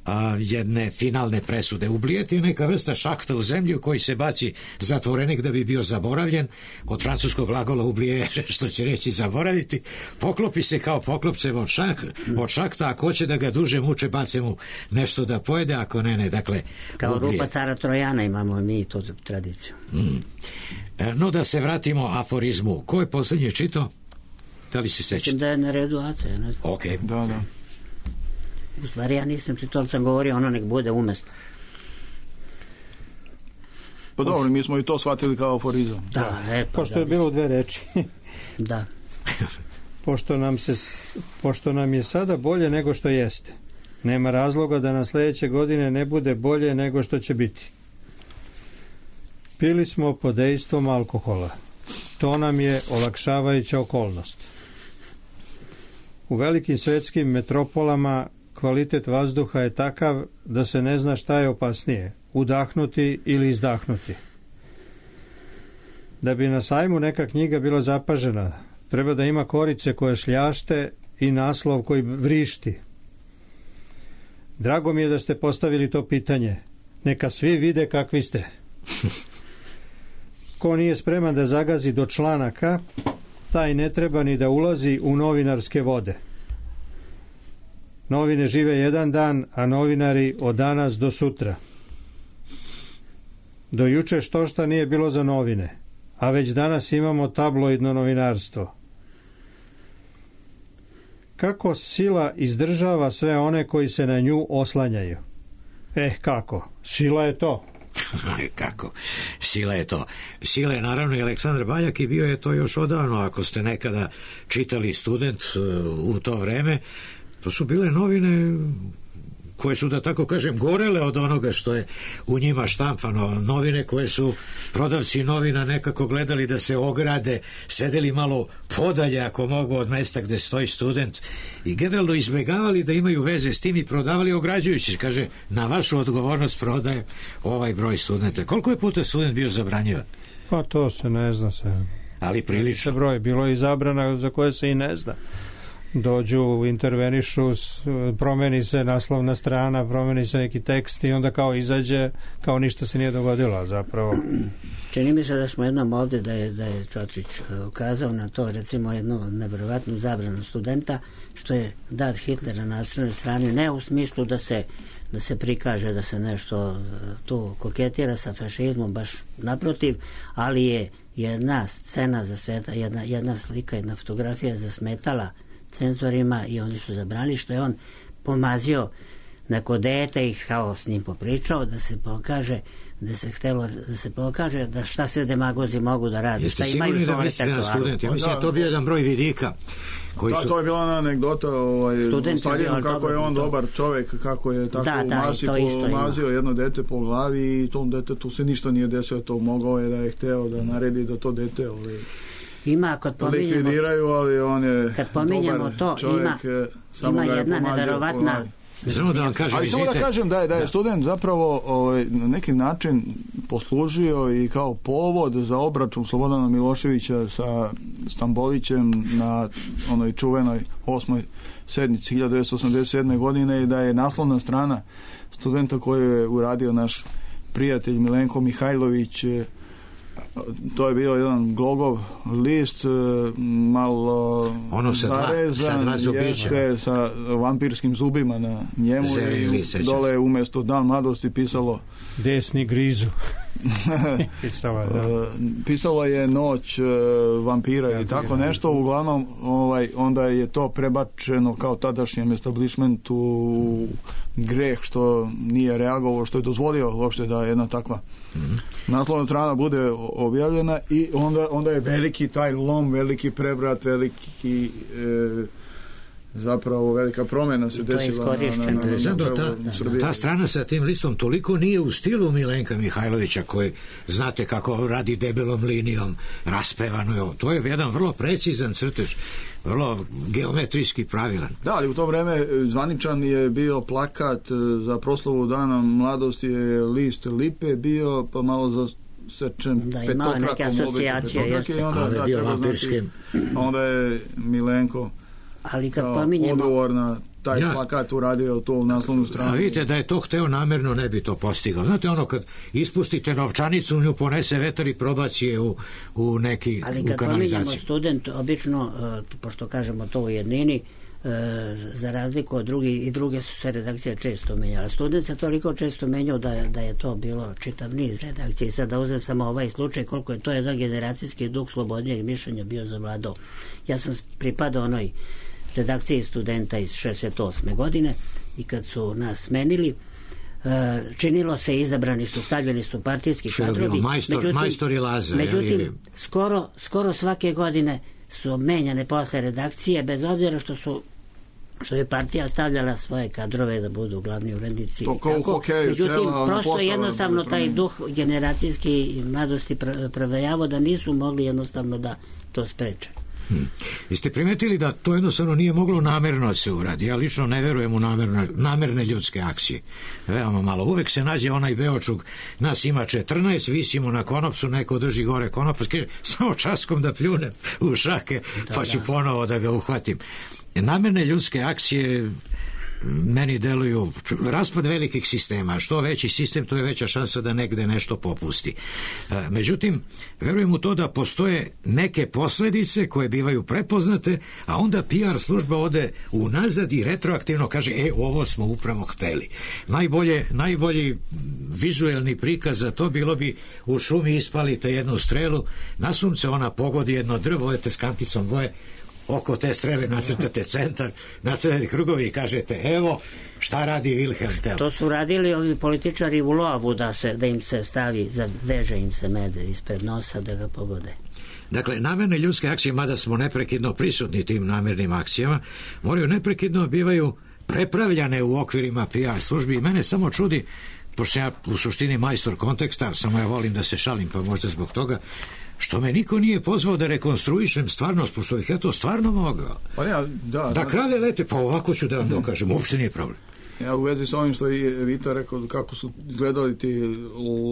Speaker 1: a, jedne finalne presude. Ublijet je neka vrsta šakta u zemlju koji se baci zatvorenik da bi bio zaboravljen, od francuskog glagola ublije, što će reći zaboraviti, poklopi se kao poklopcem od, šak, od šakta, ako hoće da ga duže muče, bace mu nešto da pojede, ako ne, ne, dakle
Speaker 6: kao
Speaker 1: ublijet.
Speaker 6: rupa cara Trojana imamo mi tu tradiciju.
Speaker 1: Mm. No da se vratimo aforizmu. Ko je posljednje čitao? Da li se sećate?
Speaker 6: Da je na redu Aca, ja ne znam.
Speaker 1: Ok.
Speaker 4: Da, da.
Speaker 6: U stvari ja nisam čitao, ali sam govorio ono nek bude umjesto.
Speaker 4: Pa dobro, mi smo i to shvatili kao aforizam.
Speaker 6: Da, e, pa
Speaker 3: pošto
Speaker 6: da,
Speaker 3: je bilo u dve reči.
Speaker 6: Da.
Speaker 3: Pošto nam, se, pošto nam je sada bolje nego što jeste, nema razloga da na sljedeće godine ne bude bolje nego što će biti. Pili smo pod dejstvom alkohola. To nam je olakšavajuća okolnost. U velikim svetskim metropolama kvalitet vazduha je takav da se ne zna šta je opasnije, udahnuti ili izdahnuti. Da bi na sajmu neka knjiga bila zapažena, treba da ima korice koje šljašte i naslov koji vrišti. Drago mi je da ste postavili to pitanje. Neka svi vide kakvi ste. Ko nije spreman da zagazi do članaka, taj ne treba ni da ulazi u novinarske vode. Novine žive jedan dan, a novinari od danas do sutra. Do juče što šta nije bilo za novine, a već danas imamo tabloidno novinarstvo. Kako sila izdržava sve one koji se na nju oslanjaju? Eh, kako? Sila je to.
Speaker 1: Kako? Sila je to. Sila je naravno i Aleksandar Baljak i bio je to još odavno. Ako ste nekada čitali Student u to vreme, to su bile novine koje su, da tako kažem, gorele od onoga što je u njima štampano. Novine koje su prodavci novina nekako gledali da se ograde, sedeli malo podalje ako mogu od mesta gde stoji Student i generalno izbjegavali da imaju veze s tim i prodavali ograđujući. Kaže, na vašu odgovornost prodaje ovaj broj Studenta. Koliko je puta Student bio zabranjivan?
Speaker 3: Pa to se ne zna se.
Speaker 1: Ali prilično.
Speaker 3: Broj. Bilo je i zabrana za koje se i ne zna. Dođu, intervenišu, promeni se naslovna strana, promeni se neki tekst i onda kao izađe, kao ništa se nije dogodilo zapravo.
Speaker 6: Čini mi se da smo jednom ovdje, da je, da je Čotrić ukazao na to, recimo jednu nevjerovatnu zabranu Studenta, što je dat Hitlera na naslovnoj strani, ne u smislu da se, da se prikaže da se nešto tu koketira sa fašizmom, baš naprotiv, ali je jedna scena za sveta, jedna, jedna slika, jedna fotografija zasmetala cenzorima i oni su zabranili, što je on pomazio neko dete i kao s njim popričao da se pokaže da se htelo da se pokaže da šta sve demagozi mogu da rade.
Speaker 1: Jeste sigurni da mislite na studente? Mislim da to bio jedan broj vidika koji
Speaker 4: da,
Speaker 1: su...
Speaker 4: to je bila ona anegdota ovaj, Staljinu, kako je on to... dobar čovjek, kako je tako
Speaker 6: da, da,
Speaker 4: umasi, pomazio jedno dete po glavi i tom detetu se ništa nije desilo, to mogao je da je hteo da naredi da to dete ovaj,
Speaker 6: ima, kad pominjamo,
Speaker 4: likvidiraju, ali on je
Speaker 6: kad pominjamo to,
Speaker 4: čovjek,
Speaker 6: ima, ima jedna neverovatna
Speaker 1: Samo da vam kažem,
Speaker 4: ali samo da kažem da je, da je da. Student zapravo ovaj, na neki način poslužio i kao povod za obračun Slobodana Miloševića sa Stambolićem na onoj čuvenoj osmoj sednici hiljadu devetsto osamdeset sedme godine i da je naslovna strana Studenta koju je uradio naš prijatelj Milenko Mihajlović To je bio jedan glogov list, malo
Speaker 1: ono sa dva, sa dva zubića.
Speaker 4: Sa vampirskim zubima na njemu.
Speaker 1: Zeli,
Speaker 4: i dole umjesto Dan mladosti pisalo
Speaker 3: desni grizu. Pisala, da.
Speaker 4: Pisalo je Noć vampira ja, i tako nešto. Uglavnom ovaj, onda je to prebačeno kao tadašnjem establishmentu greh što nije reagovao, što je dozvolio uopšte da jedna takva mm-hmm. naslovna strana bude objavljena i onda, onda je veliki taj lom, veliki prevrat, veliki e, zapravo velika promjena se desila na, na, na, na,
Speaker 1: ta, ta strana sa tim listom toliko nije u stilu Milenka Mihajlovića koji znate kako radi debelom linijom raspevano, to je jedan vrlo precizan crtež, vrlo geometrijski pravilan.
Speaker 4: Da, ali u to vreme zvaničan je bio plakat za proslavu Dana mladosti, je list lipe bio, pa malo za sečen
Speaker 6: da, imao neke asocijacije
Speaker 4: i onda, da, treba znati, onda je Milenko
Speaker 6: ali kad pominjemo
Speaker 4: odgovor na taj ja. plakat uradio to u naslovnu stranu.
Speaker 1: A vidite da je to hteo namerno, ne bi to postigao. Znate ono kad ispustite novčanicu, nju ponese vetar i probaci je u, u neki
Speaker 6: ali
Speaker 1: u
Speaker 6: kad
Speaker 1: kanalizaciju.
Speaker 6: Pominjemo student, obično, uh, pošto kažemo to u jednini, uh, za razliku od drugi i druge su se redakcije često menjale. Student se toliko često menjao da, da je to bilo čitav niz redakcije. I sad da uzem samo ovaj slučaj, koliko je to jedan generacijski duh slobodnijeg mišljenja bio zavladao. Ja sam pripadao onoj redakciji Studenta iz šezdeset osme godine i kad su nas smenili, činilo se, izabrani su, stavljeni su partijski kadrovi,
Speaker 1: majstor,
Speaker 6: međutim,
Speaker 1: majstor i Laza,
Speaker 6: međutim
Speaker 1: je
Speaker 6: skoro, skoro svake godine su menjane posle redakcije, bez obzira što su što je partija stavljala svoje kadrove da budu glavni urednici. Međutim, prosto jednostavno taj duh generacijski mladosti provejavo da nisu mogli jednostavno da to spreče.
Speaker 1: Hmm. Vi ste primetili da to jednostavno nije moglo namerno se uradi. Ja lično ne verujem u namerne, namerne ljudske akcije. Veoma malo. Uvek se nađe onaj beočug, nas ima četrnaest, visimo na konopsu, neko drži gore konop, samo časkom da pljunem u šake, da, pa ću da. ponovo da ga uhvatim. Namerne ljudske akcije meni deluju raspad velikih sistema. Što veći sistem, to je veća šansa da negde nešto popusti. Međutim, verujem u to da postoje neke posledice koje bivaju prepoznate, a onda P R služba ode unazad i retroaktivno kaže, e, ovo smo upravo hteli. Najbolje, najbolji vizuelni prikaz za to bilo bi u šumi ispalite jednu strelu, na sunce ona pogodi jedno drvo, odete s kanticom boje, oko te strele nacrtate centar, nacrtate krugovi i kažete, evo šta radi Wilhelm Tell.
Speaker 6: To su radili ovi političari u lovu, da, se, da im se stavi, veže im se mede ispred nosa da ga pogode.
Speaker 1: Dakle, namerne ljudske akcije, mada smo neprekidno prisutni tim namernim akcijama, moraju neprekidno bivaju prepravljane u okvirima P R službi i mene samo čudi, pošto ja u suštini majstor konteksta, samo ja volim da se šalim, pa možda zbog toga, što me niko nije pozvao da rekonstruišem stvarnost, pošto bih ja to stvarno mogao.
Speaker 4: Pa ja, da,
Speaker 1: da krave lete, pa ovako ću da vam dokažem, uopšte nije problem.
Speaker 4: Ja u vezi s ovim što je Vita rekao kako su izgledali ti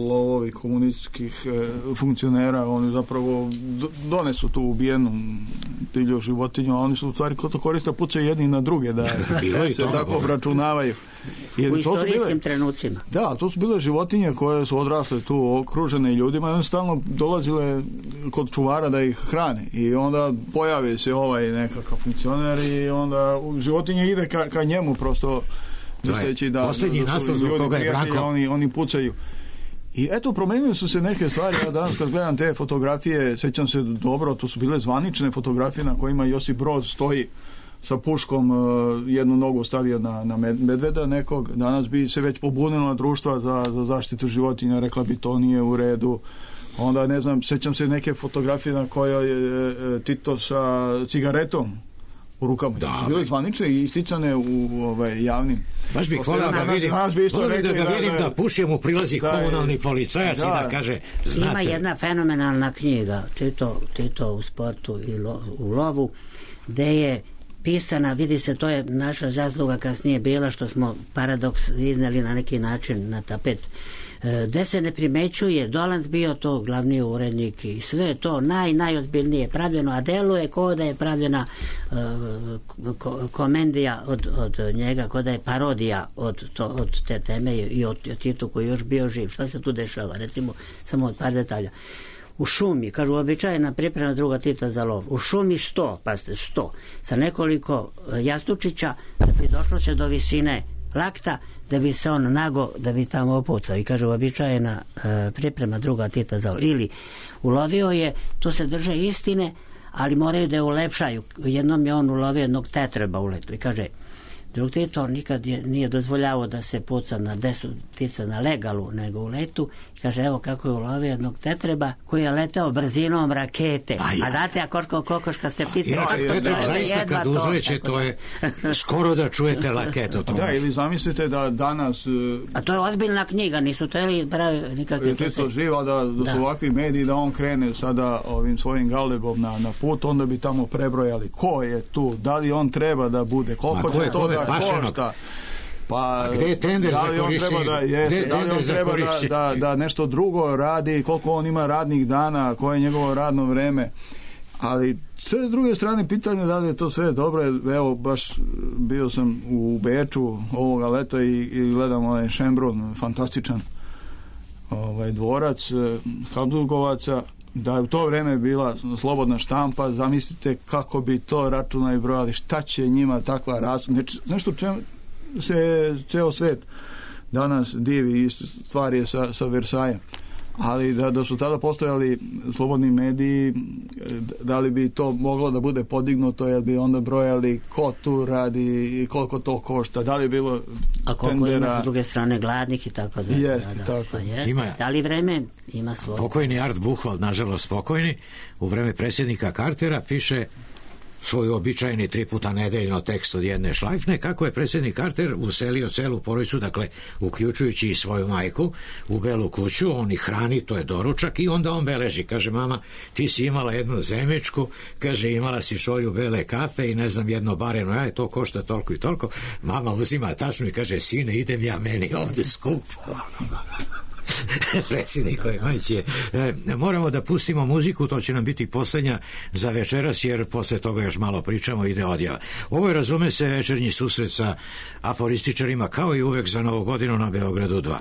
Speaker 4: lovovi komunističkih e, funkcionera, oni zapravo donesu tu ubijenu divlju životinju, a oni su u stvari ko to koriste pucaju jedni na druge da se to, tako obračunavaju.
Speaker 6: Jer u istorijskim bile, trenucima.
Speaker 4: Da, to su bile životinje koje su odrasle tu okružene ljudima i one stalno dolazile kod čuvara da ih hrane i onda pojavi se ovaj nekakav funkcioner i onda životinje ide ka, ka njemu prosto misleći da,
Speaker 1: posljednji
Speaker 4: da, da
Speaker 1: naslov zbog koga je Branko
Speaker 4: oni, oni pucaju i eto promenili su se neke stvari. Ja danas kad gledam te fotografije sećam se dobro, to su bile zvanične fotografije na kojima Josip Broz stoji sa puškom, jednu nogu stavio na, na medveda nekog. Danas bi se već pobunila društva za, za zaštitu životinja, rekla bi to nije u redu. Onda ne znam, sećam se neke fotografije na kojoj je Tito sa cigaretom u rukama. Da, su bile zvanične i isticane u ovaj, javnim.
Speaker 1: Baš bih volao da vidim, volao da ga vidim da pušem u prilazi da, komunalni policajac da, i da kaže, znate.
Speaker 6: Ima jedna fenomenalna knjiga, Tito, Tito u sportu i lo, u lovu, gde je pisana, vidi se, to je naša zasluga kasnije bila što smo paradoks izneli na neki način na tapet, gde se ne primećuje, Dolanc bio to glavni urednik i sve to naj, najozbiljnije pravljeno, a deluje kao da je pravljena uh, ko, komendija od, od njega, kao da je parodija od, to, od te teme i od, od Titu koji još bio živ. Šta se tu dešava? Recimo, samo od par detalja. u šumi, kažu uobičajena priprema druga Tita za lov, u šumi sto, pazite, sto, sa nekoliko jastučića da bi došlo se do visine lakta, da bi se on nago, da bi tamo opucao. I kaže uobičajena e, priprema druga Tita za lov. Ili ulovio je, tu se drže istine, ali moraju da je ulepšaju. Jednom je on ulovio jednog tetreba u letu i kaže, drug Tito nikad je, nije dozvoljavao da se puca na desu ptica na legalu, nego u letu. I kaže, evo kako je ulovio jednog tetreba koji je leteo brzinom rakete. A, ja. A znate, a koliko kokoška ste ptice?
Speaker 1: Ja, tetreb zaista kad uzleće, to je skoro da čujete laketu.
Speaker 4: Da, ili zamislite da danas...
Speaker 6: A to je ozbiljna knjiga, nisu to ili pravi nikakve...
Speaker 4: Tito živa da, da su da. ovakvi mediji, da on krene sada ovim svojim galebom na, na put, onda bi tamo prebrojali ko je tu, da li on treba da bude, koliko će to da košta. Pa,
Speaker 1: gde je tender
Speaker 4: da
Speaker 1: za korišćenje?
Speaker 4: Da, jeste, da li on treba da, da, da nešto drugo radi, koliko on ima radnih dana, koje je njegovo radno vreme. Ali sve s druge strane pitanje da li je to sve dobro. Evo, baš bio sam u Beču ovoga leta i, i gledam ovaj Šembrun, fantastičan ovaj dvorac Habsburgovaca. Da je u to vreme bila slobodna štampa, zamislite kako bi to računali brojali, šta će njima takva razlika, nešto čem se ceo svet danas divi i stvar je sa, sa Versajem. Ali da, da su tada postojali slobodni mediji, da li bi to moglo da bude podignuto, jer bi onda brojali ko tu radi i koliko to košta, da li je bilo
Speaker 6: a koliko tendera... ima s druge strane gladnih i tako da.
Speaker 4: Jeste,
Speaker 6: da, da.
Speaker 4: tako.
Speaker 6: Pa jest, ima, da li vreme ima svoje.
Speaker 1: Pokojni Art Buchwald, nažalost pokojni, u vreme predsjednika Cartera piše svoj običajni tri puta nedeljno tekst od jedne šlajfne, kako je predsjednik Carter uselio celu porodicu, dakle uključujući i svoju majku, u Belu kuću, on ih hrani, to je doručak, i onda on beleži, kaže, mama, ti si imala jednu zemečku, kaže, imala si šolju bele kafe i ne znam, jedno bareno, aj, to košta toliko i toliko, mama uzima tačnu i kaže, sine, idem ja meni ovdje skupo. Predsjednikove majci je. E, moramo da pustimo muziku, to će nam biti posljednja za večeras, jer posle toga još malo pričamo, ide odjava. Ovo je, razume se, večernji susret sa aforističarima, kao i uvek za Novu godinu na Beogradu dva.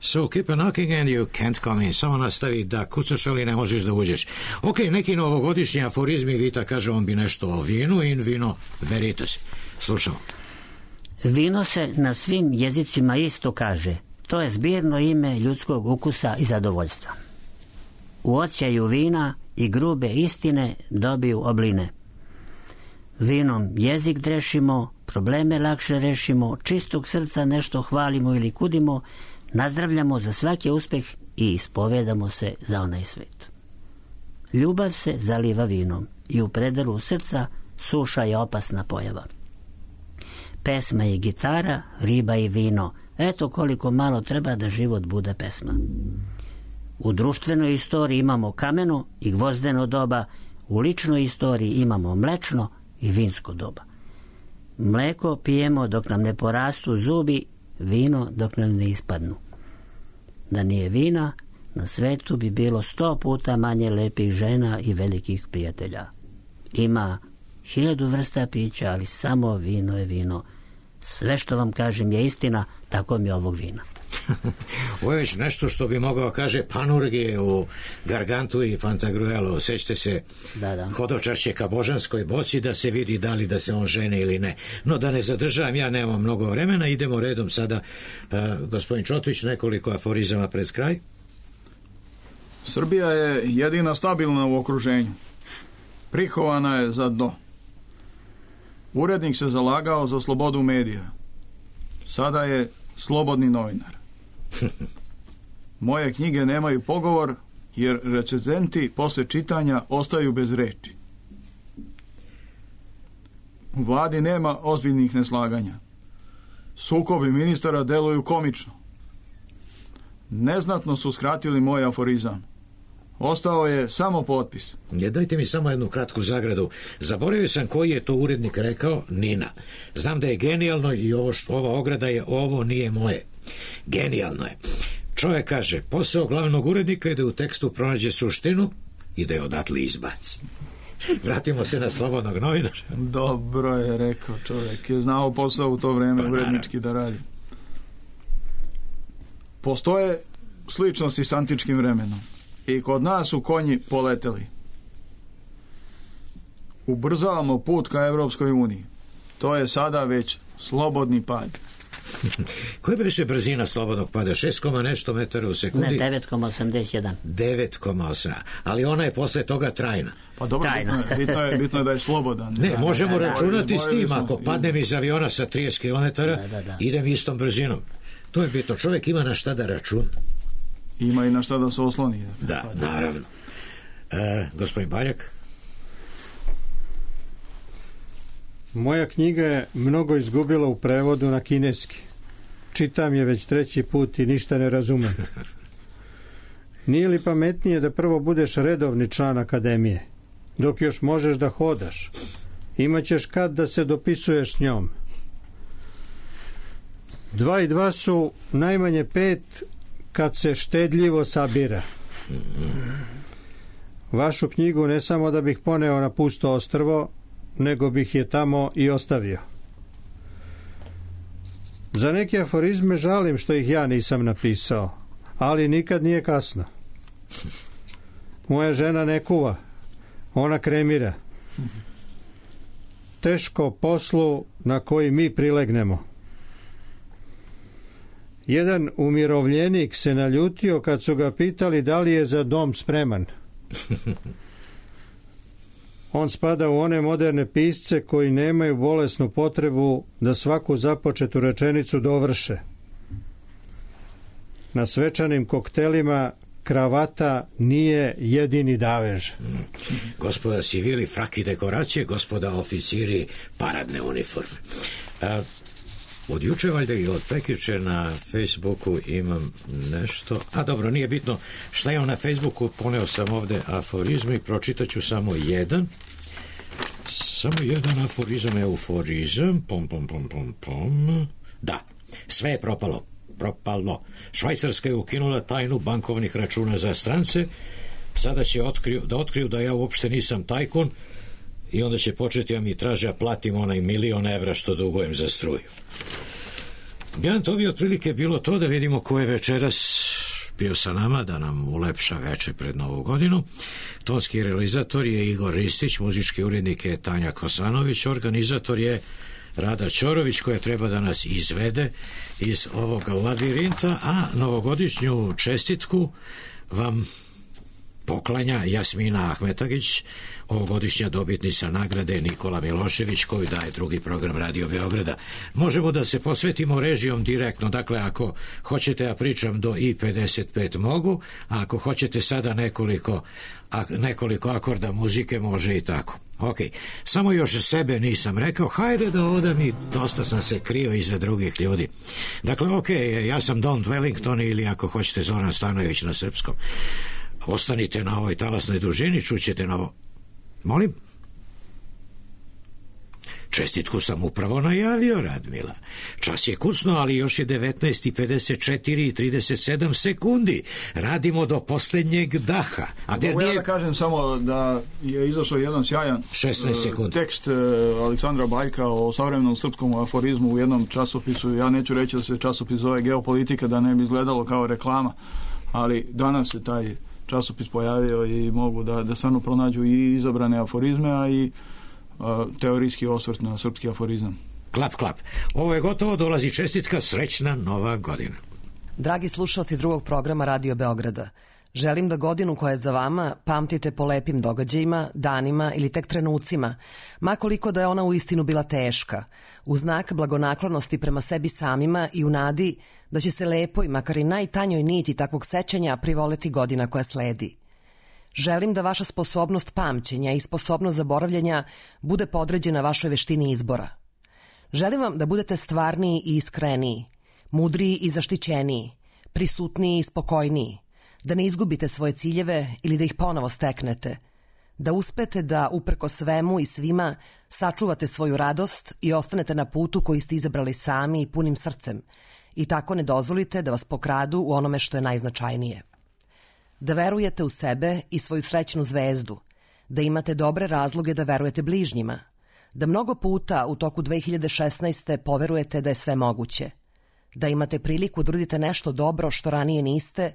Speaker 1: So keep a knocking and you can't come in. Samo nastavi da kucaš, ali ne možeš da uđeš. Ok, neki novogodišnji aforizmi, Vita kaže, on bi nešto o vinu, in vino veritas. Slušamo.
Speaker 6: Vino se na svim jezicima isto kaže. To je zbirno ime ljudskog ukusa i zadovoljstva. U odsjaju vina i grube istine dobiju obline. Vinom jezik drešimo, probleme lakše rešimo, čistog srca nešto hvalimo ili kudimo, nazdravljamo za svaki uspeh i ispovedamo se za onaj svet. Ljubav se zaliva vinom i u predelu srca suša je opasna pojava. Pesma je gitara, riba i vino. Eto koliko malo treba da život bude pesma. U društvenoj istoriji imamo kameno i gvozdeno doba, u ličnoj istoriji imamo mlečno i vinsko doba. Mleko pijemo dok nam ne porastu zubi, vino dok nam ne ispadnu. Da nije vina, na svetu bi bilo sto puta manje lepih žena i velikih prijatelja. Ima hiljadu vrsta pića, ali samo vino je vino. Sve što vam kažem je istina, tako mi je ovog vina.
Speaker 1: Ovo je već nešto što bi mogao kaže Panurgije u Gargantu i Pantagruelu. Sećate se
Speaker 6: da, da.
Speaker 1: hodočašće ka božanskoj boci da se vidi da li da se on žene ili ne. No da ne zadržavam, ja nemam mnogo vremena, idemo redom sada. Uh, gospodin Čotvić, nekoliko aforizama pred kraj.
Speaker 4: Srbija je jedina stabilna u okruženju. Prihovana je za dno. Urednik se zalagao za slobodu medija. Sada je slobodni novinar. Moje knjige nemaju pogovor, jer recenzenti posle čitanja ostaju bez reči. U vladi nema ozbiljnih neslaganja. Sukobi ministara deluju komično. Neznatno su skratili moj aforizam. Ostao je samo potpis.
Speaker 1: Je, dajte mi samo jednu kratku zagradu. Zaboravio sam koji je to urednik rekao. Nina. Znam da je genijalno i ovo što, ova ograda je ovo nije moje. Genijalno je. Čovjek kaže, posao glavnog urednika je da u tekstu pronađe suštinu i da je odatle izbaci. Vratimo se na slobodnog novinara.
Speaker 4: Dobro je rekao, čovjek je znao posao u to vreme pa, urednički da radi. Postoje sličnosti s antičkim vremenom. I kod nas su konji poleteli. Ubrzavamo put ka Evropskoj uniji. To je sada već slobodni pad.
Speaker 1: Koja je više brzina slobodnog pada? šest, nešto metara u sekundi?
Speaker 6: Ne, devet zarez osamdeset jedan.
Speaker 1: devet zarez osam. Ali ona je posle toga trajna.
Speaker 4: Pa dobro, bitno je, bitno, je, bitno je da je slobodan.
Speaker 1: Ne, možemo da, da, računati da, s tim. Ako padnem iz aviona sa trideset kilometara, da, da, da. idem istom brzinom. To je bitno. Čovjek ima na šta da računa.
Speaker 4: Ima i na šta da se osloni.
Speaker 1: Da, naravno. E, gospodin Baljak?
Speaker 3: Moja knjiga je mnogo izgubila u prevodu na kineski. Čitam je već treći put i ništa ne razumem. Nije li pametnije da prvo budeš redovni član akademije, dok još možeš da hodaš? Imaćeš kad da se dopisuješ s njom. Dva i dva su najmanje pet kad se štedljivo sabira. Vašu knjigu ne samo da bih poneo na pusto ostrvo, nego bih je tamo i ostavio. Za neke aforizme žalim što ih ja nisam napisao, ali nikad nije kasno. Moja žena ne kuva, ona kremira. Teško poslu na koji mi prilegnemo. Jedan umirovljenik se naljutio kad su ga pitali da li je za dom spreman. On spada u one moderne pisce koji nemaju bolesnu potrebu da svaku započetu rečenicu dovrše. Na svečanim koktelima kravata nije jedini davež.
Speaker 1: Gospoda civili, fraki dekoracije, gospoda oficiri, paradne uniforme. A, od juče valjda i od prekjuče na Facebooku imam nešto. A dobro, nije bitno šta je on na Facebooku, poneo sam ovde aforizme i pročitat ću samo jedan. Samo jedan aforizam, euforizam. Pom, pom, pom, pom, pom. Da, sve je propalo. Propalo. Švajcarska je ukinula tajnu bankovnih računa za strance. Sada će otkriju, da otkriju da ja uopšte nisam tajkun i onda će početi da mi traže da platim onaj milion evra što dugujem za struju. Ja, to bi otprilike bilo to, da vidimo ko je večeras bio sa nama, da nam ulepša veče pred Novu godinu. Tonski realizator je Igor Ristić, muzički urednik je Tanja Kosanović, organizator je Rada Ćorović, koja treba da nas izvede iz ovoga labirinta, a novogodišnju čestitku vam poklanja Jasmina Ahmetagić, ovogodišnja dobitnica nagrade Nikola Milošević, koju daje drugi program Radio Beograda. Možemo da se posvetimo režijom direktno, dakle ako hoćete ja pričam do i pedeset pet mogu, a ako hoćete sada nekoliko, a, nekoliko akorda muzike može i tako. Ok, samo još sebe nisam rekao, hajde da odam i dosta sam se krio iza drugih ljudi. Dakle, ok, ja sam Don Dwellington ili ako hoćete Zoran Stanojević na srpskom. Ostanite na ovoj talasnoj dužini, čućete na ovo. Molim? Čestitku sam upravo najavio, Radmila. Čas je kucno, ali još je devetnaest i pedeset četiri i trideset sedam sekundi. Radimo do posljednjeg daha. A der
Speaker 4: Mogu ja da kažem samo da je izašao jedan sjajan uh, tekst uh, Aleksandra Baljka o savremenom srpskom aforizmu u jednom časopisu. Ja neću reći da se časopis zove Geopolitika, da ne bi izgledalo kao reklama, ali danas se taj časopis pojavio i mogu da, da stvarno pronađu i izabrane aforizme, a i a, teorijski osvrt na srpski aforizam.
Speaker 1: Klap, klap. Ovo je gotovo, dolazi čestitka, srećna nova godina.
Speaker 14: Dragi slušalci drugog programa Radio Beograda, želim da godinu koja je za vama pamtite po lepim događajima, danima ili tek trenucima, ma koliko da je ona uistinu bila teška, u znak blagonaklonosti prema sebi samima i u nadi da će se lepoj, makar i najtanjoj niti takvog sećanja privoleti godina koja sledi. Želim da vaša sposobnost pamćenja i sposobnost zaboravljanja bude podređena vašoj veštini izbora. Želim vam da budete stvarniji i iskreniji, mudriji i zaštićeniji, prisutniji i spokojniji, da ne izgubite svoje ciljeve ili da ih ponovo steknete, da uspete da uprko svemu i svima sačuvate svoju radost i ostanete na putu koji ste izabrali sami i punim srcem i tako ne dozvolite da vas pokradu u onome što je najznačajnije. Da verujete u sebe i svoju srećnu zvezdu, da imate dobre razloge da verujete bližnjima, da mnogo puta u toku dve hiljade šesnaeste. poverujete da je sve moguće, da imate priliku da uradite nešto dobro što ranije niste,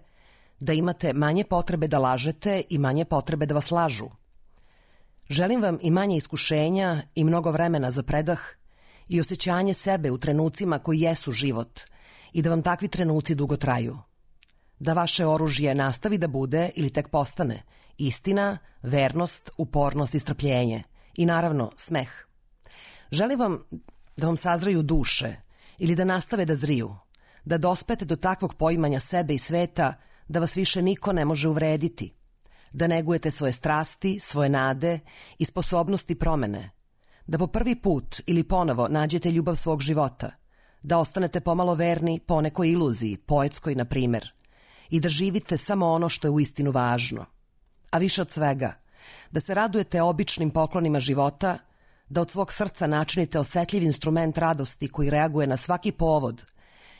Speaker 14: da imate manje potrebe da lažete i manje potrebe da vas lažu. Želim vam i manje iskušenja i mnogo vremena za predah i osjećanje sebe u trenucima koji jesu život i da vam takvi trenuci dugo traju. Da vaše oružje nastavi da bude ili tek postane istina, vernost, upornost i strpljenje i naravno smeh. Želim vam da vam sazraju duše ili da nastave da zriju, da dospete do takvog poimanja sebe i sveta da vas više niko ne može uvrediti, da negujete svoje strasti, svoje nade i sposobnosti promene, da po prvi put ili ponovo nađete ljubav svog života, da ostanete pomalo verni po nekoj iluziji, poetskoj na primer, i da živite samo ono što je uistinu važno. A više od svega, da se radujete običnim poklonima života, da od svog srca načinite osetljiv instrument radosti koji reaguje na svaki povod,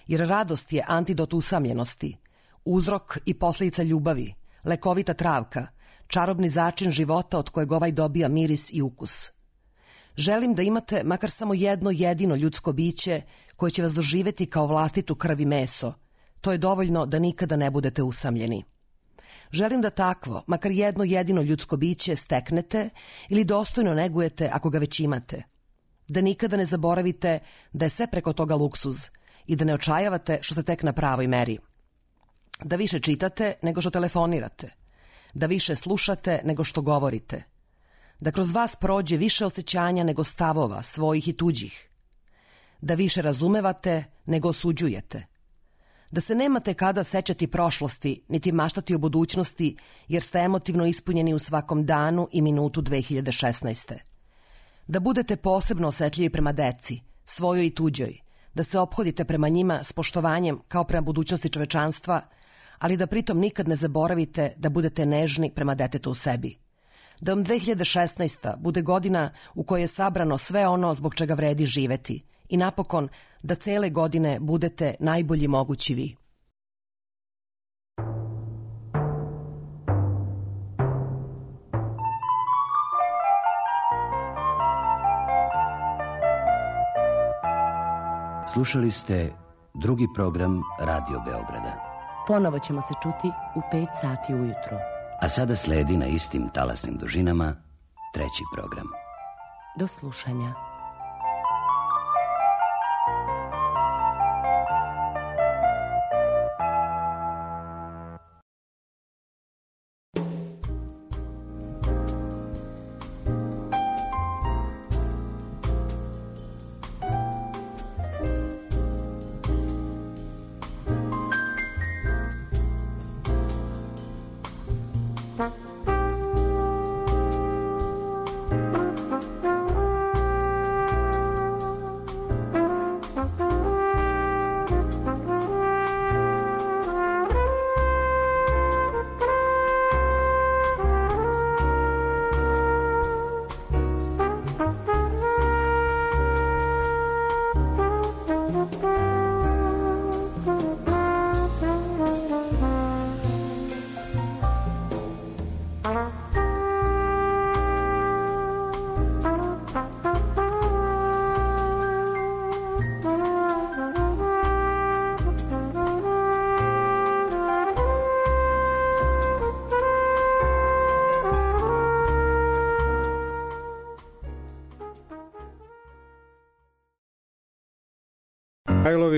Speaker 14: jer radost je antidot usamljenosti, uzrok i posljedica ljubavi, lekovita travka, čarobni začin života od kojeg ovaj dobija miris i ukus. Želim da imate makar samo jedno jedino ljudsko biće koje će vas doživjeti kao vlastitu krv i meso. To je dovoljno da nikada ne budete usamljeni. Želim da takvo, makar jedno jedino ljudsko biće steknete ili dostojno negujete ako ga već imate. Da nikada ne zaboravite da je sve preko toga luksuz i da ne očajavate što se tek na pravoj meri. Da više čitate nego što telefonirate, da više slušate nego što govorite, da kroz vas prođe više osjećanja nego stavova, svojih i tuđih, da više razumevate nego osuđujete, da se nemate kada sećati prošlosti, niti maštati o budućnosti, jer ste emotivno ispunjeni u svakom danu i minutu dve hiljade šesnaeste. Da budete posebno osetljivi prema deci, svojoj i tuđoj, da se ophodite prema njima s poštovanjem kao prema budućnosti čovečanstva, ali da pritom nikad ne zaboravite da budete nežni prema detetu u sebi. Da vam dve hiljade šesnaesta. bude godina u kojoj je sabrano sve ono zbog čega vredi živeti i napokon da cele godine budete najbolji mogući vi.
Speaker 15: Slušali ste drugi program Radio Beograda.
Speaker 16: Ponovo ćemo se čuti u pet sati ujutro.
Speaker 15: A sada sledi na istim talasnim dužinama treći program.
Speaker 16: Do slušanja.
Speaker 3: Mihajlović